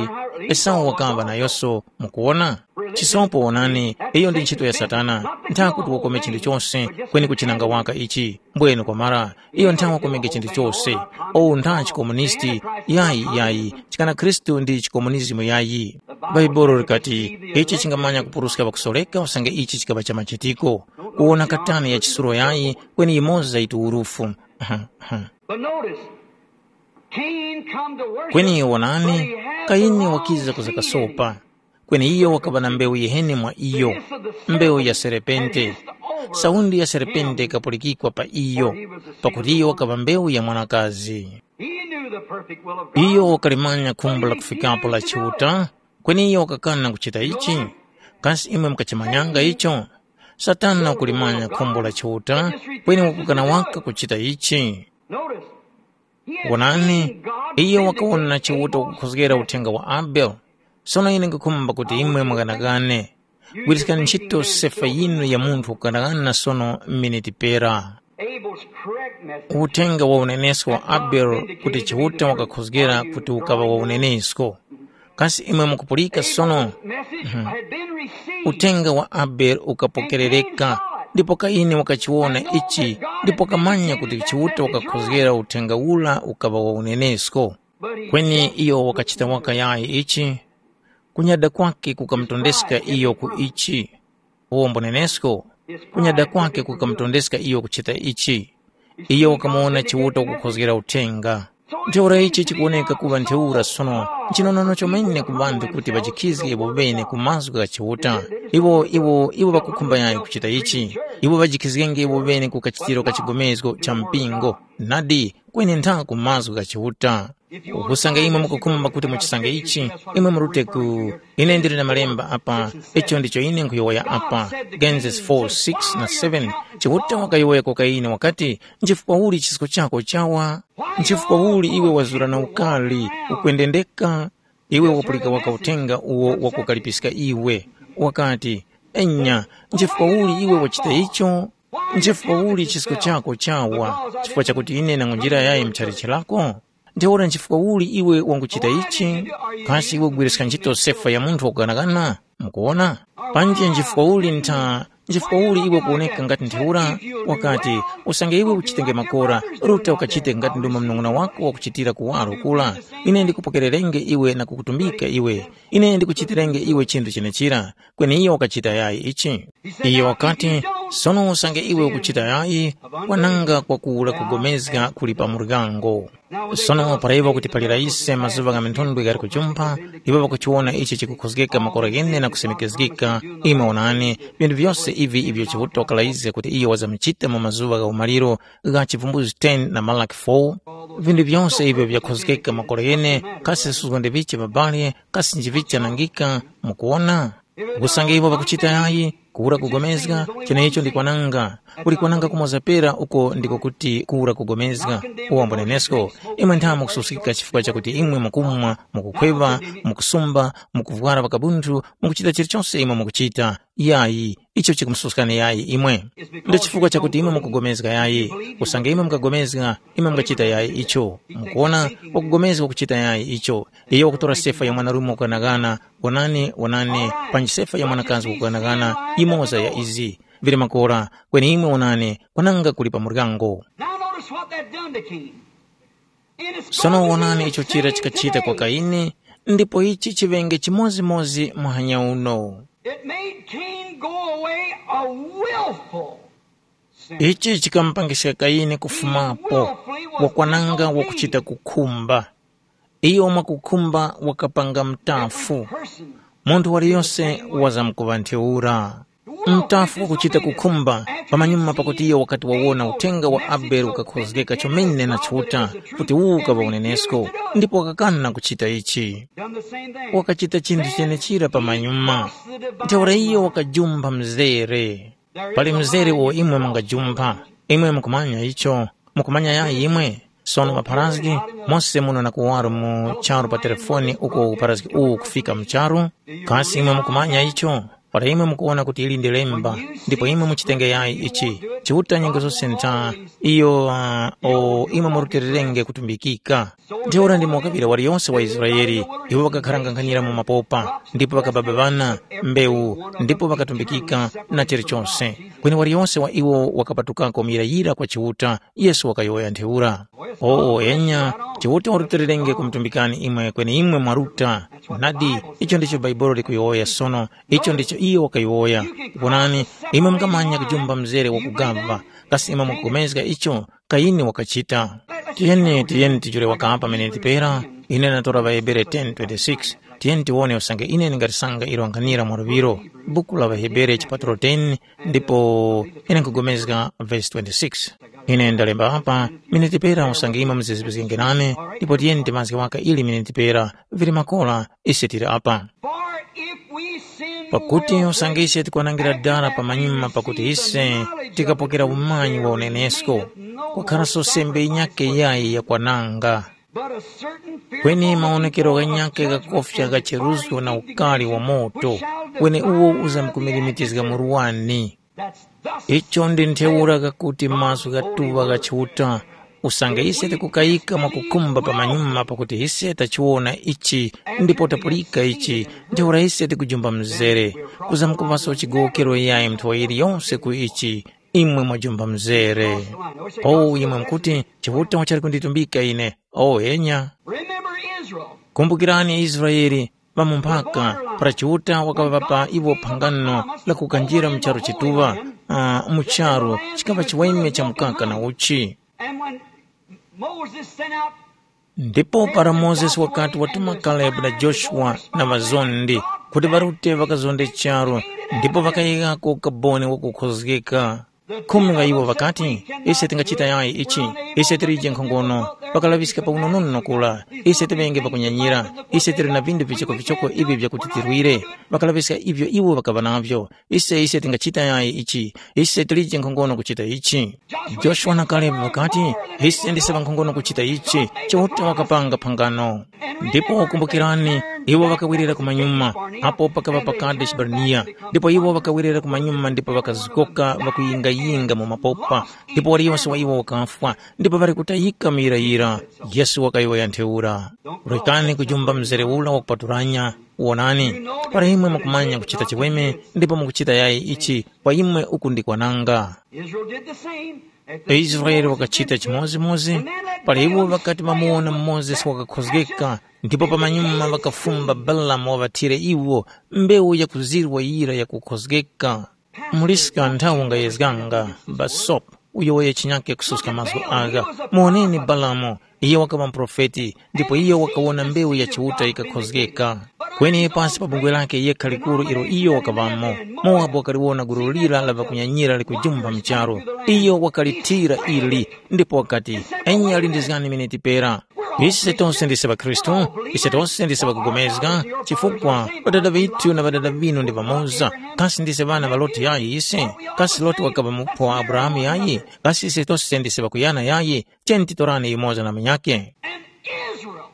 Esau wakaŵa nayoso, mukuwona? Chisopo wonani, iyo ndi ntchito ya Satana, ntha kuti wakome chinthu chose, kweni kuchinanga waka ichi. Mbwenu kwamara, iyo ntha wakomenge chinthu chose. Ou ntha chikomunisti, yayi, yayi, chikana Khristu ndi chikomunizimu yayi. Bhaibuli likati, ichi chingamanya kupuruska ŵakusoreka usange ichi chikaŵa cha machitiko. Kuwona katani ya chisulo yayi, kweni yimoza yiti urufu. But notice, Cain come to worship, kweni wonani, but he had the Kayini wrong wakiza seed. Kuzakasopa. Kweni iyo wakaŵa na mbewu yiheni mwa iyo, mbewu ya serepente. Saundi ya serepente ikapulikikwa pa iyo, pakuti iyo wakaŵa mbewu ya mwanakazi. He knew the perfect will of God. Iyo wakalimanya khumbo la kufikapo la Chiuta, kweni iyo wakakana kuchita ichi. Kasi imwe mukachimanyanga icho? Satana wakulimanya khumbo la Chiuta, kweni wakukana waka kuchita ichi. Notice, wonani, iyo wakawona Chiuta kukhozgera uthenga wa Abele. Sono ine nkukhumba kuti imwe mughanagane. Gwiriskani ntchito sefa yinu ya munthu kughanaghana sono miniti pera. Abel's correct message. Uthenga wa unenesko wa Abele kuti Chiuta wakakhozgera kuti ukaŵa wa unenesko. Kasi imwe mukupulika sono? Message had been received. Uthenga wa Abele ukapokerereka, ndipo Kaini wakachiwona ichi, ndipo kamanya kuti Chiuta wakakhozgera uthenga ura ukaŵa wa unenesko. Kweni iyo wakachita waka yayi ichi, kunyada kwake kukamutondeska iyo ku ichi. Uwo mbonenesko, kunyada kwake kukamutondeska iyo kuchita ichi. Iyo wakamuwona Chiuta kukhozgera uthenga. Ntheura ichi chikuwoneka kuŵa ntheura sono nchinonono chomene ku ŵanthu kuti ŵajikhizge iwo bene ku mazgu gha Chiuta. Iwo iwo iwo ŵakukhumba yayi kuchita ichi. Iwo ŵajikhizgenge iwo bene ku kachitiro ka chigomezgo cha mpingo. Nadi, kweni ntha ku mazgu gha Chiuta. Ukusanga imwe mukukhumba kuti muchisange ichi, imwe murute ku ine ndili na malemba apa, icho ndicho ine nkhuyowoya apa, Genesis four six na seven. Chiuta wakayowoya kwa Kaini wakati, nchifukwa uli chisko chako chawa? Nchifukwa uli iwe wazura na ukali, ukwendendeka? Iwe wapulika waka uthenga uwo wakukalipiska iwe, wakati, enya, nchifukwa uli iwe wachita icho? Nchifukwa uli chisko chako chawa? Chifukwa chakuti ine nangunjira yayi mchalichi lako? Ntheura nchifukwa uli iwe wanguchita ichi? Kasi iwe ugwiriska ntchito sefa ya munthu wakughanaghana? Mukuwona? Panji nchifukwa uli ntha, nchifukwa uli iwe kuwoneka ngati ntheura? Wakati, usange iwe uchitenge makora, ruta ukachite ngati ndomwe mnung'una wako wakuchitira kuwaro kura. Ine ndikupokererenge iwe na kukutumbika iwe. Ine ndikuchitirenge iwe chinthu chenechira. Kweni iyo wakachita yayi ichi. Iyo wakati, Sono usange iwe ukuchita yayi, kwananga kwakuwura kugomezga kuli pa muryango. Sono para iwo kutiphalira ise mazuŵa gha minthondwe ghali kujumpha, iwo ŵakuchiwona ichi chikukhozgeka makora ghene na kusemekezgika. Imwe wonani, vinthu vyose ivi ivyo Chiuta wakalayizga kuti iyo wazamuchita mu mazuŵa gha umaliro gha chivumbuzi ten na Malaki four, vinthu vyose ivyo vyakhozgeka makora ghene, kasi suzgo ndi vichi ŵabali, kasi njivichi chanangika, mukuwona? Usange iwo ŵakuchita yayi, kuwura kugomezga, chenecho ndi kwananga. Kuli kwananga kumoza pera uko ndiko kuti kuwura kugomezga. Uwambo nenesko, imwe ntha mukususkika chifukwa chakuti imwe mukumwa, mukukhweŵa, mukusumba, mukuvwara pakabunthu, mukuchita chilichonse imwe mukuchita. Yayi, icho chikumususkani yayi imwe. Ndi chifukwa chakuti imwe mukugomezga yayi. Usange imwe mukagomezga, imwe mukachita yayi icho. Mukuona, wakugomezga kuchita yayi icho. Iyo wakutora sefa ya mwanarume wakughanagana, wonani, wonani, panji sefa ya mwanakazi wakughanagana, yimoza ya izi. Vili makora, kweni imwe wonani, kwananga kuli pa muryango. Now notice what that done to Cain. In its Sono wonani icho chira chikachita kwa Kaini, ndipo ichi chiŵenge chimodzimodzi muhanya uno. It made Cain go away a willful sinner. Ichi chikamupangiska Kaini kufumapo, wakwananga wakuchita kukhumba. Iyo mwakukhumba wakapanga mtafu. Munthu waliyose wazamkuŵa ntheura. Mtafu wakuchita kukhumba, pamanyuma pakuti iyo wakati wawona uthenga wa Abele ukakhozgeka chomene na Chiuta, kuti uwu ukaŵa unenesko, ndipo wakakana kuchita ichi. Wakachita chinthu chenechira pamanyuma. Ntheura iyo wakajumba mzere. Pali mzere uwo imwe mungajumpha. Imwe mukumanya icho. Mukumanya yayi imwe. Sono mapharazgi, mose muno na kuwaro mu charu pa telefoni uko upharazgi uwu kufika mu charu. Kasi imwe mukumanya icho? Para imwe mukuwona kuti ili ndi lemba, ndipo imwe muchitenge yayi ichi, Chiuta nyengo zose ntha, iyo uh, o imwe murutilirenge kutumbikika. Ntheura ndimo kaŵira waliyonse wa Israele, iwo ŵakakharanga nkhanyira mu mapopa, ndipo ŵakababa ŵana, mbewu, ndipo ŵakatumbikika na chilichose. Kweni waliyonse wa iwo wakapatukako muyirayira kwa Chiuta, Yesu wakayowoya ntheura. Oo enya, Chiuta warutilirenge kumutumbikani imwe kweni imwe mwaruta. Nadi, icho ndicho Bhaibuli likuyowoya sono, icho ndicho iyo wakayowoya. Wonani, imwe mungamanya kujumba mzere wakugava, kasi imwe mukupulikana icho? Kaini wakachita. Tiyeni, tiyeni tijule wakapa miniti pera, ine ndatora ŵaHebere ten twenty-six. Tiyeni tiwone usange ine ndingatisanga ilo nkhanira mwa luŵiro. Buku la ŵaHebere chipatulo ten, ndipo ine nkhupulikana vesi twenty-six. Ine ndalemba apa, miniti pera usange imwe muzizipizgenge nane, ndipo tiyeni timazge waka ili miniti pera, vili makora, ise tili apa. For if we sin Pakuti more usange ise tikwanangira dala pamanyuma pakuti ise tikapokera umanyi wa unenesko, kwakharanso sembe yinyakhe yayi yakwananga. But a certain fearful Kweni looking maonekero for a ghanyakhe judgment ghakofya and gha cheruzo na destroying ukali wa indignation, moto, which shall wene uwo defile the uzamkumilimitizga murwani. That's thus Icho ndi ntheura ghakuti mazgu ghatuŵa gha Chiuta, usange ise tikukayika mwakukhumba pamanyuma pakuti ise tachiwona ichi ndipo tapulika ichi, ntheura ise tikujumba mzere, kuzamkuŵaso chigowokero yayi nthowa yiliyonse ku ichi, imwe mwajumba mzere. O imwe mukuti, Chiuta wachali kunditumbika ine. O enya. Remember Israel. Kumbukirani Israele, ŵamumphaka, para Chiuta wakaŵapa iwo phangano la kukanjira mu charu chituŵa, uh, mu charu chikaŵa chiweme cha mukaka na uchi. And when Moses sent out Ndipo para Mozesi wakati watuma Kalebu na Joshua na ŵazondi kuti ŵarute ŵakazonde charu, ndipo ŵakayighako ukaboni wakukhozgeka. Khumi ŵa iwo ŵakati, ise tingachita yayi ichi, ise tilije nkhongono, pakalaŵiska pa unonono kura, ise tiŵenge pakunyanyira, ise tili na vindu vichokovichoko ivi vyakuti tirwire, ŵakalaŵiska ivyo iwo ŵakaŵa navyo, ise ise tingachita yayi ichi, ise tilije nkhongono kuchita ichi. Joshua na Kalebu ŵakati, ise ndise ŵankhongono kuchita ichi, Chiuta wakapanga phangano. Ndipo kumbukirani, iwo ŵakawerera kumanyuma, apo pakaŵa pa Kadeshi Barnea, ndipo iwo ŵakawerera kumanyuma ndipo ŵakazgoka ŵakuyingayinga mu mapopa, ndipo waliyose wa iwo wakafwa, ndipo ŵali kutayika muyirayira. Yesu wakayowoya ntheura. Rekani kujumba mzere ura wakupatulanya, wonani, para imwe mukumanya kuchita chiweme ndipo mukuchita yayi ichi, kwa imwe uku ndi kwananga. Israel did the same. Israeli wakachita chimodzimodzi, para iwo ŵakati ŵamuwona Mozesi wakakhozgeka, ndipo pamanyuma ŵakafumba Balamu waŵathire iwo mbewu yakuzirwa yira yakukhozgeka. Muliska nthawi ungayezganga, basopo, uyo wayechinyake kususka mazgu agha. Muwoneni Balamu, iyo wakaŵa muprofeti, ndipo iyo wakawona mbewu ya Chiuta yikakhozgeka. Kweni pasi pa bungwe lake yekha likuru ilo iyo wakaŵamo, Mowabu wakaliwona gulu lira la ŵakunyanyira likujumba mu charu. Iyo wakalithira ili, ndipo wakati, “Enya lindizgani miniti pera. Ise tose ndise ŵakhristu, ise tose ndise ŵakugomezga, chifukwa ŵadada ŵithu na ŵadada ŵinu ndi ŵamoza. Kasi ndise ŵana ŵa Loti yayi ise? Kasi Loti wakaŵa muphwa wa Abrahamu yayi? Kasi ise tose ndise ŵakuyana yayi? Tiyeni titorane yumoza na munyakhe.” And Israel,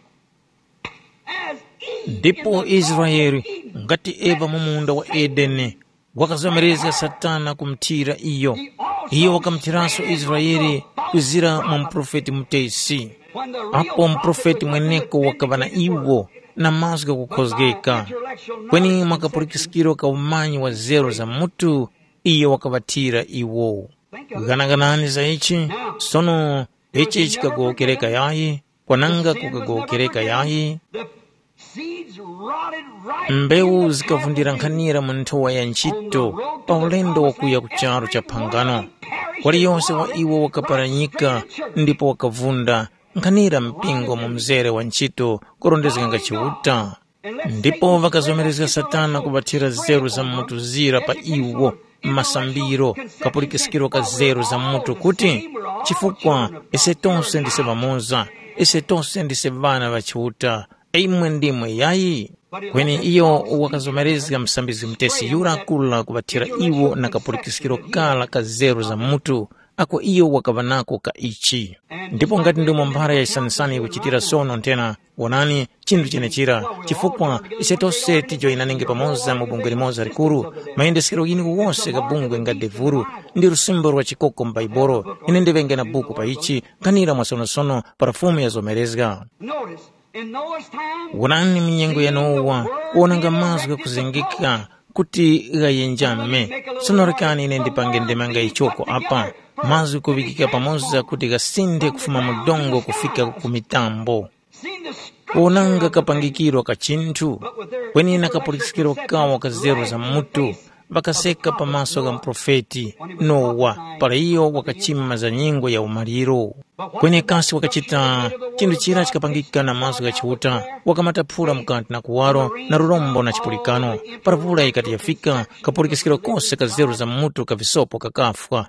as Eve in Ndipo the Israeli, Garden of Eden, ngati Eva mu munda wa Edeni, wakazomerezga Satana kumuthira iyo. Iyo wakamuthiranso Israeli kuzira mwa muprofeti mutesi. Apo muprofeti mweneko wakaŵa na iwo na mazgu ghakukhozgeka, kweni mwa kapulikiskiro ka umanyi wa zeru za mutu, iyo wakaŵathira iwo. Ghanaganani za ichi. Sono, ichi chikagowokereka yayi, kwananga kukagowokereka yayi. Seeds rotted right Mbewu in the zikavundira path of nkhanira mu nthowa ya ntchito pa ulendo wakuya ku charu cha phangano. Waliyonse wa iwo wakaparanyika ndipo wakavunda, nkhanira mpingo mu mzere wa ntchito kurondezganga Chiuta. Ndipo ŵakazomerezga Satana kuŵathira zeru za mutu zira pa iwo, masambiro, kapulikiskiro ka zeru za mutu kuti, chifukwa ise tonse ndise ŵamoza, ise tonse ndise ŵana ŵa Chiuta, imwe ndimwe yayi? Kweni iyo wakazomerezga musambizgi mutesi yura kula kuŵathira iwo na kapulikiskiro kara ka zeru za mutu, ako iyo wakaŵa nako ka ichi. Ndipo ngati ndimo mphara ya chisanisani yikuchitira sono nthena, wonani, chinthu chenechira, chifukwa ise tose tijoyinanenge pamoza mu bungwe limoza likuru, mayendeskero ghinu ghose gha bungwe nga devuru, ndi lusimbo lwa chikoko mu Baibolo. Ine ndiŵenge na buku pa ichi, nkhanira mwasonosono para Fumu yazomerezga. Notice, in Noah's time, Wonani mu nyengo ya Nowa, wonanga mazgu ghakuzengeka kuti ghayenjame. Sono rekani ine ndipange ndemanga yichoko apa, mazgu kuŵikika pamoza kuti ghasinthe kufuma mu dongo kufika ku mitambo. Seen the structure Wonanga of the thing, kapangikiro ka chinthu, but with their kweni na kapulikiskiro kawo ka zeru za mutu, ŵakaseka pamaso gha muprofeti Nowa para iyo wakachima za nyengo ya umaliro. Kweni kasi wakachita chinthu chira chikapangika na mazgu gha Chiuta, wakamataphula mukati na kuwaro na lurombo na chipulikano. Para vula yikati yafika, kapulikiskiro kose ka zeru za mutu ka visopo kakafwa.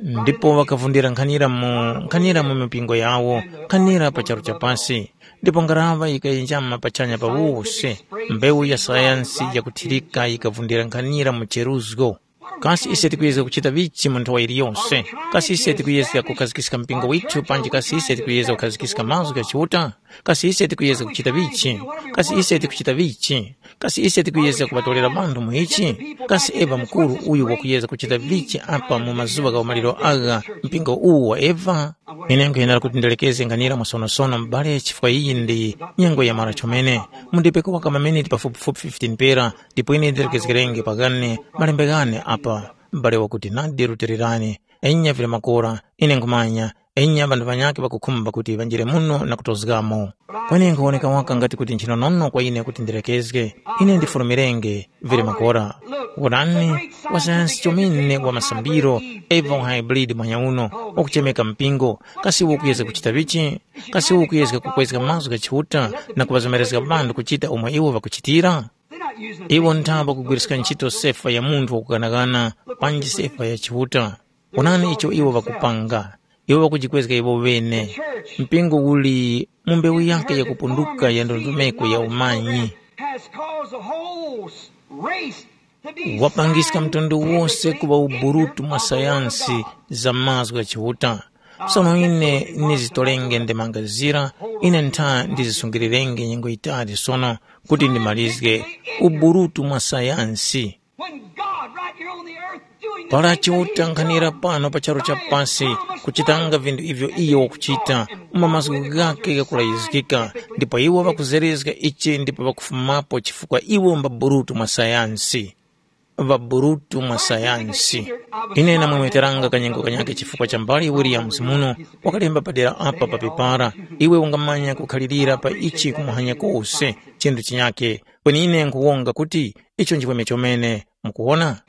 Ndipo wakavundira nkhanira mu nkhanira mu mipingo yawo, nkhanira pa charu cha pasi. Ndipo ngaraŵa yikayenjama pachanya pa wose, mbewu ya sayansi yakuthirika yikavundira nkhanira mu cheruzgo. Kasi ise tikuyezga kuchita vichi mu nthowa yiliyose? Kasi ise tikuyezga kukhazikiska mpingo withu panji kasi ise tikuyezga kukhazikiska mazgu gha Chiuta? Kasi ise tikuyezga kuchita vichi? Kasi ise tikuchita vichi? Kasi ise tikuyezga kuŵatolera vanthu mu ichi? Kasi Eva Mukuru uyu wakuyezga kuchita vichi apa mu mazuŵa gha umaliro agha mpingo uwu wa Eva? Ine nkhuyenera kuti ndilekezge nkhanira mwasonosono m'bale chifukwa iyi ndi nyengo yamara chomene. Mundipeko waka maminiti pafupifupi fifteen pera ndipo ine ndilekezgerenge paghane malembe ghane apa. M'bale wakuti nadi rutilirani, enya vili makora, ine nkhumanya, enya ŵanthu ŵanyakhe ŵakukhumba kuti ŵanjire muno na kutozgamo. Kweni nkhuwoneka waka ngati kuti nchinonono kwa ine kuti ndilekezge, ine ndifulumirenge, vili makora. Wonani, wasayansi chomene wa masambiro, Eva wa hybrid mwanyauno, wakuchemeka mpingo, kasi iwo ukuyezga kuchita vichi? Kasi iwo ukuyezga kukwezga mazgu gha Chiuta na kuŵazomerezga ŵanthu kuchita umo iwo ŵakuchitira? Iwo nthapo kugwiriska ntchito sefa ya munthu wakughanaghana panji sefa ya Chiuta. Onani icho iwo ŵakupanga. Iwo ŵakujikwezga iwo ŵene. Mpingo uli mu mbewu yake yakupunduka ya ndondomeko ya umanyi. Has caused the whole race to be wapangiska mtundu wose kuŵa uburutu mwa sayansi za mazgu gha Chiuta. Sono ine nizitolenge ndemanga zira, ine ntha ndizisungirirenge nyengo yitali sono kuti ndimalizge uburutu mwa sayansi. When God right here on the earth doing the para things that he's chiutanghanira done, pano pa charu cha pasi kuchitanga vinthu ivyo iyo wakuchita mu mazgu ghake ghakulayizgika, ndipo iwo ŵakuzerezga ichi ndipo ŵakufumapo chifukwa iwo mbaburutu mwa sayansi. ŵaburutu mwa sayansi. Ine namwemeteranga kanyengo kanyakhe chifukwa cha mbali Williams muno wakalemba padera apa pa pepara, iwe ungamanya kukhalirira pa ichi kumuhanya kose chinthu chinyakhe. Kweni ine nkhuwonga kuti icho nchiweme chomene. Mukuwona?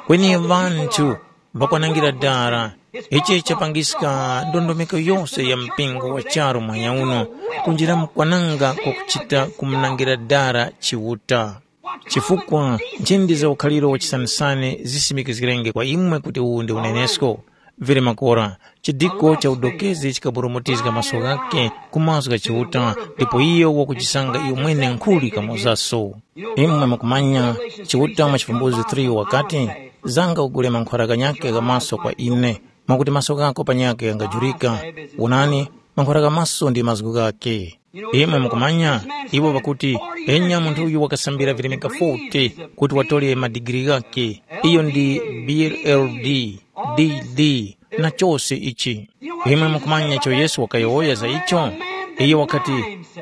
Kweni ŵanthu ŵakwanangira dara. Ichi chapangiska ndondomeko yose ya mpingo wa charu mwanya uno kunjira mkwananga kwakuchita kumunangira dara Chiuta. Chifukwa nchindi za ukhaliro wachisanisani zisimikizgirenge kwa imwe kuti uwu ndi unenesko. Vili makora, chidiko cha udokezi chikaburumutizga maso ghakhe ku mazgu gha Chiuta, ndipo iyo wakuchisanga iyo mwene nkhuli kamozaso. Imwe mukumanya, Chiuta mwa Chivumbuzi three wakati, zanga ugule mankhwara ghanyakhe gha maso kwa ine, mwakuti maso ghako panyakhe ghangajurika. Wonani, mankhwara gha maso ndi mazgu ghakhe. Imwe mukumanya, iwo ŵakuti, enya munthu uyu wakasambira vilemeka forty kuti watole madigiri ghakhe, iyo ndi B L D, D D, na chose ichi. Imwe mukumanya icho Yesu wakayowoya za icho? Iye wakati,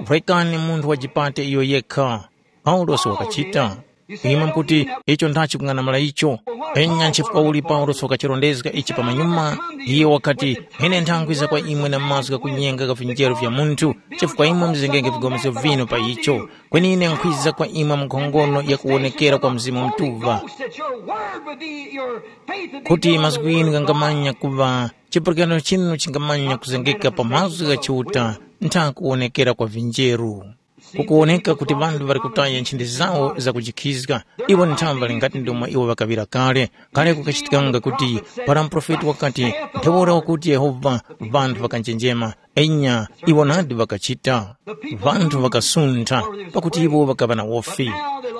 vwekani munthu wajipate iyo yekha. Paulosi wakachita. Imwe mukuti, icho ndachi kung'anamula icho. Enya nchifukwa uli Paulosi wakachirondezga ichi pamanyuma, iye wakati, ine nthangwiza kwa imwe na mazgu ghakunyenga gha vinjeru vya munthu, chifukwa imwe muzengenge vigomeso vinu pa icho. Kweni ine nkhwiza kwa imwe mu nkhongono ya kuwonekera kwa Mzimu Mutuŵa, kuti mazgu ghinu ghangamanya kuŵa, chipulikano chinu chingamanya kuzengeka pa mazgu gha Chiuta ntha kuwonekera kwa vinjeru. Kukuwoneka kuti ŵanthu ŵali kutaya nchindi zawo zakujikhizga. Iwo nthambi ŵali ngati ndomwe iwo ŵakaŵira kale. Kale kukachitikanga kuti para muprofeti wakati, ntheura wakuti Yehova, ŵanthu ŵakanjenjema. Enya, iwo nadi ŵakachita. Ŵanthu ŵakasuntha, pakuti iwo ŵakaŵa na wofi.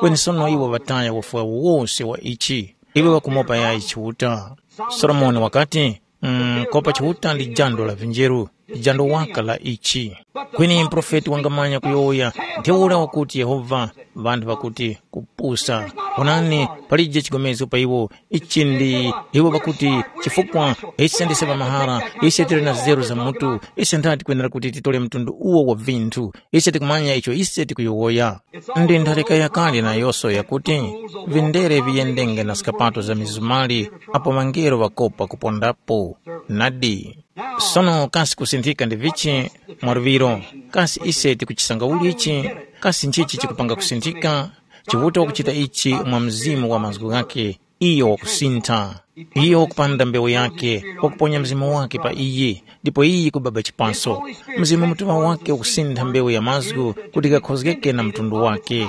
Kweni sono iwo ŵataya wofi wawo wose wa ichi. Iwo ŵakumopa yayi Chiuta. Solomoni wakati, mm, kopa Chiuta ndi jando la vinjeru, jando waka la ichi. Kweni muprofeti wangamanya kuyowoya, ntheura wakuti Yehova, ŵanthu ŵakuti kupusa. Onani, palije chigomezgo pa iwo, ichi ndi iwo ŵakuti, chifukwa ise ndise ŵamahara, ise tili na zeru za mutu, ise nthati tikwenera kuti titole mtundu uwo wa vinthu, ise tikumanya icho ise tikuyowoya. Ndi ntharika yakale nayose yakuti, vindere viyendenge na skapato za mizumali, apo ŵangelo ŵakopa kupondapo. Nadi. Sono kasi kusinthika ndi vichi mwa luŵiro? Kasi ise tikuchisanga ulichi? Kasi nchichi chikupanga kusinthika? Chiuta wakuchita ichi mwa mzimu wa mazgu ghakhe, iyo wakusintha. Iyo wakupanda mbewu yakhe, wakuponya mzimu wake pa iyi, ndipo iyi yikubaba chipaso. Mzimu mutuŵa wake wakusintha mbewu ya mazgu kuti ghakhozgeke na mtundu wake.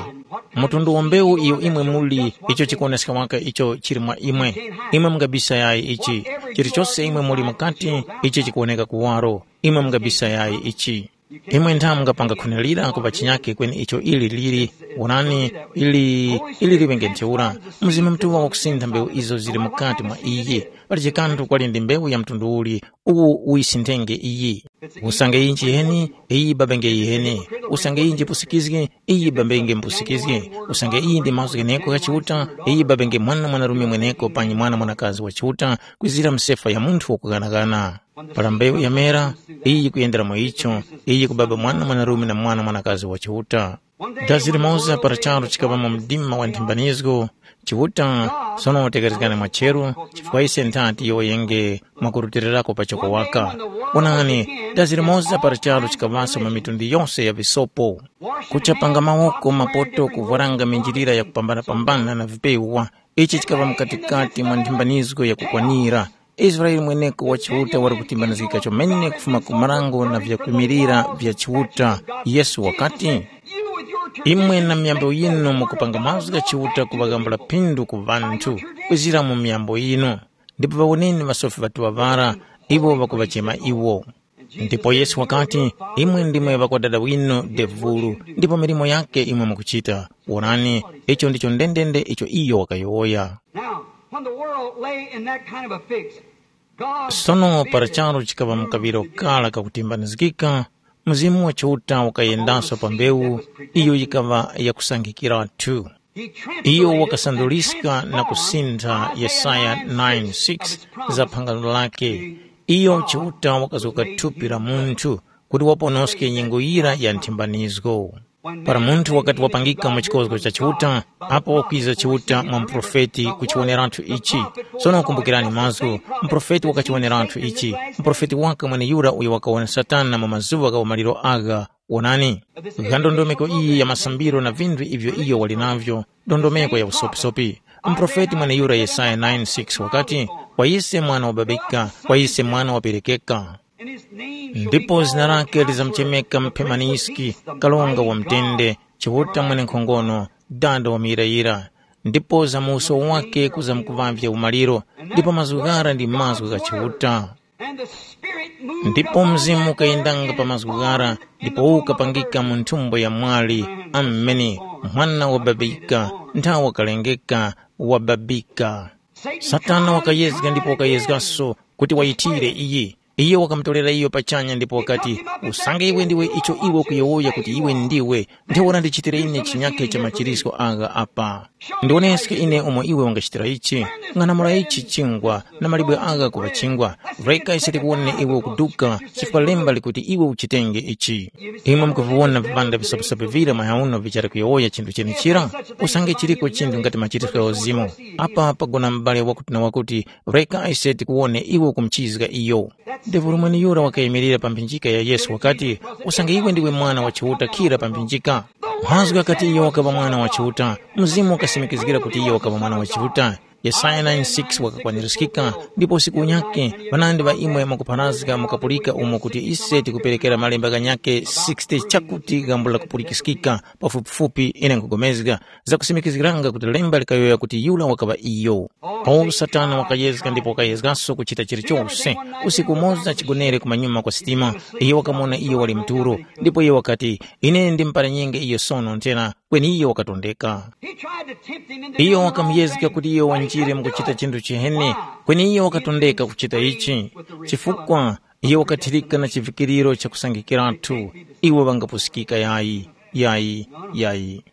Mtundu wa mbewu iyo imwe muli, icho chikuwoneska waka icho chili mwa imwe. Imwe mungabisa yayi ichi. Chilichose imwe muli mukati, ichi chikuwoneka kuwaro. Imwe mungabisa yayi ichi. Imwe ntha mungapanga khunilira ku pachinyake kweni icho ili lili, wonani, ili ili liŵenge ntheura. Mzimu Mutuŵa wakusintha mbewu izo zili mukati mwa iyi. Palije kanthu kwali ndi mbewu ya mtundu uli, uwu uyisinthenge iyi. Usange iyi nchiheni, iyi babenge yiheni. Usange iyi njipusikizgi, iyi babenge mpusikizgi. Usange iyi ndi mazgu gheneko gha Chiuta, iyi babenge mwana mwanarume mweneko panyi mwana mwanakazi wa Chiuta, kwizira msefa ya munthu wakughanagana. Para mbewu yamera, iyi yikuyendera mwa icho, iyi yikubaba mwana mwanarume na mwana mwanakazi wa Chiuta. Dazi limoza para charu chikaŵa mu mdima wa nthimbanizgo, Chiuta, sono tekerezgani mwacheru, chifukwa ise nthati yowoyenge mwakurutilirako pachoko waka. Wonani, dazi limoza para charu chikaŵaso mu mitundu yose ya visopo. Kuchapanga mawoko mapoto kuvwaranga minjilira yakupambana-pambana na vipewa, ichi chikaŵa mukatikati mwa nthimbanizgo yakukwanira. Israele mweneko wa Chiuta wali kutimbanizgika chomene kufuma ku marango na vyakwimilira vya Chiuta. Yesu wakati, imwe na myambo yinu mukupanga mazgu gha Chiuta kuŵaghambula phindu ku ŵanthu, kwizira mu myambo yinu. Ndipo ŵawoneni ŵasofi ŵatuŵa ŵara, iwo ŵakuŵachema iwo. Ndipo Yesu wakati, imwe ndimwe ŵakwadada winu devulu, ndipo milimo yakhe imwe mukuchita. Wonani, icho ndicho ndendende icho iyo wakayowoya. Now, when the world lay in that kind of a fix, God Sono para charu chikaŵa mu kaŵiro kara kakutimbanizgika, Mzimu wa Chiuta wakayendanso pa mbewu iyo yikaŵa yakusangikiratu. Iyo wakasanduliska na kusintha Yesaya nine six za phangano lake. Iyo Chiuta wakazuka thupi la munthu kuti waponoske nyengo yira ya nthimbanizgo. Para munthu wakati wapangika mu chikozgo cha Chiuta, apo wakwiza Chiuta mwa muprofeti kuchiwoneratu ichi. Sono kumbukirani mazgu, muprofeti wakachiwoneratu ichi. Muprofeti waka mweneyura uyo wakawona Satana mu mazuŵa gha umaliro agha. Wonani, gha ndondomeko iyi ya masambiro na vinthu ivyo iyo wali navyo, ndondomeko ya usopisopi. Muprofeti mweneyura Yesaya nine six wakati, kwa ise mwana wababika, kwa ise mwana waperekeka. Ndipo zina lake lizamuchemeka Mphemaniski, Karonga wa mutende, Chiuta mwenenkhongono, Dada wa muyirayira. Ndipo za mu uso wake kuzamkuŵavye umaliro, ndipo mazgu ghara ndi mazgu gha Chiuta. Ndipo Mzimu ukayendanga pa mazgu ghara, ndipo ukapangika mu nthumbo ya mwali. Ameni. Mwana wababika, nthawi wakalengeka, wababika. Satana wakayezga ndipo wakayezgaso kuti wayithire iyi. Iye wakamutorera iyo pachanya ndipo wakati, usange iwe ndiwe icho iwe ukuyowoya kuti iwe ndiwe, ntheura ndichitire ine chinyakhe cha machirisko agha apa. Ndiwoneske ine umo iwe wangachitira ichi. Ng'anamula ichi chingwa na malibwe agha kuŵa chingwa. Reka ise tikuwone iwe ukuduka, chifukwa lemba likuti iwe uchitenge ichi. Imwe mukuviwona vipanda visopesope vira mayauno vichali kuyowoya chinthu chenichira? Usange chiriko chinthu ngati machirisko gha uzimu, apa pagona m'bale wakuti na wakuti, reka ise tikuwone iwe ukumuchizga iyo. Devulu mweneyura wakayimirira pa mphinjika ya Yesu wakati, usange iwe ndiwe mwana wa Chiuta khira pa mphinjika. Mazgu ghakati iyo wakaŵa mwana wa Chiuta, Mzimu wakasimikizgira kuti iyo wakaŵa mwana wa Chiuta. Yesaya nine six wakakwanirizgika, ndipo usiku unyakhe ŵanandi ŵa imwe mukupharazga mukapulika umo kuti ise tikuperekera malemba ghanyakhe sixty chakuti ghambula kupulikiskika. Pafupifupi ine nkhupulikana zakusimikizgiranga kuti lemba likayowoya kuti yura wakaŵa iyo. Paulo Satana wakayezga ndipo wakayezgaso kuchita chilichose. Usiku umoza chigonere kumanyuma kwa sitima, iyo wakamuwona iyo wali mtulo, ndipo iyo wakati, ine ndimuparanyenge iyo sono nthena, kweni iyo wakatondeka. He tried to tempt him into Iyo wakamuyezga kuti iyo wanjire mu kuchita chinthu chiheni, kweni iyo wakatondeka kuchita ichi, chifukwa iyo wakathirika na chivikiriro chakusangikiratu. Iwo ŵangapusikika yayi, yayi, yayi.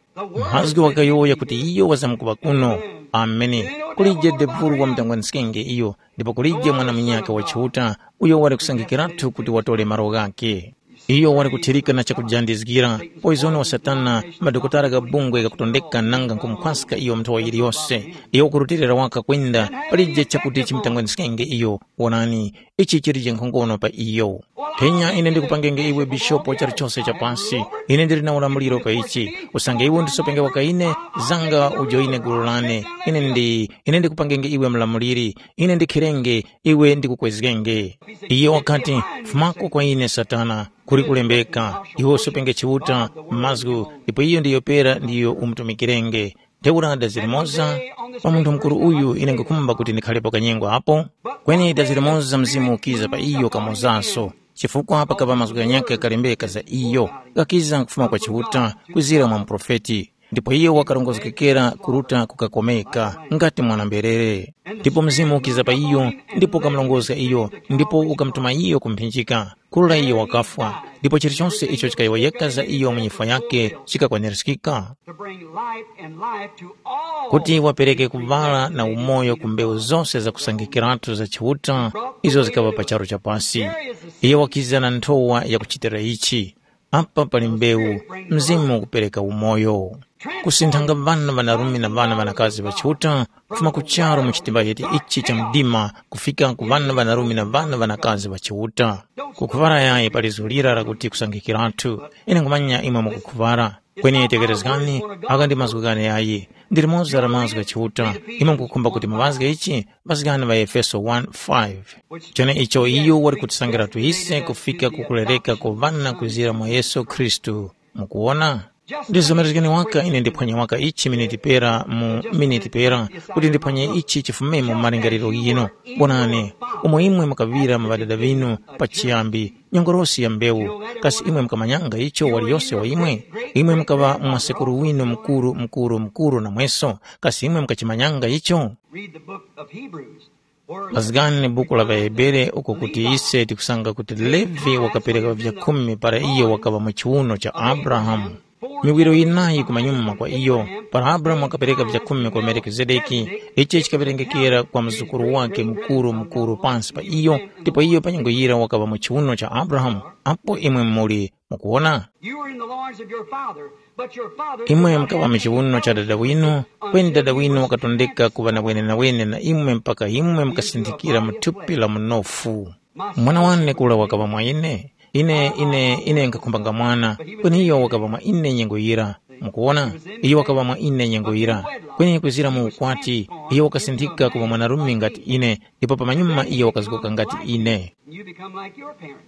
Mazgu wakayowoya kuti iyo wazamkuŵa kuno. Amene. Kulije debulu wa mutangwa-nskenge iyo, ndipo kulije mwana munyakhe wa Chiuta uyo wali kusangikiratu kuti watore malo ghakhe. Iyo wali kuthirika na chakujandizgira, poizoni wa Satana, madokotala gha bungwe ghakutondeka nanga nkhumukhwaska iyo nthowa yiliyose. Iyo wakurutilira waka kwenda, palije chakuti chimutangweniskenge iyo. Wonani, ichi chilije nkhongono pa iyo. Phenya ine ndikupangenge iwe bishopu wa charu chose cha pasi. Ine ndili na ulamuliro pa ichi. Usange iwe undisopenge waka ine, zanga ujoine gulu lane. Ine ndi, ine ndikupangenge iwe mlamuliri. Ine ndikhirenge, iwe ndikukwezgenge. Iye wakati, fumako kwa ine Satana, kuli kulembeka, iwe usopenge Chiuta mazgu, ndipo iyo ndiyo pera ndiyo umutumikirenge. Ntheura dazi limoza, pa munthu mukuru uyu ine nkukhumba kuti ndikhalepo kanyengo apo, kweni dazi limoza Mzimu ukiza pa iyo kamozaso, chifukwa pakaŵa mazgu ghanyakhe ghakalembeka za iyo, ghakiza kufuma kwa Chiuta, kwizira mwa muprofeti. Ndipo iyo wakarongozgekera kuruta kukakomeka, ngati mwana-mberere. Ndipo Mzimu ukiza pa iyo, ndipo ukamurongozga iyo, ndipo ukamutuma iyo ku mphinjika. Kurora iyo wakafwa, ndipo chilichonse icho chikayowoyeka za iyo mu nyifwa yakhe chikakwanirizgika. To bring light and life to all. Kuti wapereke kuŵala na umoyo ku mbewu zose zakusangikiratu za Chiuta, izo zikaŵa pa charu cha pasi. Iyo wakiza na nthowa yakuchitira ichi. Apa pali mbewu, Mzimu ukupereka umoyo. Kusinthanga ŵana ŵanarume na ŵana ŵanakazi ŵa Chiuta, kufuma ku charu mu chitimbayeti ichi cha mdima, kufika ku ŵana ŵanarume na ŵana ŵanakazi ŵa Chiuta. Kukhuŵara yayi pali zulira lakuti kusangikiratu. Ine nkhumanya imwe mukukhuŵara. Kweni tekerezgani, aka ndi mazgu ghane yayi. Ndi limodzi la mazgu gha Chiuta. Imwe mukukhumba kuti muŵazge ichi, ŵazgani ŵa Efeso one five. Chene icho iyo wali kutisangiratu ise kufika ku kulereka kwa ŵana kwizira mwa Yesu Khristu. Mukuwona? Ndizomerezgeni waka ine ndiphwanya waka ichi miniti pera mu miniti pera, kuti ndiphwanye ichi chifumemo mu malingaliro ghinu. Wonani, umo imwe mukaŵira mu ŵadada ŵinu pachiyambi, nyongolosi ya mbewu, kasi imwe mukamanyanga icho waliyose wa imwe? Imwe mukaŵa mwasekuru winu mukuru mukuru mukuru namweso, kasi imwe mukachimanyanga icho? Read the book of Hebrews. Mazgani buku la ŵaHebere uko kuti ise tikusanga kuti Levi wakapereka vyakhumi para iyo wakaŵa mu chiwuno cha Abrahamu. miwiro yinayi kumanyuma kwa iyo, para Abrahamu wakapereka vyakhumi kwa Melikizedeki, ichi chikawerengekera kwa mzukuru wake mukuru mukuru pansi pa iyo, ndipo iyo pa nyengo yira wakaŵa mu chiwuno cha Abrahamu, apo imwe muli. Mukuwona? You were in the loins of your father, but your father Imwe mukaŵa mu chiwuno cha dada winu, kweni dada winu wakatondeka kuŵa na wenenawene na imwe mpaka imwe mukasinthikira mu thupi la munofu. Mwana wane kura wakaŵa mwa ine. Ine ine ine nkakhumbanga mwana, kweni iyo wakaŵa mwa ine nyengo yira. Mukuwona? Iyo wakaŵa mwa ine nyengo yira. Kweni kuzira mu ukwati, iyo wakasinthika kuŵa mwanarume ngati ine, ndipo pamanyuma iyo wakazgoka ngati ine. You become like your parents.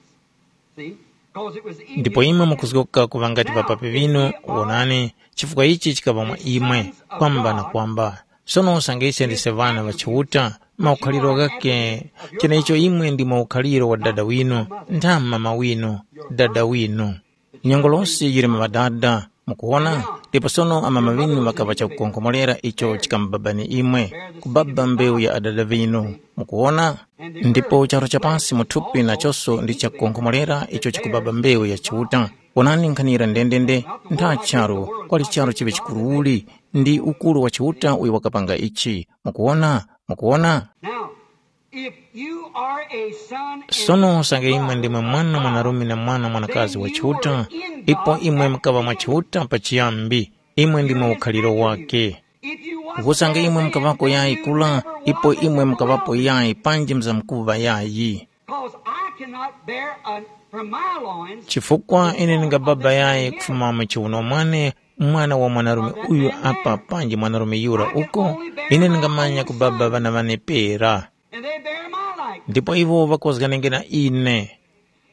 See? 'Cause it was in ndipo you imwe mukuzgoka kuŵa ngati ŵapapi ŵinu. Wonani, chifukwa ichi chikaŵa mwa imwe, kwamba na kwamba. Sono usange ise ndise ŵana ŵa Chiuta, maukhaliro ghake, cheneicho imwe ndi maukhaliro wa dada winu, ntha mama winu, dada winu. Nyongolosi yili mwa ŵadada, mukuwona? Ndipo sono amama ŵinu ŵakaŵa chakukonkhomorera icho chikamubabani imwe, kubaba mbewu ya adada ŵinu. Mukuwona? Ndipo charu cha pasi mu thupi nachonso ndi chakukonkhomorera icho chikubaba mbewu ya Chiuta. Wonani nkhanira ndendende, ntha charu, kwali charu chiŵe chikuruuli, ndi ukuru wa Chiuta uyo wakapanga ichi. Mukuwona? Mukuwona? Now, if you are a son and Sono usange imwe ndimwe mwana mwanarume na mwana mwanakazi wa Chiuta, ipo imwe mukaŵa mwa Chiuta pachiyambi, imwe ndimwe ukhaliro wake. Usange imwe mukaŵako yayi kula, ipo imwe mukaŵapo yayi panji mzamkuŵa yayi. 'Cause I cannot bear a, from my loins. Chifukwa ine ndingababa yayi kufuma mu chiwuno mwane mwana wa mwanarume uyu apa panji mwanarume yura uko, ine ndingamanya kubaba ŵana ŵane pera. And they bear my likeness. Ndipo iwo ŵakozganenge na ine.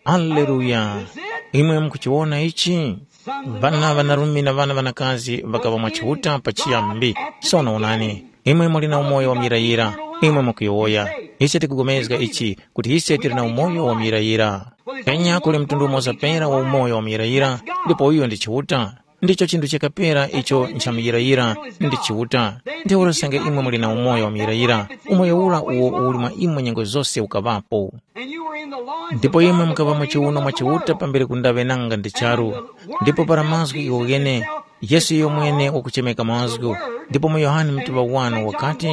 Aleluya! Imwe mukuchiwona ichi? Ŵana ŵanarume na ŵana ŵanakazi ŵakaŵa mwa Chiuta pachiyambi. Sono wonani, imwe muli na umoyo wa muyirayira, imwe mukuyowoya. Ise tikupulikana ichi, kuti ise tili na umoyo wa muyirayira. Kweni kuli mtundu umoza pera wa umoyo wa muyirayira, ndipo uyo ndi Chiuta. Ndicho chinthu cheka pera icho nchamuyirayira, ndi Chiuta. Ntheura usange imwe muli na umoyo wa muyirayira, umoyo ura uwo uli mwa imwe nyengo zose ukaŵapo. Ndipo imwe mukaŵa mu chiwuno mwa Chiuta pambere kundaŵe nanga ndi charu. Ndipo para mazgu iwo ghene, Yesu iyo mwene wakuchemeka mazgu. Ndipo mu Yohane mutuŵa wanu wakati,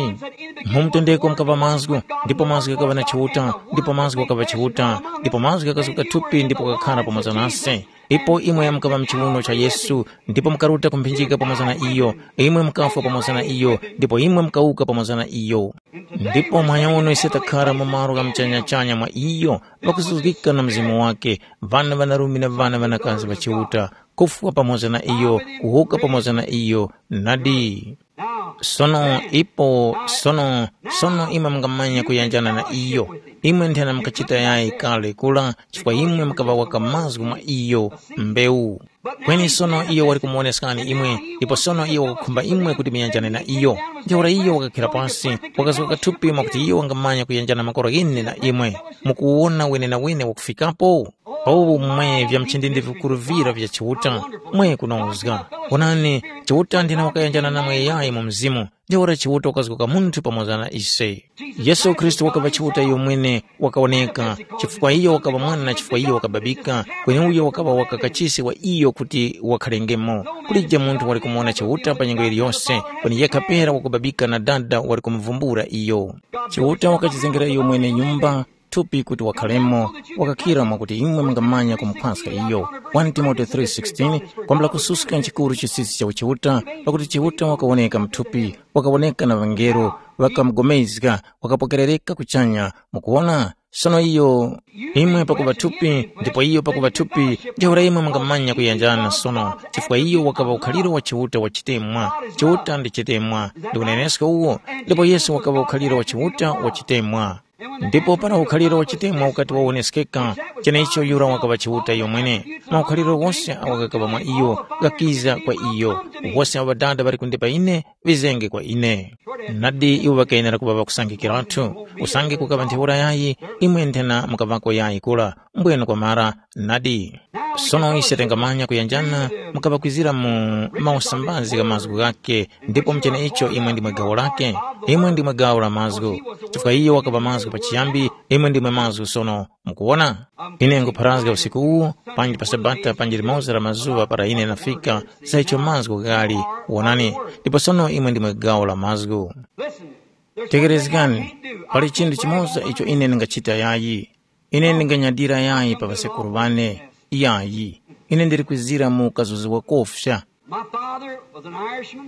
mu mutendeko mukaŵa mazgu, ndipo mazgu ghakaŵa na Chiuta, ndipo mazgu ghakaŵa Chiuta, ndipo mazgu ghakazguka thupi ndipo ghakakhara pamoza nase. Ipo imwe mukaŵa mu chiwuno cha Yesu, ndipo mukaruta kumphinjika pamoza na iyo, imwe mukafwa pamoza na iyo, ndipo imwe mukawuka pamoza na iyo. Ndipo mwayawono ise takhara mu malo gha muchanyachanya mwa iyo, ŵakuzuzgika na Mzimu wake, ŵana ŵanarume na ŵana ŵanakazi ŵa Chiuta, kufwa pamoza na iyo, kuwuka pamoza na iyo, nadi. Sono ipo, sono, sono imwe mungamanya kuyanjana na iyo. Imwe nthena mukachita yayi kale kula, chifukwa imwe mukaŵa waka mazgu mwa iyo, mbewu. Kweni sono iyo wali kumuwoneskani imwe, ndipo sono iyo wakukhumba imwe kuti muyanjane na iyo. Ntheura iyo wakakhira pasi, wakazgoka thupi mwakuti iyo wangamanya kuyanjana makora ghene na imwe. Mukuwona wenenawene wakufikapo? O mwe vya mchindindi vikuru vira vya Chiuta, mwe kunozga. Wonani, Chiuta ndine wakayanjana namwe yayi mu mzimu, ntheura Chiuta wakazgoka munthu pamoza na ise. Yesu Khristu wakaŵa Chiuta iyo mwene wakawoneka, chifukwa iyo wakaŵa mwana chifukwa iyo wakababika, kweni uyo wakaŵa waka kachisi wa iyo kuti wakhalengemo. Kulije munthu wali kumuwona Chiuta pa nyengo yiliyose, kweni yekha pera wakubabika na Dada wali kumuvumbula iyo. Chiuta wakachizengera iyo mwene nyumba, thupi kuti wakhalemo, wakakhira mwakuti imwe mungamanya kumukhwaska iyo. One Timote three sixteen, kwambula kususka nchikuru chisisi cha uchiuta, pakuti Chiuta wakawoneka mthupi, wakawoneka na ŵangelo, ŵakamugomezga, wakapokerereka kuchanya. Mukuwona? Sono iyo, imwe pakuŵa thupi, ndipo iyo pakuŵa thupi, ntheura imwe mungamanya kuyanjana sono, chifukwa iyo wakaŵa ukhaliro wa Chiuta wa chitemwa. Chiuta ndi chitemwa, ndi unenesko uwo, ndipo Yesu wakaŵa ukhaliro wa Chiuta wa chitemwa. Ndipo para ukhaliro wa chitemwa ukati wawoneskeka, cheneicho yura wakaŵa Chiuta iyomwene. Maukhaliro ghose agho ghakaŵa mwa iyo, ghakiza kwa iyo. Wose awo Ŵadada ŵali kundipa ine, ŵizenge kwa ine. Nadi iwo ŵakayenera kuŵa ŵakusangikiratu. Usange kukaŵa ntheura yayi, imwe nthena mukaŵako yayi kura. Mbwenu kwamara, nadi. Sono ise tingamanya kuyanjana mukaŵakwizira mu mausambazi gha mazgu ghakhe, ndipo mu cheneicho imwe ndimwe gawo lakhe. Imwe ndimwe gawo la mazgu, chifukwa iyo wakaŵa mazgu pachiyambi, imwe ndimwe mazgu sono. Mukuwona? Ine nkupharazga usiku uwu, panji pa Sabata, panji limoza la mazuŵa para ine ndafika, za icho mazgu ghali, wonani, ndipo sono imwe ndimwe gawo la mazgu. Tekerezgani, pali chinthu chimoza icho ine ndingachita yayi. Ine ndinganyadira yayi pa ŵasekuru ŵane. Yayi, ine ndili kwizira mu kazuzi wakofya. My father was an Irishman.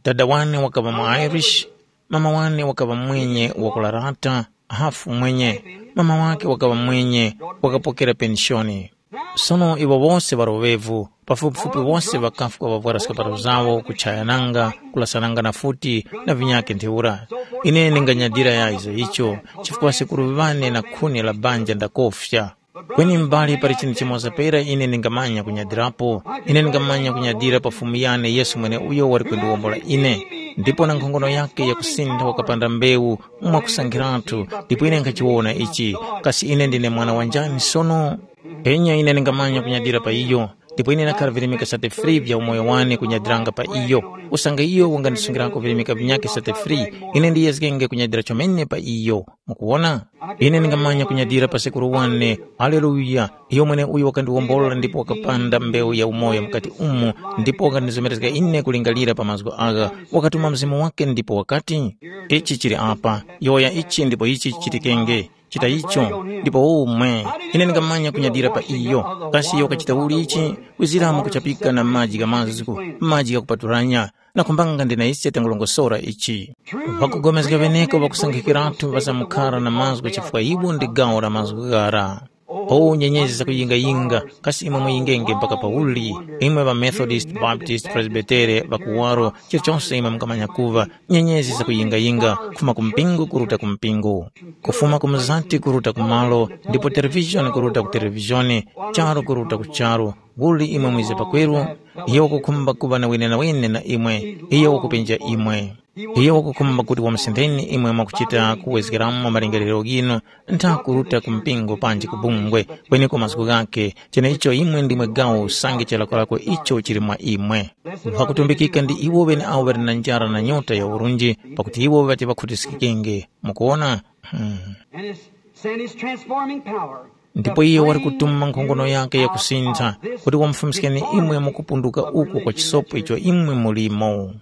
Dada wane wakaŵa mu Irish, mama wane wakaŵa mwenye wakularata, hafu mwenye, mama wake wakaŵa mwenye, wakapokera penishoni. Sono iwo wose ŵaroŵevu, pafupifupi wose ŵakafwa ŵavwara skapato zawo, kuchayananga, kulasananga na futi, na vinyakhe ntheura. Ine ndinganyadira ya izo icho, chifukwa sekuru ŵane na khuni la banja ndakofya. Kweni mbali pali chinthu chimoza pera ine ndingamanya kunyadirapo. Ine ndingamanya kunyadira pa Fumu yane Yesu mweneuyo wali kundiwombola ine. Ndipo na nkhongono yakhe yakusintha wakapanda mbewu mwakusankhiratu, ndipo ine nkhachiwona ichi. Kasi ine ndine mwana wa njani sono? Enya ine ndingamanya kunyadira pa iyo, ndipo ine ndakhara virimika sate free vya umoyo wane kunyadiranga pa iyo. Usange iyo wangandisungirako virimika vinyakhe sate free, ine ndiyezgenge kunyadira chomene pa iyo. Mukuwona? Ine ndingamanya kunyadira pa sekuru wane. Aleluya! Iyo mweneuyo wakandiwombola ndipo wakapanda mbewu ya umoyo mukati umu, ndipo wakandizomerezga ine kulingalira pa mazgu agha. Wakatuma Mzimu wake ndipo wakati, ichi chili apa, yowoya ichi ndipo ichi chichitikenge. Chita icho, ndipo umwe. Ine ndingamanya kunyadira pa iyo. Kasi iyo wakachita uli ichi? Kwiziramo kuchapika na maji gha mazgu, maji ghakupaturanya. Nakhumbanga ndina ise tangulongosora ichi. Ŵakugomezga ŵeneko ŵakusankhikiratu ŵazamkara na mazgu chifukwa iwo ndi gawo la mazgu ghara. O nyenyezi zakuyingayinga, kasi imwe muyingenge mpaka pauli? Imwe ŵa Methodist, Baptist, Presbytere, ŵakuwaro, chilichonse imwe mungamanya kuŵa, nyenyezi zakuyingayinga, kufuma ku mpingo kuruta ku mpingo, kufuma ku mzati kuruta ku malo, ndipo televishoni kuruta ku televishoni, charu kuruta ku charu, uli imwe mwize pakweru, iyo wakukhumba kuŵa na wenenawene na imwe, iyo wakupenja imwe. Iyo wakukhumba kuti wamusintheni imwe mwakuchita kuwezgeramo malingaliro ghinu, ntha kuruta ku mpingo panji ku bungwe, kweneko mazgu ghakhe, cheneicho imwe ndimwe gawo usange chilakolako icho chili mwa imwe. Ŵakutumbikika ndi iwo ŵeneawo ŵali na njara na nyota ya urunji, pakuti iwo ŵati ŵakhutiskikenge. Mukuwona? Hmm. And his, send his transforming power. Ndipo iye wali kutuma nkhongono yake yakusintha, kuti wamufumiskeni imwe mukupunduka uku kwa chisopo icho imwe mulimo.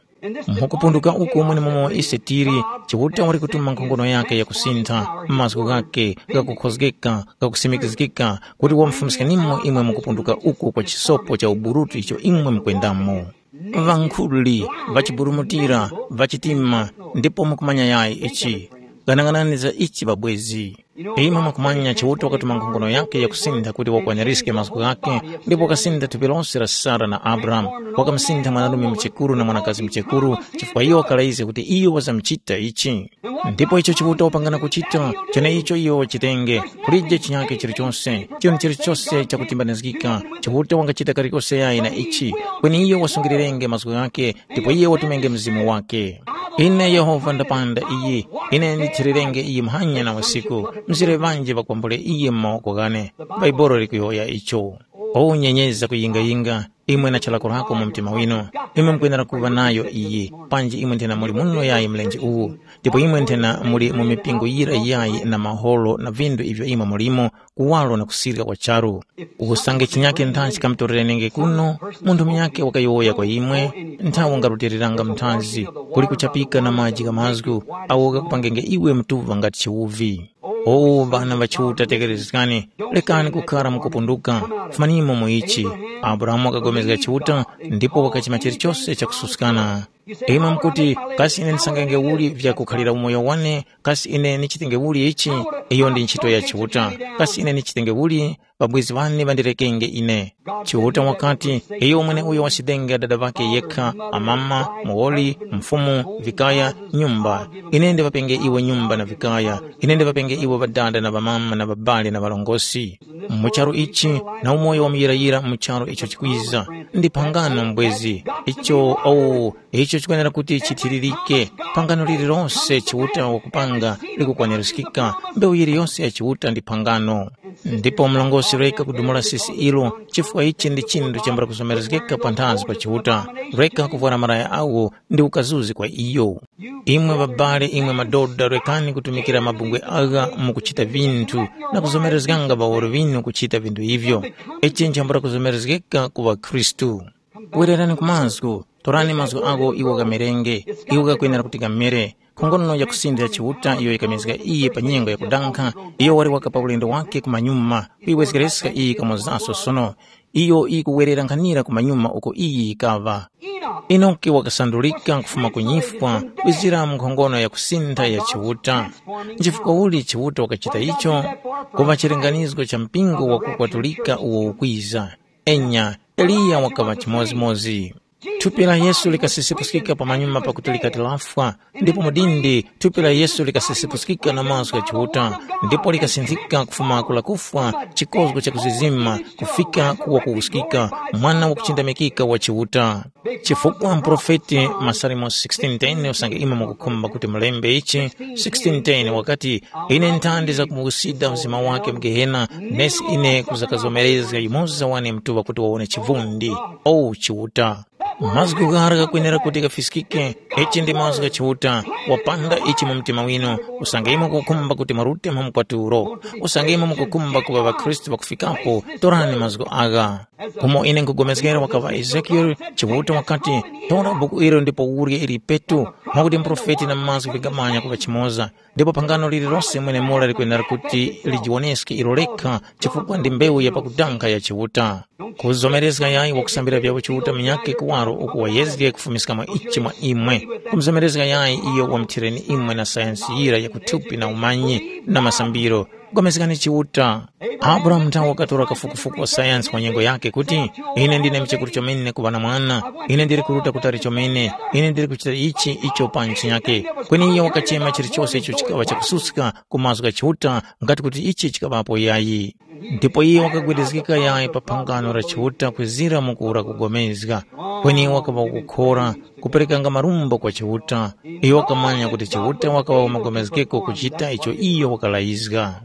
Mukupunduka uku mwenemomo ise tili, Chiuta wali kutuma nkhongono yake yakusintha, mazgu ghake ghakukhozgeka, ghakusimikizgika, kuti wamufumiskenimo imwe mukupunduka uku kwa chisopo cha uburutu icho imwe mukwendamo. Ŵankhuli, ŵachiburumutira, ŵachitima, ndipo mukumanya yayi ichi. Ghanaghanani za ichi ŵabwezi. Imwe mwakumanya Chiuta wakatuma nkhongono yakhe yakusintha kuti wakwaniriske mazgu ghakhe, ndipo wakasintha thupi lose la Sara na Abrahamu. Wakamusintha mwanarume muchekuru na mwanakazi muchekuru, chifukwa iyo wakalaizga kuti iyo wazamuchita ichi. Ndipo icho Chiuta wapangana kuchita, cheneicho iyo wachitenge, kulije chinyakhe chilichose, chinthu chilichose chakutimbanizgika, Chiuta wangachita kalikose yayi na ichi, kweni iyo wasungilirenge mazgu ghakhe, ndipo iye watumenge Mzimu wakhe. Ine Yehova ndapanda iyi, ine ndithirirenge iyi muhanya na usiku, mzire ŵanji ŵakwambule iye mu mawoko ghane. Bhaibuli likuyowoya icho. O nyenyezi zakuyingayinga, imwe na chalakolako mu mtima winu, imwe mukwenera kuŵa nayo iyi, panji imwe nthena muli muno yayi mlenje uwu, ndipo imwe nthena muli mu mipingo yira yayi na mahoro na vindu ivyo imwe mulimo, kuwaro na kusirika kwa charu. Usange chinyake ntha chikamutorerenenge kuno, munthu munyakhe wakayowoya kwa imwe, ntha wangarutiliranga muthazi, kuli kuchapika na maji gha mazgu, awo ghakupangenge iwe mtuva ngati chiwuvi. O ŵana ŵa Chiuta tekerezgani, lekani kukhara mukupunduka, fumanimo mu ichi. Abrahamu wakapulikana Chiuta ndipo wakachima chilichose chakususkana. Imwe mukuti, kasi ine ndisangenge uli vyakukhalira umoyo wane? Kasi ine ndichitenge uli ichi? Iyo ndi ntchito ya Chiuta. Kasi ine ndichitenge uli? Ŵabwezi ŵane ŵandirekenge ine. Chiuta wakati, iyo mweneuyo wachitenga dada ŵakhe yekha, amama, muwoli, mfumu, vikaya, nyumba. Ine ndiŵapenge iwe nyumba na vikaya. Ine ndiŵapenge iwe ŵadada na ŵamama na ŵabale na ŵarongozgi. Mu charu ichi, na umoyo wa muyirayira mu charu icho chikwiza, ndi phangano mbwezi. Icho, oh, icho chikwenera kuti chithiririke. Phangano lililonse Chiuta wakupanga likukwanirizgika. Mbewu yiliyonse ya Chiuta ndi phangano. Ndipo mlongosi reka kudumula sisi ilo, chifukwa ichi ndi chinthu chambula kuzomerezgeka panthazi pa Chiuta. Reka kuvwara malaya awo ndi ukazuzi kwa iyo. Imwe ŵabale, imwe madoda, rekani kutumikira mabungwe agha mu kuchita vinthu na kuzomerezganga ŵawoli ŵinu kuchita vinthu ivyo. Ichi nchambula kuzomerezgeka ku ŵakhristu. Wererani ku mazgu, torani mazgu agho iwo ghamerenge, iwo ghakwenera kuti ghamere. Nkhongono ya kusintha ya Chiuta iyo yikamezga iye pa nyengo yakudankha, iyo wali waka pa ulendo wake kumanyuma, kuyiwezgereska iyi kamozaso sono. Iyo ikuwerera nkhanira kumanyuma uko iyi yikaŵa. Enoki wakasandulika kufuma ku nyifwa kwizira mu nkhongono ya kusintha ya Chiuta. Nchifukwa uli Chiuta wakachita icho? Kuŵa chilinganizo cha mpingo wakukwatulika uwo ukwiza. Enya, Eliya wakaŵa chimodzimodzi. Thupi la Yesu likasisipuskika pamanyuma pakuti likati lafwa, ndipo mudindi thupi la Yesu likasisipuskika na mazgu gha Chiuta, ndipo likasinthika kufuma ku lakufwa chikozgo cha kuzizima kufika ku wakuwuskika, mwana wakuchindamikika wa Chiuta. Chifukwa muprofeti Masalimo sixteen ten usange imwe mukukhumba kuti mulembe ichi, sixteen ten wakati, ine nthandi zakumuwusida mzima wake mu Gehena, nesi ine kuzakazomerezga yumoza wane mtuŵa kuti wawone chivundi. O Chiuta! Mazgu ghara ghakwenera kuti ghafiskike. Ichi ndi mazgu gha Chiuta. Wapanda ichi mu mtima winu, usange imwe mukukhumba kuti mwarute mu mkwatulo, usange imwe mukukhumba kuŵa ŵakhristu ŵakufikapo, torani mazgu agha. Umo ine nkugomezgera wakaŵa Ezekiele, Chiuta wakati, tora buku ilo ndipo urye ili petu, mwakuti muprofeti na mazgu vingamanya kuŵa chimoza. Ndipo phangano lililose mwenemura likwenera kuti lijiwoneske ilo lekha, chifukwa ndi mbewu ya pakudanga ya Chiuta. Kuzomerezga yayi wakusambira vyawo Chiuta munyakhe kuwaro uku wayezge kufumiskamo ichi mwa imwe. Kumuzomerezga yayi iyo wamuthireni imwe na sayansi yira ya kuthupi na umanyi na masambiro. Pulikani Chiuta. Abrahamu nthawe wakatora kafukufuku wa sayansi wa nyengo yakhe kuti, ine ndine mchekuru chomene kuŵa na mwana, ine ndiri kuruta kutali chomene, ine ndiri kuchita ichi icho pa ntchi yakhe. Kweni iyo wakachema chilichose icho chikaŵa chakususka ku mazgu gha Chiuta nga kuti ichi chikaŵapo yayi. Ndipo iyo wakagwedezgeka yayi pa phangano la Chiuta kwezira mu kura kugomezga. Kweni wakaŵa wakukhora, kuperekanga marumbo kwa Chiuta. Iyo wakamanya kuti Chiuta wakaŵa wamagomezgeko kuchita icho iyo wakalayizga.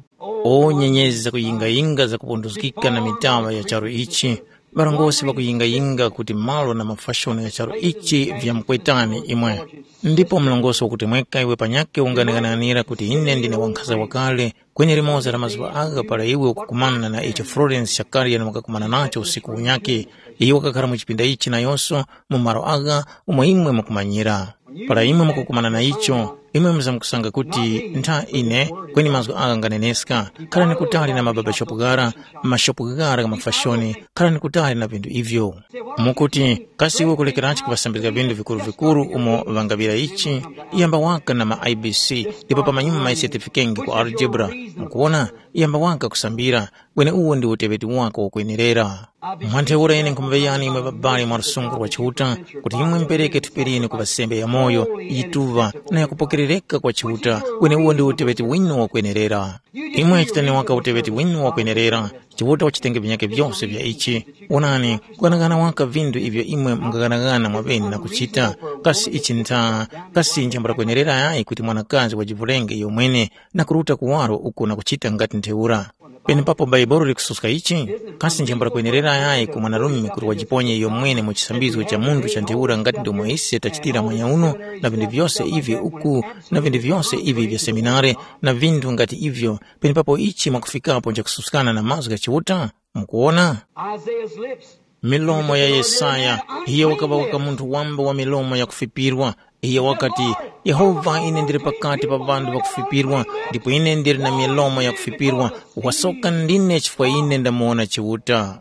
O nyenyezi zakuyingayinga zakupunduzgika na mitaŵa ya charu ichi, ŵarongozgi ŵakuyingayinga kuti malo na mafashoni gha charu ichi vyamkwetani imwe. Ndipo mlongosi wakutemweka iwe panyakhe unganeng'anira kuti ine ndine wankhaza wakale, kweni limoza la mazuŵa agha para iwe ukukumana na icho Florence Shakarian wakakumana nacho usiku unyakhe, iyo wakakhara mu chipinda ichi nayonso mu malo agha umo imwe mukumanyira. Para imwe mukukumana na icho, imwe muzamkusanga kuti ntha ine, kweni mazgu agha nganeneska. Kharani kutali na mababashopu ghara, mashopu ghara gha mafashoni, kharani kutali na vinthu ivyo. Mukuti, kasi iwe kulekeranji kuŵasambizga vinthu vikuru-vikuru umo ŵangaŵira ichi? Yamba waka na ma I B C, ndipo pamanyuma isetefikenge ku algebra. Mukuwona, yamba waka kusambira, kweni uwo ndi uteŵeti wako wakwenerera. Mwa ntheura ine nkhumuŵeyani imwe ŵabali mwa lusungu lwa Chiuta, kuti imwe mupereke thupi linu kuŵa sembe yamoyo, yituŵa, na yakupokerereka kwa Chiuta, kweni uwo ndi uteŵeti winu wakwenerera. Imwe chitani waka uteŵeti winu wakwenerera, Chiuta wachitenge vinyakhe vyose vya ichi. Wonani, kughanaghana waka vinthu ivyo imwe mungaghanaghana mwaŵene na kuchita, kasi ichi ntha, kasi nchambula kwenerera yayi kuti mwanakazi wajivulenge iyomwene na kuruta kuwaro uko na kuchita ngati ntheura? Penepapo Bhaibuli likususka ichi, kasi nchambula kwenerera yayi ku mwanarume kuti wajiponye iyomwene mu chisambizgo cha munthu cha ntheura ngati ndomwe ise tachitira mwanyauno, na vinthu vyose ivi uku, na vinthu vyose ivi vya seminare, na vinthu ngati ivyo, penepapo ichi mwakufikapo nchakususkana na mazgu gha Chiuta? Mukuwona? Isaiah's lips. Milomo ya Yesaya, iye wakaŵa waka munthu wamba wa milomo yakufipirwa. Iye wakati, Yehova, ine ndili pakati pa ŵanthu ŵakufipirwa, ndipo ine ndili na milomo yakufipirwa. Wasoka ndine chifukwa ine ndamuwona Chiuta.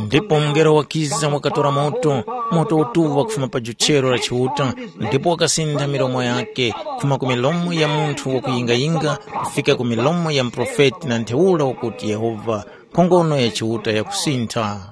Ndipo mungelo wakiza wakatora moto, moto utuŵa kufuma pa juchero la Chiuta, ndipo wakasintha milomo yake, kufuma ku milomo ya munthu wakuyingayinga kufika ku milomo ya muprofeti na ntheura wakuti Yehova, nkhongono ya Chiuta yakusintha.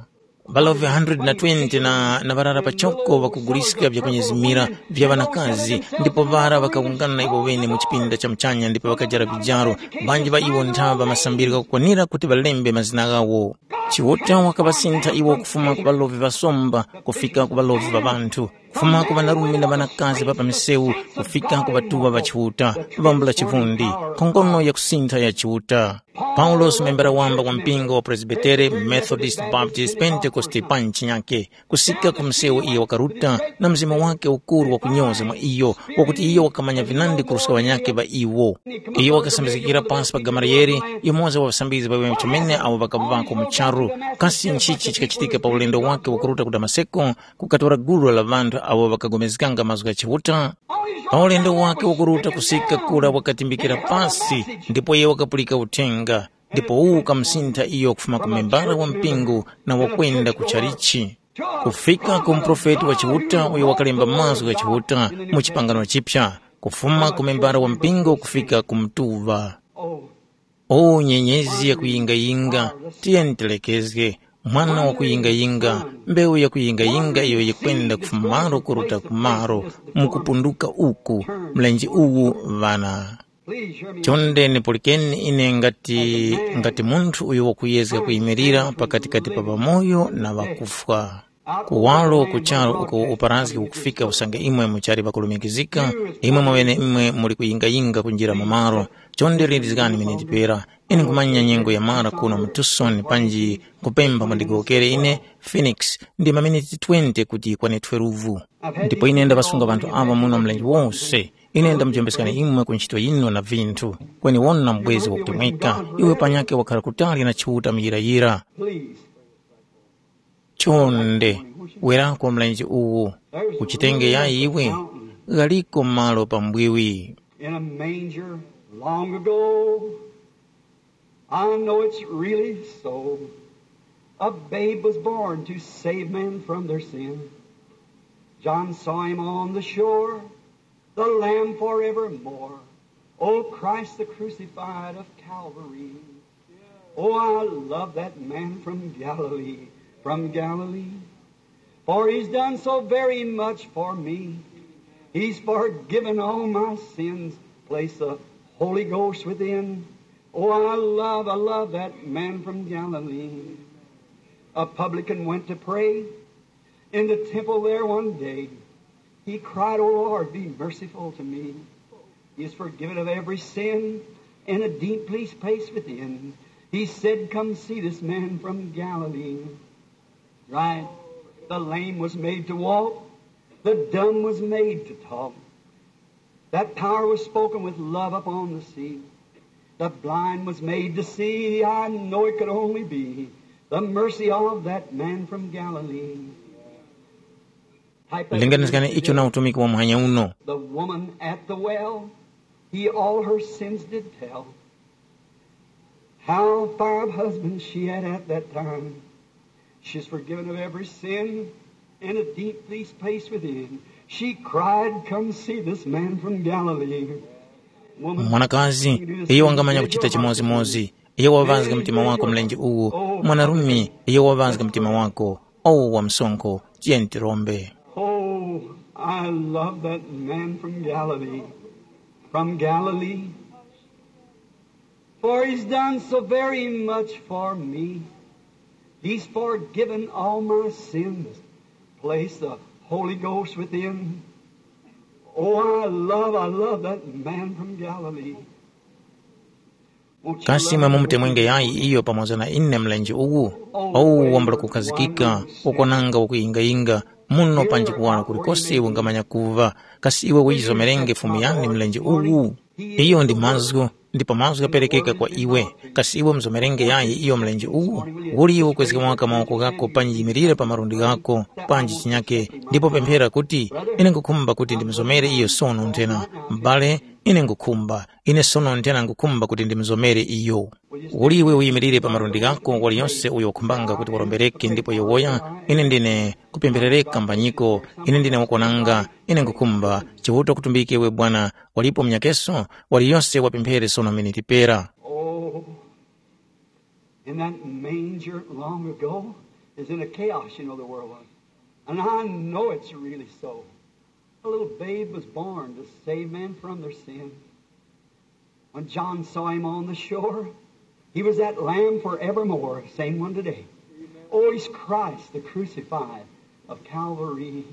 Ŵalovi one hundred twenty na, na ŵarara pachoko ŵakuguliska vyakunyezimira vya ŵanakazi, ndipo ŵara ŵakawungana iwo ŵene mu chipinda cha muchanya ndipo ŵakajara vijaro, ŵanji ŵa iwo nthaŵa masambiro ghakukwanira kuti ŵalembe mazina ghawo. Chiuta wakaŵasintha iwo kufuma ku ŵalovi ŵasomba kufika ku ŵalovi ŵa ŵanthu. Kufuma ku ŵanarume na ŵanakazi ŵa pa misewu, kufika ku ŵatuŵa ŵa Chiuta, ŵambula chivundi, nkhongono ya kusintha ya Chiuta. Paulosi, membera wamba wa mpingo wa Presbitere, Methodist, Baptist, Pentekoste pa nchinyake, kusika ku msewu iyo wakaruta na mzimu wake ukuru wakunyoza mwa iyo, wakuti iyo wakamanya vinandi kuruska ŵanyakhe ŵa iwo. Iyo wakasambizgikira pasi pa Gamaliyele, yumoza wa ŵasambizgi ŵaŵeme chomene awo ŵakaŵako mu charu. Kasi nchichi chikachitika pa ulendo wake wakuruta ku Damaseko? Kukatora gulu la ŵanthu awo ŵakapulikana mazgu gha Chiuta. Pa ulendo wake wakuruta kusika kura wakatimbikira pasi, ndipo iye wakapulika uthenga, ndipo uwu ukamusintha iyo kufuma ku membara wa mpingo na wakwenda ku chalichi. Kufika ku muprofeti wa Chiuta uyo wakalemba mazgu gha Chiuta mu chipangano chipya, kufuma ku membara wa mpingo kufika ku mtuŵa. O nyenyezi yakuyingayinga, tiyeni tilekezge, mwana wakuyingayinga, mbewu yakuyingayinga iyo yikwenda kufuma malo kuruta ku malo, mukupunduka uku, mlenje uwu ŵana. Chonde nipulikeni ine ngati, ngati munthu uyo wakuyezga kuyimirira pakatikati pa ŵamoyo na ŵakufwa. Kuwaro ku charu uko uparazgi ukufika usange imwe muchali ŵakulumikizika, imwe mwaŵeneimwe muli kuyingayinga kunjira mu malo. Chonde lindizgani miniti pera. Ine nkhumanya nyengo yamara kuno mu Tucson panji nkupempha mundigowokere ine Phoenix ndi maminiti twenty kuti yikwane twelve. Ndipo ine ndaŵasunga ŵanthu aŵa muno mlenje wose. Ine ndamujembeskani imwe ku ntchito yinu na vinthu. Kweni wona mbwezi wakutemweka, iwe panyakhe wakhala kutali na Chiuta muyirayira. Chonde, werako mlenje uwu, uchitenge yayi iwe, ghaliko malo pambwiwi. In a manger long ago, I know it's really so. A babe was born to save men from their sin. John saw him on the shore, the Lamb forevermore. O Christ the crucified of Calvary. Oh, I love that man from Galilee, from Galilee. For he's done so very much for me. He's forgiven all my sins. Place the Holy Ghost within. Oh, I love, I love that man from Galilee. A publican went to pray in the temple there one day. He cried, "O Lord, be merciful to me." He is forgiven of every sin and a deep peace place within. He said, "Come see this man from Galilee." Right? The lame was made to walk. The dumb was made to talk. That power was spoken with love upon the sea. The blind was made to see. I know it could only be the mercy of that man from Galilee. Linganizgani icho na utumiki wa muhanya uno. The woman at the well, he all her sins did tell. How five husbands she had at that time. She's forgiven of every sin and a deep peace place within. She cried, "Come see this man from Galilee." Woman, mwanakazi, iyo wangamanya kuchita chimodzimodzi. Iyo waŵazga mtima wako mlenje uwu. Mwanarume, iyo waŵazga mtima wako. Owo wa msonkho, tiyeni tirombe. Oh, I love that man from Galilee. From Galilee. For he's done so very much for me. He's forgiven all my sins. Place the Holy Ghost within. Oh, I love, I love that man from Galilee. Kasi imwe mumutemwenge yayi iyo pamoza na ine mlenje uwu? Owu wambula kukhazikika, ukwananga wakuyingayinga, muno panji kuwala kulikose iwe ungamanya kuva. Kasi iwe uyizomerenge Fumu yane mlenje uwu? Iyo ndi mazgu, ndipo mazgu ghaperekeka kwa iwe. Kasi iwe muzomerenge yayi iyo mlenje uwu? Uli iwe ukwezge waka mawoko ghako panji yimirire pa malundi ghako, panji chinyake, ndipo pemphera kuti, ine nkhukhumba kuti ndimuzomere iyo sono nthena. M'bale, ine nkhukhumba, ine sono nthena nkhukhumba kuti ndimuzomere iyo. Uli iwe uyimirire pa malundi ghako, waliyose uyo wakhumbanga kuti warombereke ndipo yowoya, ine ndine kupempherereka mbanyiko, ine ndine wakwananga, ine nkhukhumba, Chiuta kutumbike iwe Bwana, walipo munyakeso, waliyose wapemphere sono miniti pera. Oh, in that manger long ago is in a chaos, you know, the world was. And I know it's really so. A little babe was born to save men from their sin. When John saw him on the shore, he was that lamb forevermore, same one today. Oh, he's Christ, the crucified of Calvary.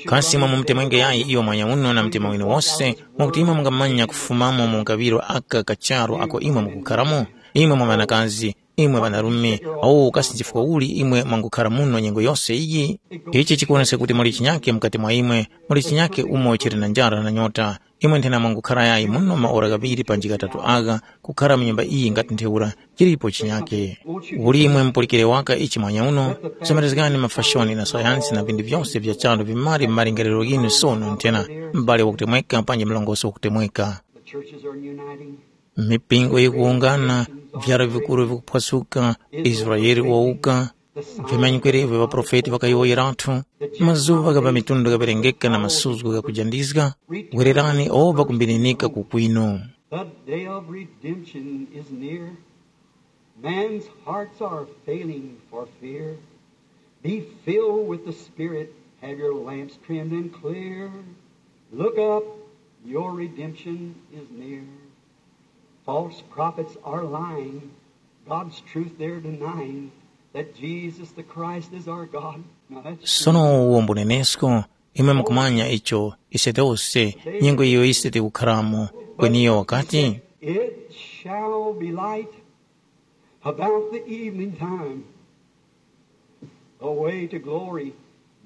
Kasi imwe mumutemwenge yayi iyo mwanya uno na mtima winu wose, mwakuti imwe mungamanya kufumamo mu kaŵiro aka ka charu ako imwe mukukharamo? Imwe mwa ŵanakazi, imwe ŵanarume, awo kasi nchifukwa uli imwe mwangukhara muno nyengo yose iyi? Ichi chikuwonesa kuti muli chinyake mukati mwa imwe, muli chinyake umo chili na njara na nyota. Imwe nthena mwangukhara yayi muno maora ghaŵiri panji ghatatu agha, kukhara mu nyumba iyi ngati ntheura, chilipo chinyake. Uli imwe mupulikire waka ichi mwanya uno, kuzomerezgani mafashoni na sayansi na vinthu vyose vya charu vimari mu malingaliro ghinu sono nthena, m'bale wakutemweka panji mlongosi wakutemweka. The churches are uniting. Mipingo yikuwungana, vyara vikuru vikuphwasuka, Israele wawuka, vimanyikwerevyo ŵaprofeti ŵakayowoyerathu, mazuŵa gha pa mitundu ghaŵerengeka na masuzgo ghakujandizga, wererani owo ŵakumbininika ku kwinu. The day of redemption is near. Man's hearts are failing for fear. Be filled with the Spirit, have your lamps trimmed and clear. Look up, your redemption is near. False prophets are lying, God's truth they're denying, that Jesus the Christ is our God. Now that's Sono uwo mbunenesko, imwe mukumanya icho, ise tose, nyengo iyo ise tikukharamo, kweni iyo wakati, It shall be light about the evening time. The way to glory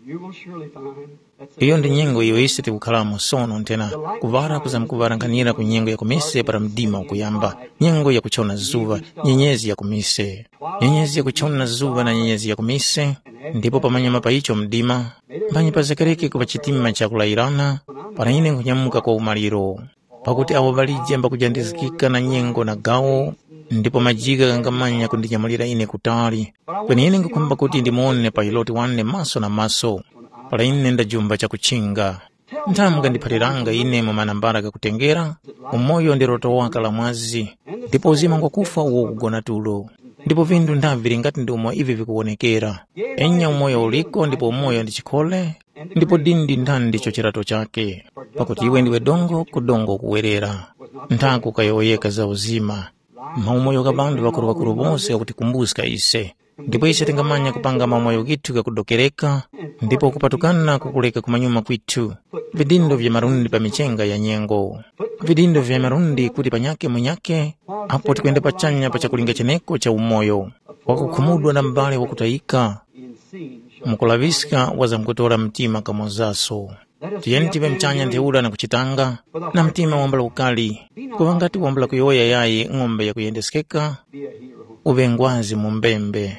you will surely find. That's the Iyo ndi nyengo iyo ise tikukhalamo sono nthena, kuŵala kuzamkuŵala nkhanira ku nyengo ya kumise para mdima ukuyamba, nyengo ya kuchona zuŵa, nyenyezi ya kumise. Nyenyezi ya kuchona zuŵa na nyenyezi ya kumise, ndipo pamanyuma pa icho mdima, mphanyi pazekereke kuŵa chitima chakulayirana, para ine nkhunyamuka kwa umaliro. Pakuti awo ŵalije mbakujandizgika na nyengo na gawo, ndipo majigha ghangamanya kundinyamulira ine kutali. Kweni ine nkhukhumba kuti ndimuwone pa Yiloti wane maso na maso, para ine ndajumba chakuchinga. Nthamu mukandiphaliranga ine mu manambala ghakutengera, umoyo ndi loto waka la mwazi, ndipo uzima ngwakufwa uwo ukugona tulo. Ndipo vinthu ndavili ngati ndi umo ivi vikuwonekera. Enya umoyo uliko ndipo umoyo ndi chikhole, ndipo dindi ndi nthandi ndicho chirato chake. Pakuti iwe ndiwe dongo, ku dongo ukuwerera. Nthaku kayowoyeka za uzima. Maumoyo gha ŵanthu ŵakuru-ŵakuru wose ghakutikumbuska ise. Ndipo ise tingamanya kupanga maumoyo ghithu ghakudokereka, ndipo kupatukana kukuleka kumanyuma kwithu. Vidindo vya malundi pa michenga ya nyengo. Vidindo vya malundi kuti panyake munyake, apo tikwenda pachanya pa chakulinga cheneko cha umoyo. Wakukhumudwa na m'bale wakutayika, mukulaŵiska wazamkutora mtima kamozaso. Tiyeni tiŵe mchanya ntheura na kuchitanga, na mtima wambula ukali, kuŵa ngati wambula kuyowoya yayi ng'ombe yakuyendeskeka, uŵe ngwazi mu mbembe.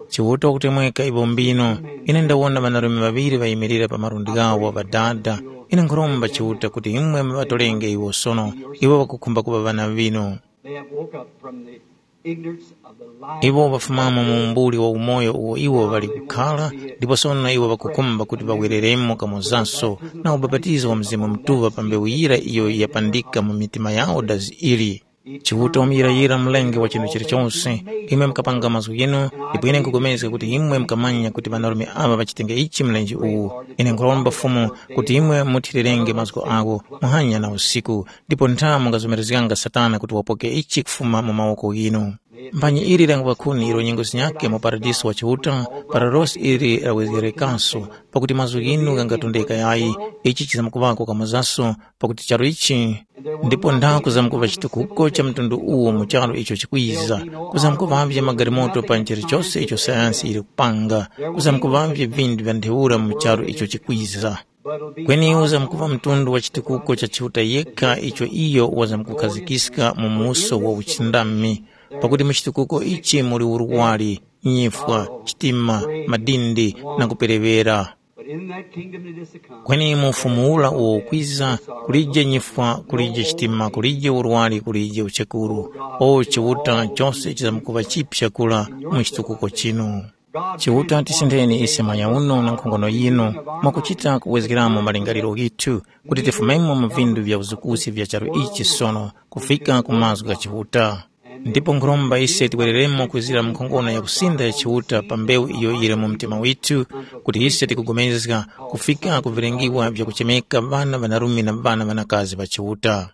Chiuta wakutemweka ipo mbino, ine ndawona ŵanarume ŵaŵiri ŵayimirira pa malundi ghawo ŵadada. Ine nkhuromba Chiuta kuti imwe muŵatorenge iwo sono, iwo ŵakukhumba kuŵa ŵana ŵinu. They have woke up from the ignorance of the life. Iwo ŵafumamo mu umbuli wa umoyo uwo iwo ŵali kukhara, ndipo sono iwo ŵakukhumba kuti ŵawereremo kamozaso na ubapatizo wa Mzimu Mutuŵa pa mbewu yira iyo yapandika mu mitima yawo dazi ili. Chiuta wamuyirayira mlengi wa chinthu chilichonse, imwe mukapanga mazgu ghinu, ndipo ine nkhupulikana kuti imwe mukamanya kuti ŵanarume aŵa ŵachitenge ichi mlenje uwu. Ine nkhuromba Fumu kuti imwe muthirerenge mazgu agho muhanya na usiku, ndipo ntha mungazomerezganga Satana kuti wapoke ichi kufuma mu mawoko ghinu. Mphanyi ili la nguvakuni ilo nyengo zinyakhe mu paradiso wa Chiuta, para losi ili lawezgerekaso, pakuti mazgu ghinu ghangatondeka yayi, ichi chizamkuŵako kamozaso, pakuti charu ichi, ndipo ntha kuzamkuŵa chitukuko cha mtundu uwo mu charu icho chikwiza, kuzamkuŵavye magalimoto pa chilichose icho sayansi yili kupanga, kuzamkuŵavye vinthu vya ntheura mu charu icho chikwiza. Kweni uzamkuŵa mtundu wa chitukuko cha Chiuta yekha icho iyo wazamkukhazikiska mu muso wa uchindami, pakuti mu chitukuko ichi muli urwari, nyifwa, chitima, madindi na kupereŵera. But in that kingdom it is to come. Kweni mu ufumu ura uwo ukwiza, kulije nyifwa, kulije chitima, kulije urwari, kulije uchekuru. O Chiuta, chose chizamkuŵa chipya kura mu chitukuko chinu. Chiuta, tisindeni ise manya uno na nkhongono yinu, mwakuchita kuwezgeramo malingaliro ghithu, kuti tifumemo mu vindu vya uzukusi vya charu ichi sono, kufika ku mazgu gha Chiuta. Ndipo nkhuromba ise tiwereremo kwizira mu nkhongono ya kusinda ya Chiuta pa mbewu iyo yili mu mtima withu, kuti ise tikupulikana kufika ku vilengiwa vyakuchemeka ŵana ŵanarume na ŵana ŵanakazi ŵa Chiuta.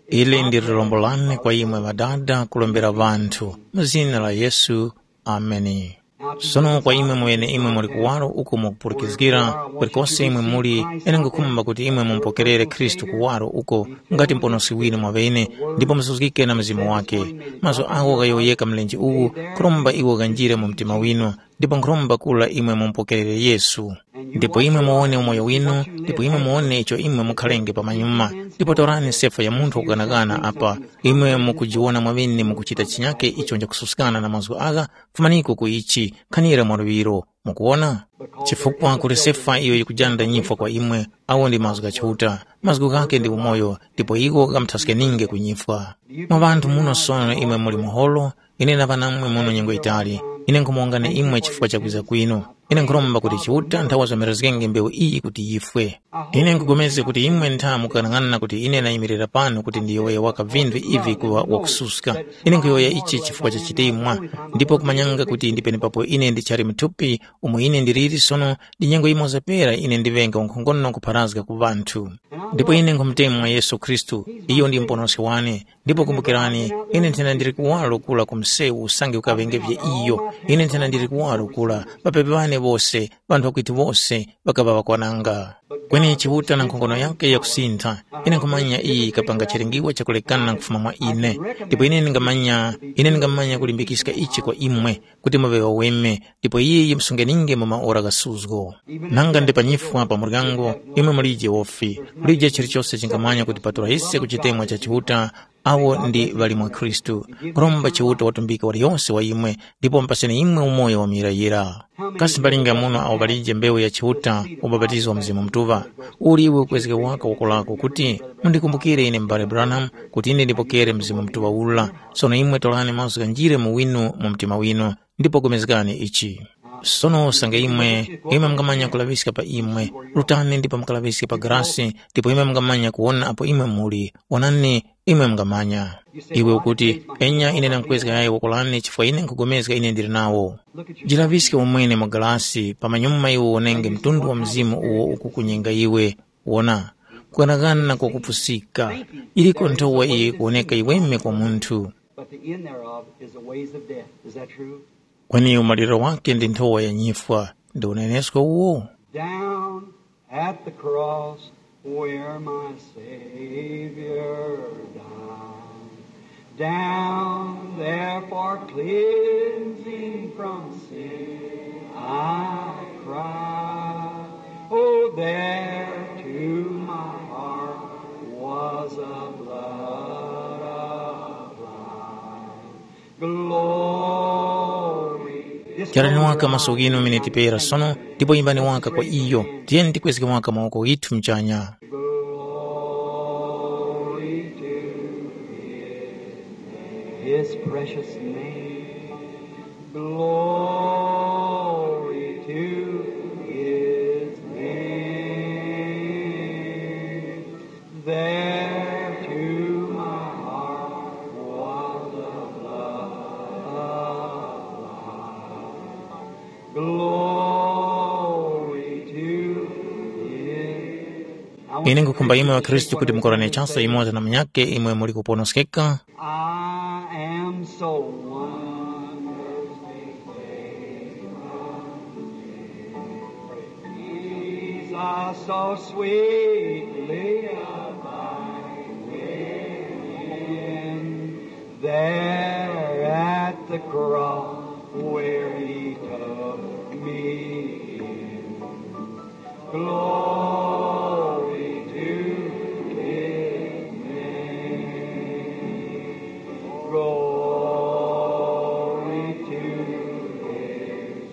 Ili ndi lirombo lane kwa imwe ŵadada kulombera ŵanthu, mu zina la Yesu. Ameni. Sono kwa imwe mweneimwe muli kuwaro uko mukupulikizgira, kulikose imwe muli, ine nkhukhumba kuti imwe mumupokerere Khristu kuwaro uko ngati Muponoski winu mwaŵene, ndipo musuzgike na Mzimu wakhe. Mazgu agho ghayowoyeka mlenje uwu, nkhuromba iwo ghanjire mu mtima winu, ndipo nkhuromba kura imwe mumupokerere Yesu. Ndipo imwe muwone umoyo winu, ndipo imwe muwone icho imwe mukhalenge pamanyuma. Ndipo torani sefa ya munthu wakughanaghana apa. Imwe mukujiwona mwaŵene mukuchita chinyake icho nchakususkana na mazgu agha, fumaniko ku ichi, khanira mwaluŵiro. Mukuwona? Chifukwa kuli sefa iyo yikujanda nyifwa kwa imwe, awo ndi mazgu gha Chiuta. Mazgu ghakhe ndi umoyo, ndipo iwo ghamuthaskenienge ku nyifwa. Mwa ŵanthu muno sono imwe muli muholo, ine naŵa namwe muno nyengo yitali. Ine nkhumuwongani imwe chifukwa cha kwiza kwinu. Ine nkhuromba kuti Chiuta nthawa zomerezgenge mbewu iyi kuti yifwe. Ine nkhupulikana kuti imwe ntha mukukang'ana kuti ine nayimirira pano kuti ndiyowoye waka vinthu ivi kuŵa wakususka. Ine nkhuyowoya ichi chifukwa cha chitemwa, ndipo kumanyanga kuti ndi penepapo ine ndichali muthupi umo ine ndiliri sono, ndi nyengo yimoza pera ine ndiŵenge wankhongono kupharazga ku ŵanthu. Ndipo ine nkhumutemwa Yesu Khristu, iyo ndi Muponoski wane, ndipo kumbukirani, ine nthena ndili kuwaro kura ku msewu usange ukaŵengevye iyo. Ine nthena ndili kuwaro kura, ŵapepi ŵane wose, ŵanthu ŵakwitu wose, ŵakaŵa ŵakwananga. Kweni Chiuta na nkhongono yakhe yakusintha, ine nkhumanya iyi yikapanga chilingiwa chakulekana kufuma mwa ine. Ndipo ine ndingamanya, ine ndingamanya kulimbikiska ichi kwa imwe, kuti muŵe ŵaweme, ndipo iye yimsungeninge mu maora gha suzgo. Nanga ndi pa nyifwa pa muryango, imwe mulije wofi, mulije chilichose chingamanya kutipatula ise ku chitemwa cha Chiuta, awo ndi ŵali mwa Khristu. Nkhuromba Chiuta watumbike waliyonse wa imwe, ndipo mupaseni imwe umoyo wa muyirayira. Kasi mbalinga muno awo ŵalije mbewu ya Chiuta, ubapatizo wa Mzimu Mutuŵa? Uli iwe ukwezge waka woko lako kuti, mundikumbukire ine m'bale Branham, kuti ine ndipokere Mzimu Mutuŵa ula. Sono imwe torani mazgu ghanjire mu winu mu mtima winu, ndipo pulikani ichi. Sono usange imwe, imwe mungamanya kulaŵiska pa imwe, rutani ndipo mukalaŵiske pa grasi, ndipo imwe mungamanya kuwona apo imwe muli, wonani, imwe mungamanya. Iwe ukuti, enya ine ndamkwezga yayi woko lane chifukwa ine nkhupulikana ine ndili nawo. Jilaŵiske umwene mu galasi, pamanyuma iwe wonenge mtundu wa mzimu uwo ukukunyenga iwe. Wona, kughanagana kwakupusika, iliko nthowa iyo yikuwoneka yiweme kwa munthu. But the end thereof is the ways of death. Is that true? Kweni umaliro wake ndi nthowa ya nyifwa. Ndi unenesko uwo? Down at the cross where my Savior died. Down there for cleansing from sin I cried. Oh, there to my heart was a blood applied. Glory. Charani waka maso ghinu miniti pera sono, ndipo imbani waka kwa iyo. Tiyeni tikwezge waka mawoko ghithu mchanya. Glory to his name. His precious name. Glory to his name. There to my heart was the blood applied. Glory to his. Ine nkhukhumba imwe ŵakhristu kuti mukorane chasa yumoza na munyakhe imwe muli kuponoskeka. I am so wonderfully saved. Jesus so sweetly abide within. There at the cross where he took me in. Glory to his name. Glory to his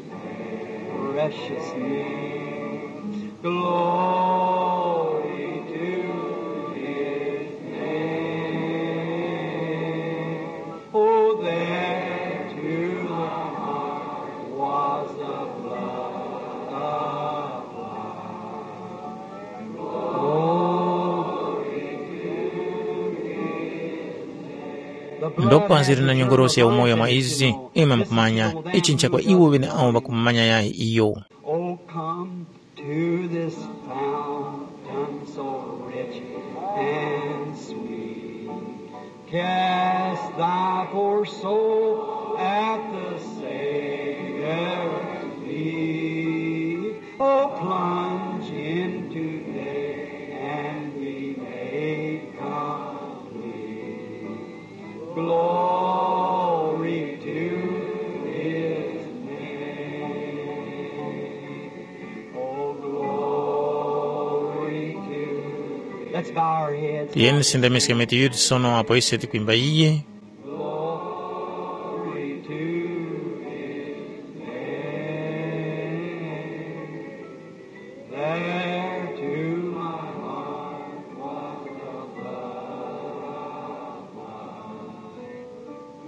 precious name. Glory to his name. Oh, there to my heart was the blood applied. Glory to his name. Ndopa zili na nyongorosi ya umoyo mwa izi, imwe mukumanya, ichi nchakwa iwo ŵeneawo ŵakumumanya yayi iyo. Oh, come to this fountain so rich and sweet. Cast thy poor soul at the Savior's Be, oh, plunge in today and be made complete. Glory to his name. Oh, glory to his name. Let's bow our heads. Tiyeni tisindamiske mitu yithu sono apo ise tikwimba iye. Glory to his name. There to my heart was the blood of God.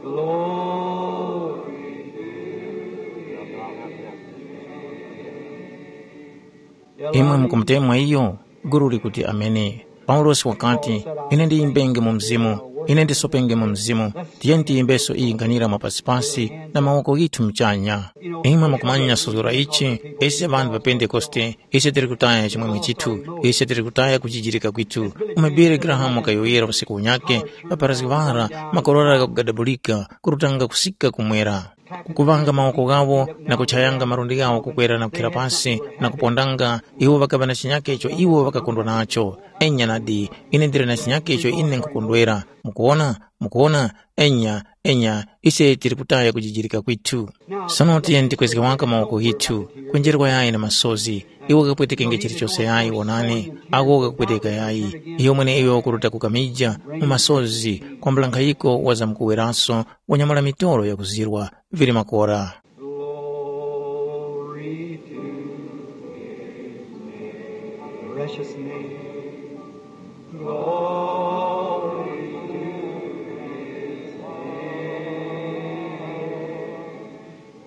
Glory to his name. Imwe mukumutemwa iyo? Gulu likuti, "Ameni." Paulosi wakati, "Ine ndiyimbenge mu Mzimu, ine ndisopenge mu Mzimu." Tiyeni tiyimbeso iyi nkhanira mwapasipasi na mawoko ghithu muchanya. Imwe mukumanya suzgora ichi, ise ŵanthu pa Pentekoste, ise tili kutaya chimwemwe chithu, ise tili kutaya kujijirika kwithu. Umo Billy Graham wakayowoyera usiku unyakhe, ŵapharazgi ŵara, makorora ghakugadabulika, kurutanga kusika kumwera. Kukuŵanga mawoko ghawo na kuchayanga malundi ghawo kukwera na kukhira pasi na kupondanga, iwo ŵakaŵa na chinyakhe icho iwo ŵakakondwa nacho. Enya nadi, ine ndili na chinyakhe icho ine nkhukondwera. Mukuwona? Mukuwona? Enya, enya, ise tili kutaya kujijirika kwithu. Sono tiyeni tikwezge waka mawoko ghithu, kwenjerwa yayi na masozi. Iwo kakapwetekenge chilichose yayi, wonani, ako kakupweteka yayi. Iyo mweneiyo wakuruta kukamija mu masozi, kwambula nkhayiko wazamkuweraso, wanyamula mitolo yakuzirwa, vili makora. Glory to his precious name. Glory to his name.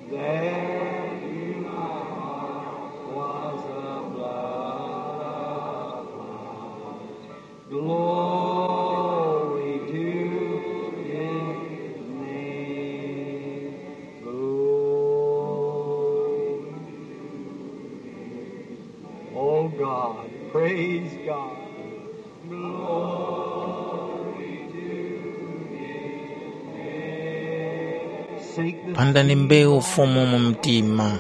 There in my heart was the blood of God. Glory to his name. Glory. Oh God, praise God. Glory to his name. Sink the Pandani mbewu Fumu mu mtima.